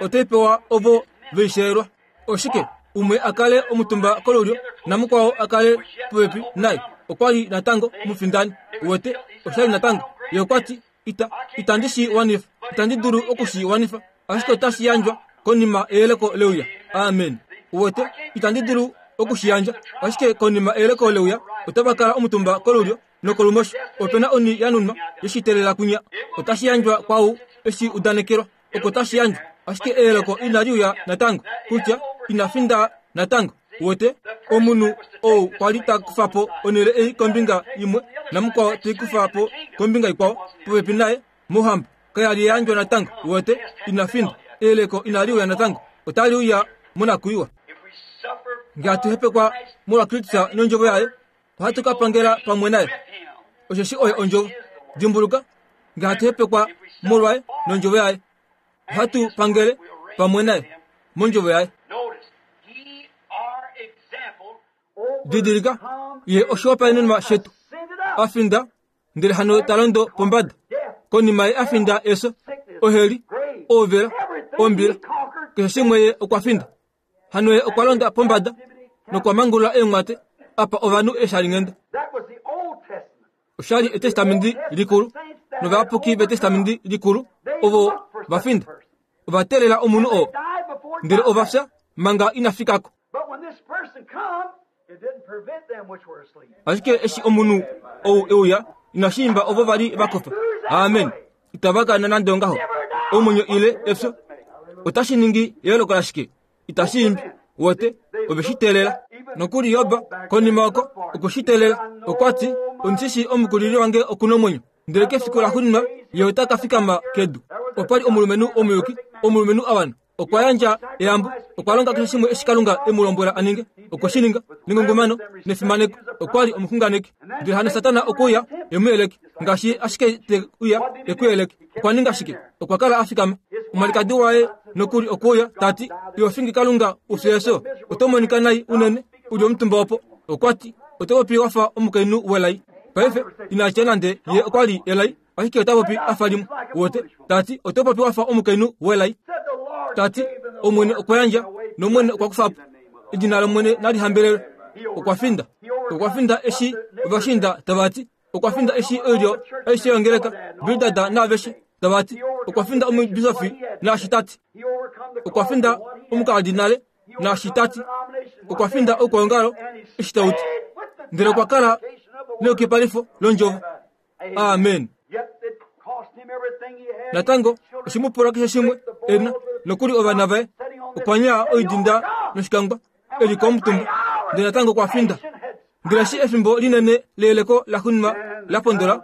otai pewa ovo veisheelwa. Oshike? Umwe a kale omutumba kolulyo namukwao a kale popepi naye. Okwa li natango omufindani. Uwete, oshali natango. Ye okwa ti, ita, itandi shi wanifa, itandi dulu okushi wanifa, ashike otashi yandjwa konima eyeleko leuya. Amen. Uwete, itandi dulu okushi yandja, ashike konima eyeleko leuya, otava kala omutumba kolulyo nokolumosho. Opena oni ya nunwa yeshitelela kunya. Otashi yandjwa kwau eshi udanekelwa. Oko tashi yandjwa, ashike eyeleko inali uya natango, kutya ina finda natango. Uwete, omunhu ou kwali ta kufa po onhele ei kombinga imwe namukwao te kufa po kombinga ikwao popepi naye mohamba kaya li yandjwa natango. Uwete, ina finda. Eyeleko inali uya natango, otali uya monakuiwa. Nge hatu hepekwa molwa Kristus nondjovo yaye, ohatu ka pangela pamwe naye. Osheshi oye ondjovo. Dimbuluka, nge hatu hepekwa molwaye nondjovo yaye, ohatu pangele pamwe naye mondjovo yaye. Didilika, ye oshihopaenenwa shetu. Afinda, ndele hano ta londo pombada. Konima ye afinda eso, oheli, ouvela, ombila, keshe shimwe ye okwa finda. Hano ye okwa londa pombada nokwa mangulula eenghwate apa ovanhu eshalinghenda. Oshali etestamenti likulu, novayapuki vetestamenti likulu ovo va finda. Ova teelela omunhu oo, ndele ova fya manga ina fikako. Ashike eshi omunhu ou euya, inashi imba ovo vali va kofa. Amen. Itava kana nande ongaho. Omwenyo ile efyo otashi ningi eyooloko lashike? Itashi imbi. Wote ove shi teelela. Nokuli Job konima oko okwe shi teelela. Okwa ti, ondishi omukulili wange okuna omwenyo, ndele kefiku laxuuninwa ye ota ka fikama kedu. Opa li omulumenhu omuyuki, omulumenhu a wana. Okwa yandja eyambo, okwa longa keshe shimwe eshi Kalunga e mu lombwela a ninge. Okwe shi ninga nengungumano nefimaneko. Okwa li omuxunganeki. Ndele hano Satana okwe uya e mu yeleke, ngaashi ashike te uya e ku yeleke. Okwa ninga shike? Okwa kala a fikama. Omwalikadi waye nokuli okwe uya ta ti, iho fingi Kalunga u fye efyo, oto monika nai unene u li omutumba opo. Okwa ti, oto popi wa fa omukainhu welai. Paife ina tya nande ye okwa li elai, ashike ota popi a fa limwe. Wote, ta ti, oto popi wa fa omukainhu welai. Ta ti, Omwene okwa yandja, nOmwene okwa kufa po. Edina lOmwene nali hambelelwe. Okwa finda. Okwa finda eshi ovashinda tava ti. Okwa finda eshi oilyo aishe yongeleka, Bildad naaveshe tava ti. Okwa finda omubisofi naashi ta ti. Okwa finda omukardinale naashi ta ti. Okwa finda oukwaongalo eshi tau ti. Ndele okwa kala neukipalifo londjovo. Amen. Natango oshe mu pula keshe shimwe ena, nokuli ovana vaye. Okwa nyaa oidinda noshikangwa e li komutumba, ndele natango okwa finda. Ndele eshi efimbo linene leyeleko laxuuninwa la pondola,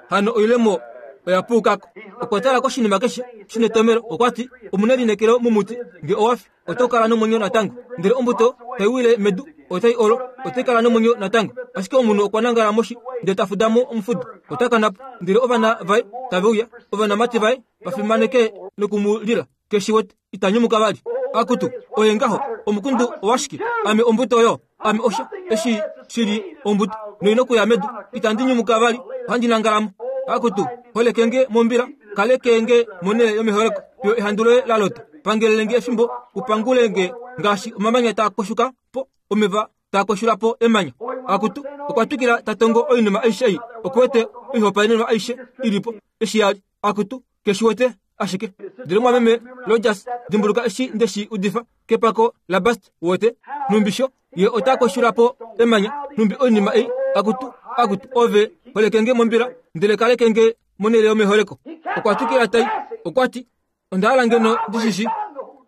hano oilemo oya puukako. Okwa tala koshinima keshe shinetomelo. Okwa ti, omuna elineekelo momuti, nge owa fi, oto kala nomwenyo natango. Ndele ombuto tai wile medu, otai olo, otai kala nomwenyo natango. Ashike omunhu okwa nangala moshi, ndele ta fuda mo omufudo, ota kana po. Ndele ovana vaye tave uya, ovanamati vaye va fimaneke noku mu lila. Keshi wete, ita nyumuka vali. Akutu, oye ngaho, omukundu owashike? Ame ombuto oyo, ame osha, eshi shili ombuto noino kuya medu itandi nyumuka vali ohandi nangalamo akutu holekenge mombila kalekenge monele yomeholeko yo ehandu loye la lota pangelelenge efimbo upangulenge ngaashi omamanya taa koshuka po omeva taa koshula po emanya akutu okwa twikila tatongo oinima aishe ei okuwete oihopaenenwa aishe ilipo eshi yali akutu keshiwete ashike ndele mwameme Rogers dimbuluka eshi ndeshi udifa kepako la Bast wote numbisho ye ota koshula po emanya numbi oinima ei akutu akutu ove holekenge mombila ndele kalekenge monele yomeholeko okwa twikila tai okwati onda hala ngeno ndishishi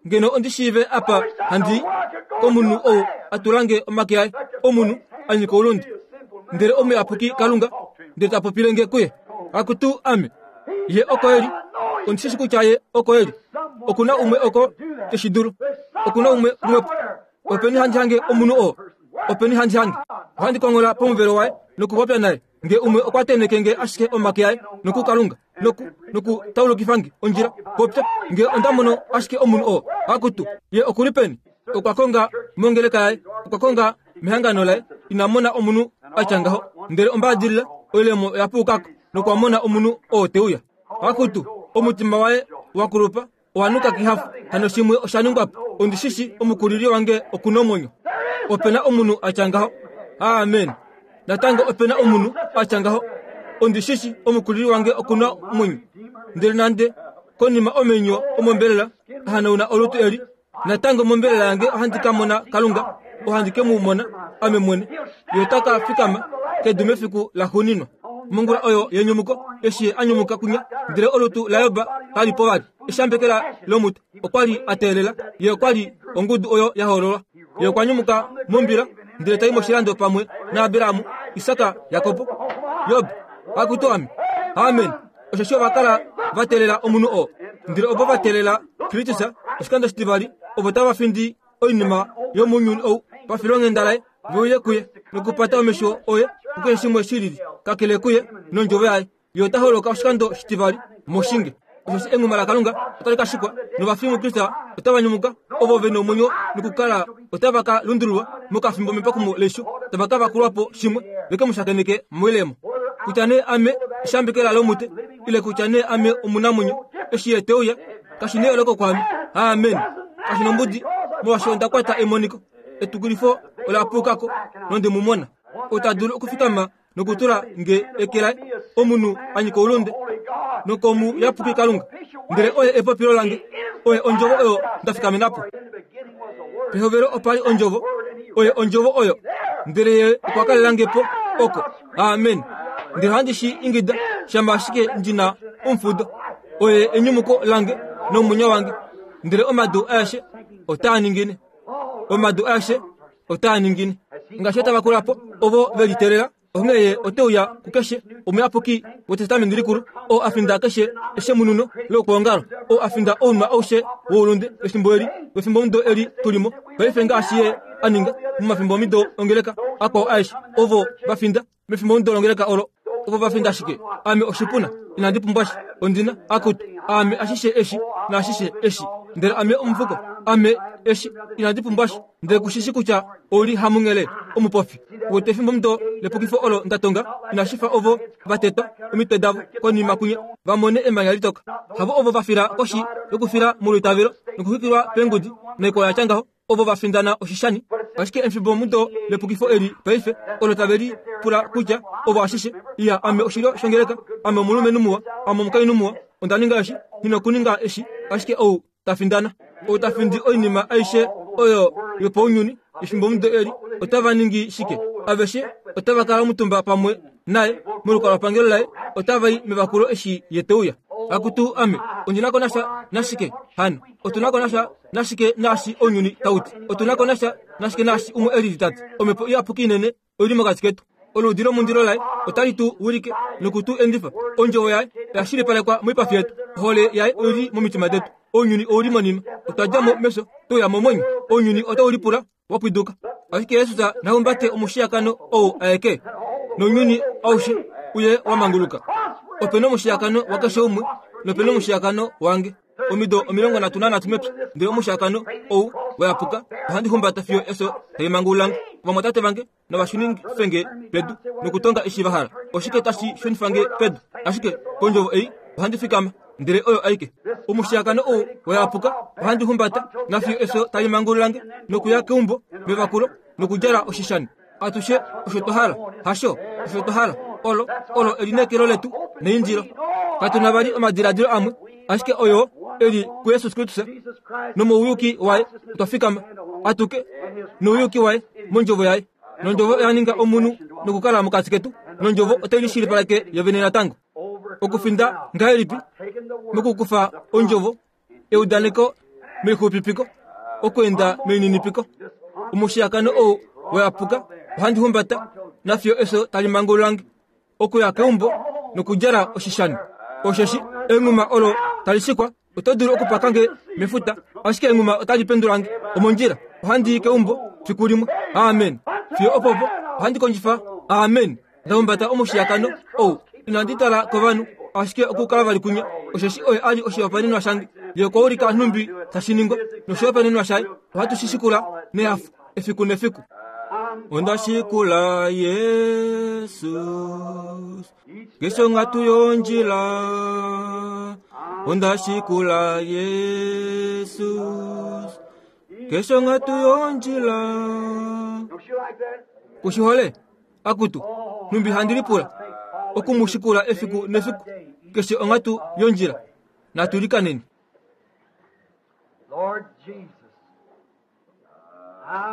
ngeno ondishiive apa handi komunhu ou atulange omake aye omunhu anyika oulundi ndele omuyapuki Kalunga ndele tapopilenge kuye akutu ame ye oko eli ondishishi kutya ye oko eli okuna umwe oko teshidulu okuna umwe umwepo openi handi hange omunhu oo openi handi hange ohandi kongola pomuvelo waye nokupopya naye nge umwe okwa tenekenge ashike omake aye nokukalunga noku noku taulukifange ondjila popya nge onda mono ashike omunhu oo akutu ye okuli peni okwa konga mongeleka yaye okwa konga mehangano laye ina mona omunhu atya ngaho ndele ombaadilila oilemo oya puukako nokwa mona omunhu oo teuya akutu omutima waye wakulupa owanuka kihafu hano shimwe osha ningwapo ondishishi omukulili wange okuna omwenyo opena omunhu atya ngaho amen natango opena omunhu atya ngaho ondishishi omukulili wange okuna omwenyo ndele nande konima omenyo omombelela ahanauna olutu eli natango mombelela yange ohandi ka mona Kalunga ohandi ke mu mona ame mwene ye ota ka fikama kedu mefiku la xuuninwa mongula oyo yenyumuko eshi a nyumuka kunya ndele olutu la Yoba kali po vali eshambekela lomutu okwali a teelela ye okwali ongudu oyo ya hoololwa ye okwa nyumuka mombila ndele tai moshilando pamwe naAbrahamu Isaka Yakobo Yob akutu ame amen osheshi ova kala va teelela omunhu oo ndele ovo va teelela Kristus oshikando shitivali ovo tava findi oinima yomounyuni ou pafilonghenda laye veuye kuye nokupata omesho oye kukeshe shimwe shilili kakele kuye nondjovo yaye ye ota holoka oshikando shitivali moshinge osheshi enguma laKalunga otali ka shikwa novafi muKristus otava nyumuka ovo ve nomwenyo nokukala otava ka lundululwa mokafimbo mepakumo leisho tava ka vakulwapo shimwe veke mu shakeneke moilemo kutya nee ame eshambekela lomute ile kutya nee ame omunamwenyo eshi ye teuya kashi neyooloko kwaame amen kashi nombudi molwaashi onda kwata emoniko etukulifo ola puukako nonde mu mona ota dulu okufikama nokutula nge eke laye omunhu anyika oulunde nokomuyapuki Kalunga ndele oye epopilo lange oye ondjovo oyo nda fikamenapo pehovelo opali ondjovo oye ondjovo oyo ndele ye okwa kalelangepo oko amen ndele ohandi shi ingida shama ashike ndina omufudo oye enyumuko lange nomwenyo wange ndele omadu aeshe otaa ningine omadu aeshe otaa ningine ngaashi otava kulapo ovo ve liteelela onghee ye oteuya kukeshe omuyapuki wetestamenti likulu oo afinda keshe eshemununo lokwoongalo oo afinda ounwa aushe woulunde wefimbo eli wefimbomudo eli tulimo paife ngaashi ye aninga momafimbomido ongeleka akwao aeshe ovo vafinda mefimbomudo longeleka olo ovo vafinda ashike ame oshipuna inandi pumbwa sha ondina akutu ame ashishe eshi naashishe eshi ndele ame omufuko ame eshi inandi pumbwa sha ndele kushishi kutya ouli hamunghele omupofi wete efimbomudo lepukifo olo ndatonga inashifa ovo vatetwa omitwe davo konima kunya vamone emanya litoka havo ovo vafila koshi yokufila molwitavelo nokuxwikilwa peengudi naikwawo yatya ngaho ovo vafindana oshishani ashike efimbomudo lepukifo eli paife olo tave li pula kutya ovo ashishe iya ame oshilyo shongeleka ame omulumenhu muwa ame omukainhu muwa onda ninga eshi ninokuninga eshi ashike ou tafindana ou tafindi oinima aishe oyo yopaunyuni efimbomudo eli otava ningi shike aveshe otava kala omutumba pamwe naye molukalwapangelo laye otava i mevakulo eshi ye teuya akutu ame ondinako nasha nashike hano otunako nasha nashike naashi ounyuni tauti otunako nasha nashike naashi umwe elili tati omhepo iyapuki inene oili mokati ketu oludi lomundilo laye otali tu wilike nokutu endifa ondjovo yaye oya shilipalekwa moipafi yetu ohole yaye oili momitima detu ounyuni ouli monima otwa dja mo mefyo touya momwenyo ounyuni otau lipula wapwiduka ashike Yesus nahumbate omushiyakano ou aeke nounyuni aushe uye wamanguluka opena omushiyakano wakeshe umwe nopena omushiyakano wange omido omilongo nhatu nanhatu mepya ndele omushiyakano ou wayapuka ohandi humbata fiyo efyo taimangululange Ovamwatate vange navashunifenge pedu nokutonga eshi va hala. Oshike tashi shunifange pedu? Ashike kondjovo ei ohandi fikama, ndele oyo aike. Omushiyakano ou wayapuka ohandi humbata nafiyo efyo tali mangululange nokuya keumbo mevakulo nokudjala oshishani. Atushe osho twa hala, hasho osho twa hala. Olo olo elineekelo letu neindilo. Katu na vali omadiladilo amwe, ashike oyo eli kuJesus Kristus nomouyuki waye otwa fikama atuke nouyuki waye mondjovo yaye. Nondjovo oya ninga omunhu nokukala mokati ketu, nondjovo otai lishilipaleke yovene natango. Okufinda ngahelipi? Mokukufa ondjovo, eudaneko meixupipiko, okweenda meininipiko. Omushiyakano ou wayapuka ohandi humbata nafiyo efyo tali mangululange okuya keumbo nokudjala oshishani. Osheshi enghuma olo tali shikwa oto dulu okupakange mefuta, ashike enghuma otali pendulange omondjila. Ohandi i keumbo fiku limwe. Amen. Fiyo opopo ohandi kondjifa. Amen. Ndahumbata omushiyakano ou inandi tala kovanhu, ashike okukala vali kunya. Osheshi oye ali oshihopaenenwa shange. Ye okwa ulika nhumbi tashi ningwa, noshihopaenenwa shaye ohatu shi shikula nehafo efiku nefiku. Onda shikula Jesus keshe onghatu yondjila. Onda shikula Jesus keshe onghatu yondjila. Kushihole akutu nhumbi handi lipula okumushikula efiku nefiku keshe onghatu yondjila. Natulikaneni.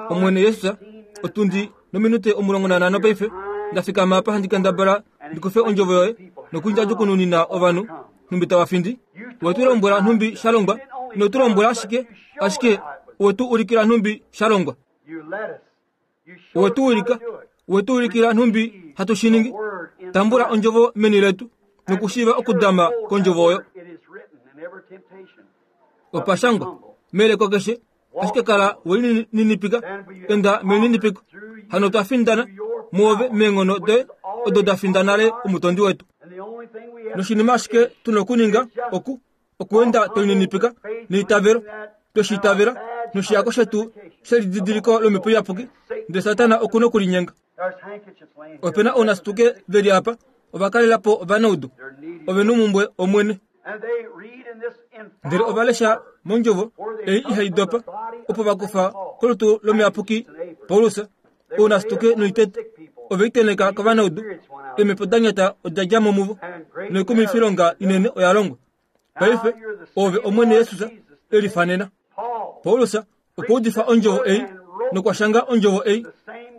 Omwene Jesus, otundi nominute omulongo nanhano paife ndafikama apa handi kendabala ndikufe ondjovo yoye nokundjadjukununina ovanhu nhumbi tava findi. Wetu lombwela nhumbi sha longwa, ino tu lombwela ashike, ashike wetu ulikila nhumbi sha longwa. Wetu ulika, wetu ulikila nhumbi hatu shi ningi. Tambula ondjovo meni letu nokushiiva okudama kondjovo oyo. Opashangwa meleko keshe, ashike kala welininipika, enda melininipiko. Hano twa findana muove meenghono doye odo da finda nale omutondi wetu. Noshinima ashike tuna okuninga oku okuenda twelinipika neitavelo, tweshiitavela noshiyako shetu shelididiliko lomhepo iyapuki, ndele Satana okuna okulinyenga. Opena ounasituke veli apa ovakalelapo ovanaudu ovena omumbwe Omwene. Ndele ovalesha mondjovo ei ihai dopa, opo vakufa kolutu lomuyapuki Paulus ounasituke noitete oveiteneka kovanaudu. Eemhepo da nyata oda dja mo muvo, noikumwifilonga inene oya longwa. Paife ove Omwene Jesus elifanena. Paulus okwa udifa ondjovo ei nokwa shanga ondjovo ei,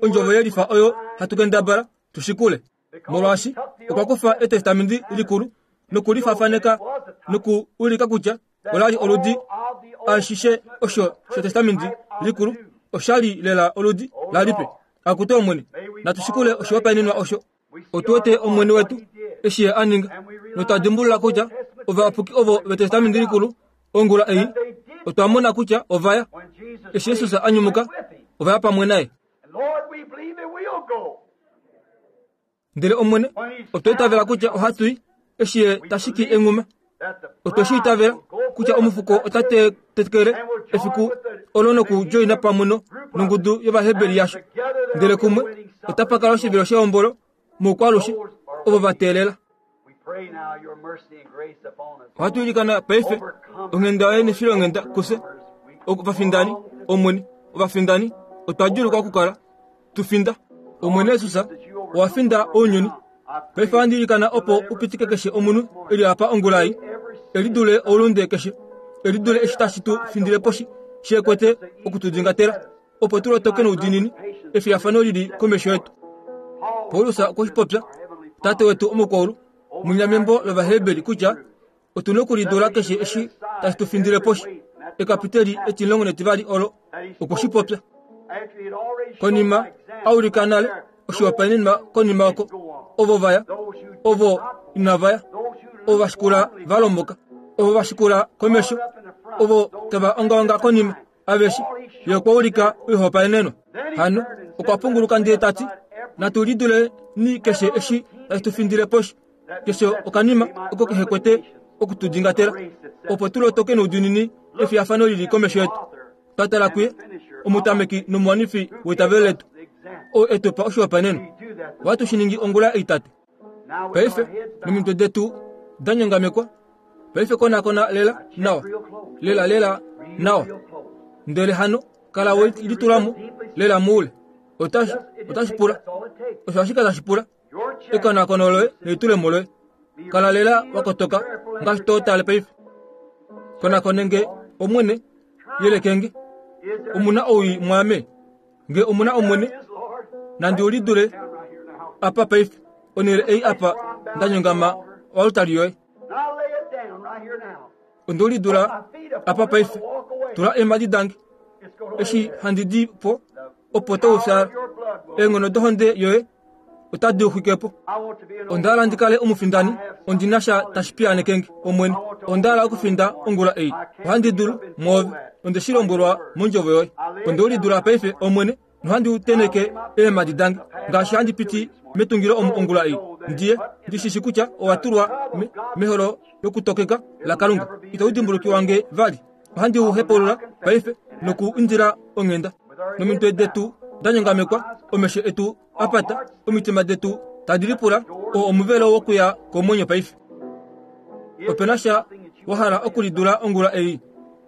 ondjovo yelifa oyo hatu kendabala tushikule. Molwaashi okwa kufa etestamenti likulu nokulifafaneka nokuulika kutya olali oludi ashishe osho shetestamenti likulu oshali lela oludi lalipe. Akute Omwene, natushikule oshihopaenenwa osho. Otu wete Omwene wetu eshi ye a ninga, notwa dimbulula kutya ovayapuki ovo vetestamenti likulu ongula ei otwa mona kutya ovaya eshi Jesus a nyumuka, ovaya pamwe naye. Ndele Omwene, otwa itavela kutya ohatu i eshi ye tashiki enghuma. Otwe shi itavela kutya omufuko ota tetekele efiku olo nokujoina pamwe nongudu yOvaheberi yasho. Ndele kumwe otapa kala oshivilo shehombolo moukwalushe ovo va teelela. Ohatu ilikana paife onghenda yoye nefilonghenda kufye ovafindani. Omwene, ovafindani otwa djulukwa okukala tu finda. Omwene Jesus, owa finda ounyuni. Paife ohandi ilikana opo upitike keshe omunhu eli apa ongula ei, elidule oulunde keshe, elidule eshi tashi tu findile poshi sheekwete okutudingatela, opo tu lotoke noudinini efiyafano lili komesho yetu. Paulus okwe shi popya, Tate wetu omukwaulu, munyamembo lOvaheberi kutya otuna okulidula keshe eshi tashi tu findile poshi. Ekapiteli etimulongo netivali olo okwe shi popya. Konima a ulika nale oshihopaenenwa konima oko ovo vaya, ovo inava ya, ovo va shikula va lomboka, ovo va shikula komesho, ovo tava ongaonga konima, aveshe ye okwa ulika oihopaenenwa. Hano okwa punguluka ndele ta ti, natu lidule ni keshe eshi tashi tu findile poshi, keshe okanima oko kehe kwete okutudingatela, opo tu lotoke noudinini efiyafano lili komesho yetu. Twa tala kuye, omutameki nomuwanifi weitavelo letu, oo e tu pa oshihopaenenwa. Ohatu shi ningi ongula ei, Tate. Paife nomitwe detu da nyongamekwa, paife konakona lela nawa, lela lela nawa. Ndele hano kala we litulamo lela moule. Otashi otashi pula, osho ashike tashi pula ekonakono loye nelitulemo loye. Kala lela wakotoka ngaashi to tale paife. Konakone nge Omwene, yeleke nge. Omuna owii mwaame, nge omuna Omwene, nandi ulidule apa paife, onhele ei apa nda nyongama oaltari yoye. Onde ulidula apa paife, tula eemhadi dange eshi handi di po, opo toufyala. Eenghono dohonde yoye otadi uxwike po. Onda hala ndi kale omufindani, ondi na sha tashi piyaaneke nge, Omwene. Onda hala okufinda ongula ei. Ohandi dulu mwoove, onde shi lombwelwa mondjovo yoye. Onde ulidula paife, Omwene, nohandi uteneke eemhadi dange ngaashi handi piti metungilo omu ongula ei. Ndiye ndi shi shi kutya owa tulwa me, meholo lokutokeka laKalunga. Itau dimbulukiwa nge vali. Ohandi u hepaulula paife noku indila onghenda. Nomitwe detu da nyongamekwa, omesho etu apata, omitima detu tadi lipula, oo omuvelo wokuya komwenyo paife. Ope na sha wa hala okulidula ongula ei,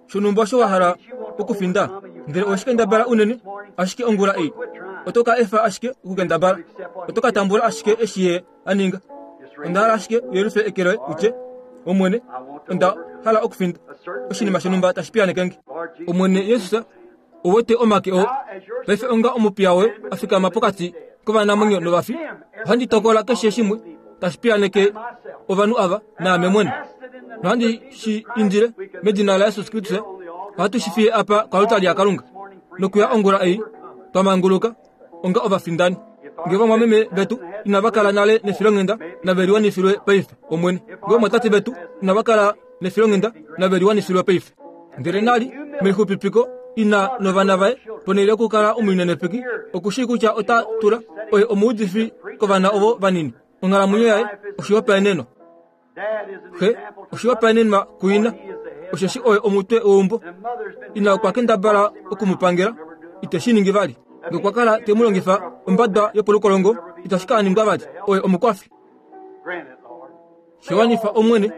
shonhumba osho wa hala okufinda, ndele owe shi kendabala unene, ashike ongula ei oto ka efa ashike okukendabala, oto ka tambula ashike eshi ye a ninga. Onda hala ashike uyelufe eke loye utye, Omwene, onda hala okufinda oshinima shonhumba tashi piyaaneke nge. Omwene Jesus, ouwete omake oo paife onga omupiya woye a fikama pokati kovanamwenyo novafi. Ohandi tokola keshe shimwe tashi piyaaneke ovanhu ava naame mwene, nohandi shi indile medina laJesus Kristus. Ohatu shi fiye apa koaltari yaKalunga nokuya ongula ei twa manguluka onga ovafindani. Nge vamwameme vetu inava kala nale nefilonghenda, nave liwanifilwe paife, Omwene. Nge vamwatate vetu inava kala nefilonghenda, nave liwanifilwe paife. Ndele nali melixupipiko ina novana vaye, ponhele yokukala omulinenepeki, oku shii kutya ota tula oye omuudifi kovana ovo vanini. Onghalamwenyo yaye oshihopaenenwa. Xe oshihopaenenwa kuina, osheshi oye omutwe weumbo. Ina okwa kendabala oku mu pangela, ite shi ningi vali. Nge okwa kala te mu longifa ombada yopolukolongo, itashi ka ningwa vali. Oye omukwafi. Shewanifa Omwene,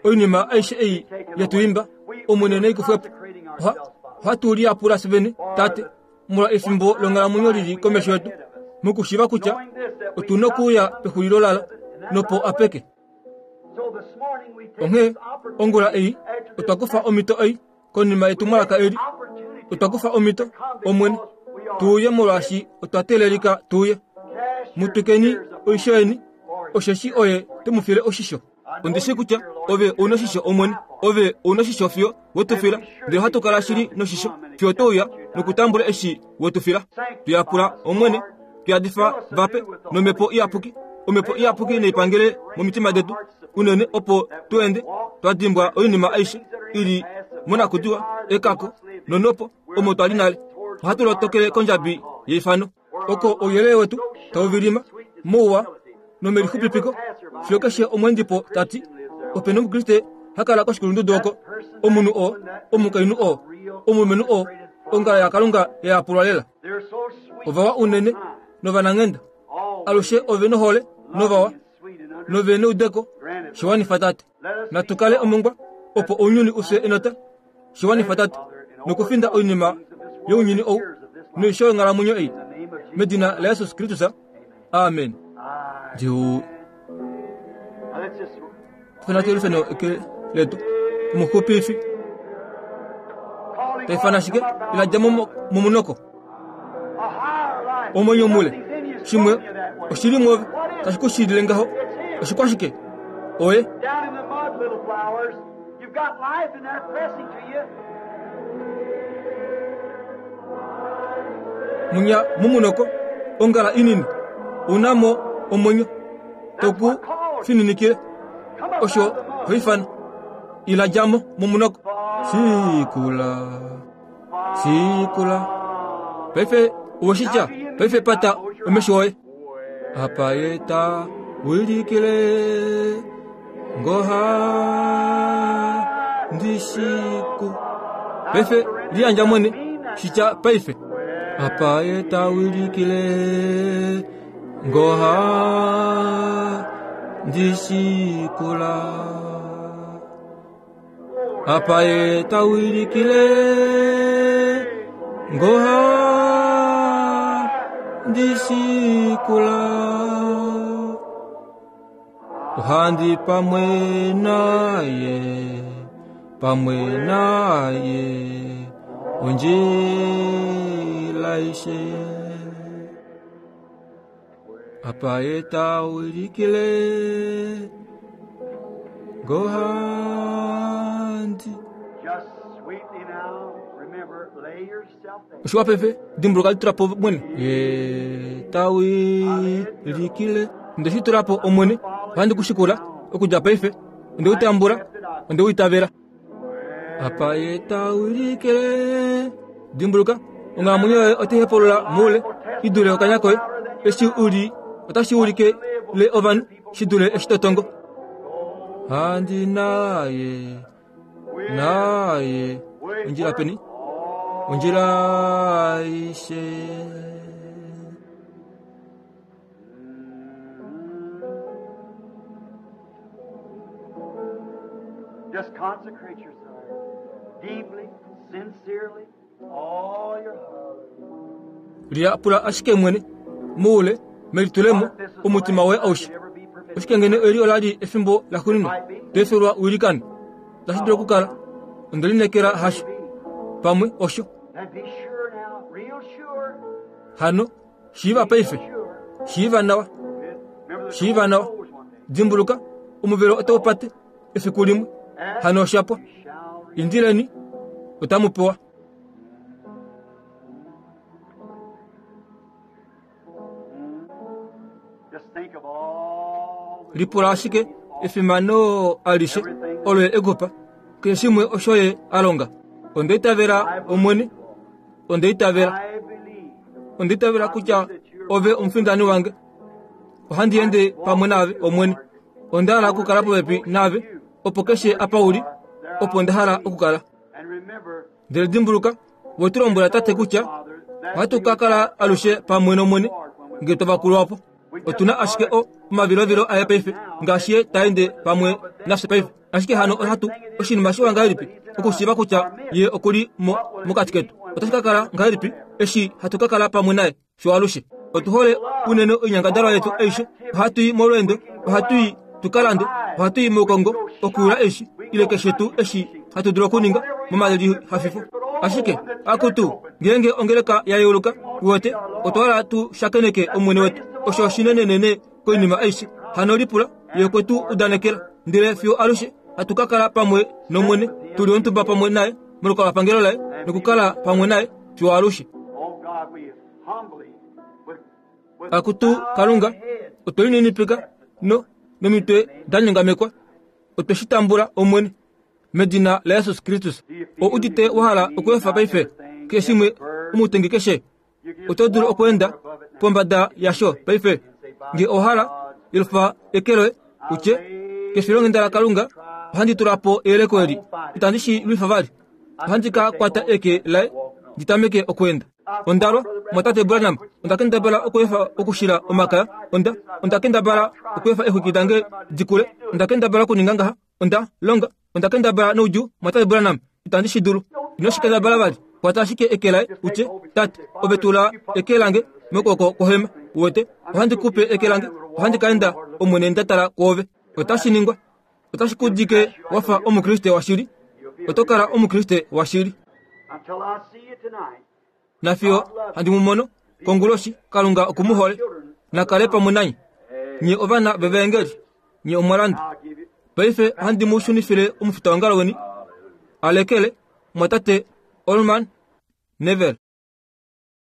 oinima aishe ei yetu imba, Omwene naikufwepo. Oha, ohatu liyapula fye vene, Tate, molwa efimbo longhalamwenyo lili komesho yetu, mokushiiva kutya otu nokuuya pexulilo lalo, nopo apeke. Onghee ongula ei otwa kufa omhito ei konima yetumwalaka eli, otwa kufa omhito, Omwene, tu uye molwaashi otwa teelelika tu uye. Mu twikeni oisho yeni, osheshi oye te mu file oshisho. Ondi shii kutya ove ou noshisho, Omwene, ove ou noshisho fiyo we tu fila, ndele ohatu kala shili noshisho fiyo to uya nokutambula eshi we tu fila. Tu yapula, Omwene, tu yadifa vape nomhepo iyapuki. Omhepo iyapuki naipangele momitima detu unene, opo tu ende twa dimbwa oinima aishe i li monakudiwa, ekako nonopo omo twa li nale. Ohatu lotokele kondjabi yeifano, oko ouyelele wetu tau vilima mouwa nomelixupipiko, fiyo keshe omweendipo ta ti, ope nomukriste ha kala koshikulundudu oko, omunhu oo, omukainhu oo, omulumenhu oo, ongala yaKalunga ya yapulwa lela. Ovawa unene novananghenda, alushe ove nohole novawa nove neudeko. Shewanifa, Tate. Natu kale omongwa opo ounyuni ufye enota. Shewanifa, Tate, nokufinda oinima younyuni ou noisho yonghalamwenyo ei, medina laJesus Kristus, amen. Ndiu fena eke letu omuxupifi taifana ashike ila dja momunoko omwenyo mule shimwe oshili mwoove tashi ku shilile ngaho oshikwashike oye. Down in the mud, little flowers, you've got life in there pressing to you. Munya momunoko ongala inini ounamo omwenyo toku fininikile Come up osho out of the mud. hoifana ila djamo momunoko. Shikula shikula paife oweshitya paife pata omesho oye apa ye ta wilikile ngoha ndishiku paife liyandja mwene shitya paife. Apa ye tawilikile ngoha ndishikula. Apa ye tawilikile ngoha ndishikula. Ohandi pamwe naye, pamwe naye, ondjila aishe. Apa ye tawilikile ngohandi. Just sweetly now, remember, lay yourself there. Oshiwa paife dimbuluka litulapo mwene ye tawilikile nde shi tulapo omwene ohandi kushikula okudja paife onde utambula onde uitavela. Apa ye tawilikile dimbuluka onghalamwenyo yoye otai hepolola moule i dule okanya koye eshi uli otashi ulike le ovanhu shi dule eshi to tongo. Handi naye naye ondjila peni ondjila aishe. Just consecrate yourself deeply, sincerely, all your heart. Liyapula ashike mwene moule melitulemo omutima woye aushe. Oshike ngeno eli ola li efimbo laxuuninwa toefelwa uilikane tashi dulu okukala onde lineekela hasho pamwe osho. And be sure now, real sure. Hano shiiva paife shiiva nawa Remember the shiiva nawa door closed one day. dimbuluka omuvelo otau pate efiku limwe hano oshapwa You shall receive. indileni otamu pewa. Just think of all the Lipula ashike efimano alishe olo ye ekupa keshe shimwe osho ye a longa. Onde itavela omwene, onde itavela, I believe. onde itavela kutya ove omufindani wange. Ohandi ende pamwe naave omwene, onda hala okukala popepi naave opo keshe apa uli, opo nda hala okukala. And remember, Ndele dimbuluka, we tu lombwela tate kutya Father, that ohatu ka kala alushe pamwe nomwene ngee twa vakulwa po. Otuna ashike o omavilovilo aye paife ngaashi ye ta ende pamwe nafye paife. Ashike hano ohatu oshinima shiwa ngahelipi okushiiva kutya ye okuli mo mokati ketu. Otashi ka kala ngahelipi eshi hatu ka kala pamwe naye fiyo alushe. Otu hole unene oinyangadalwa yetu aishe. Ohatu i molweendo, ohatu i tukalande, ohatu i moukongo okuyula eshi ile keshe tuu eshi hatu dulu okuninga momalihafifo. Ashike akutu ngeenge ongeleka ya yeuluka uwete otwa hala tu shakeneke omwene wetu. Osho oshinenenene koinima aishe. Hano lipula ye okwe tu udanekela ndele fiyo alushe hatu ka kala pamwe nomwene tuli omutumba pamwe naye molukalwapangelo laye nokukala pamwe naye fiyo alushe. Oh God, we humbly, with, with Akutu Kalunga otwe lininipika no nomitwe da nyongamekwa otwe shi tambula omwene medina la Jesus Kristus. O udite wa hala okweefa paife keshe shimwe omutengi keshe oto dulu okweenda pombada yasho paife nge owa hala yelufa eke loye utye kefilonghenda la Kalunga ohandi tula po eyeleko eli itandi shi lwifa vali ohandi ka kwata eke laye ndi tameke okweenda. Ondalwa mwatate Branham onda kendabala okweefa okushila omakaya onda onda kendabala okweefa exwiki dange dikule onda kendabala okuninga ngaha onda longa onda kendabala noudjuu mwatate Branham itandi shi dulu. Ino shi kendabala vali kwata ashike eke laye utye tate ove tula eke lange mokwooko kwohema uwete ohandi kupe eke lange ohandi ka enda omwene nda tala kwoove. Otashi ningwa otashi ku dike wafa omukriste washili oto kala omukriste washili. Until I see you tonight. Nafiyo handi mu mono konguloshi Kalunga oku mu hole nakale pamwe nanye nye ovana vevaengeli nye omwalanda. I'll give you. Paife handi mu shunifile omufitaongalo weni alekele mwatate Orman Neville.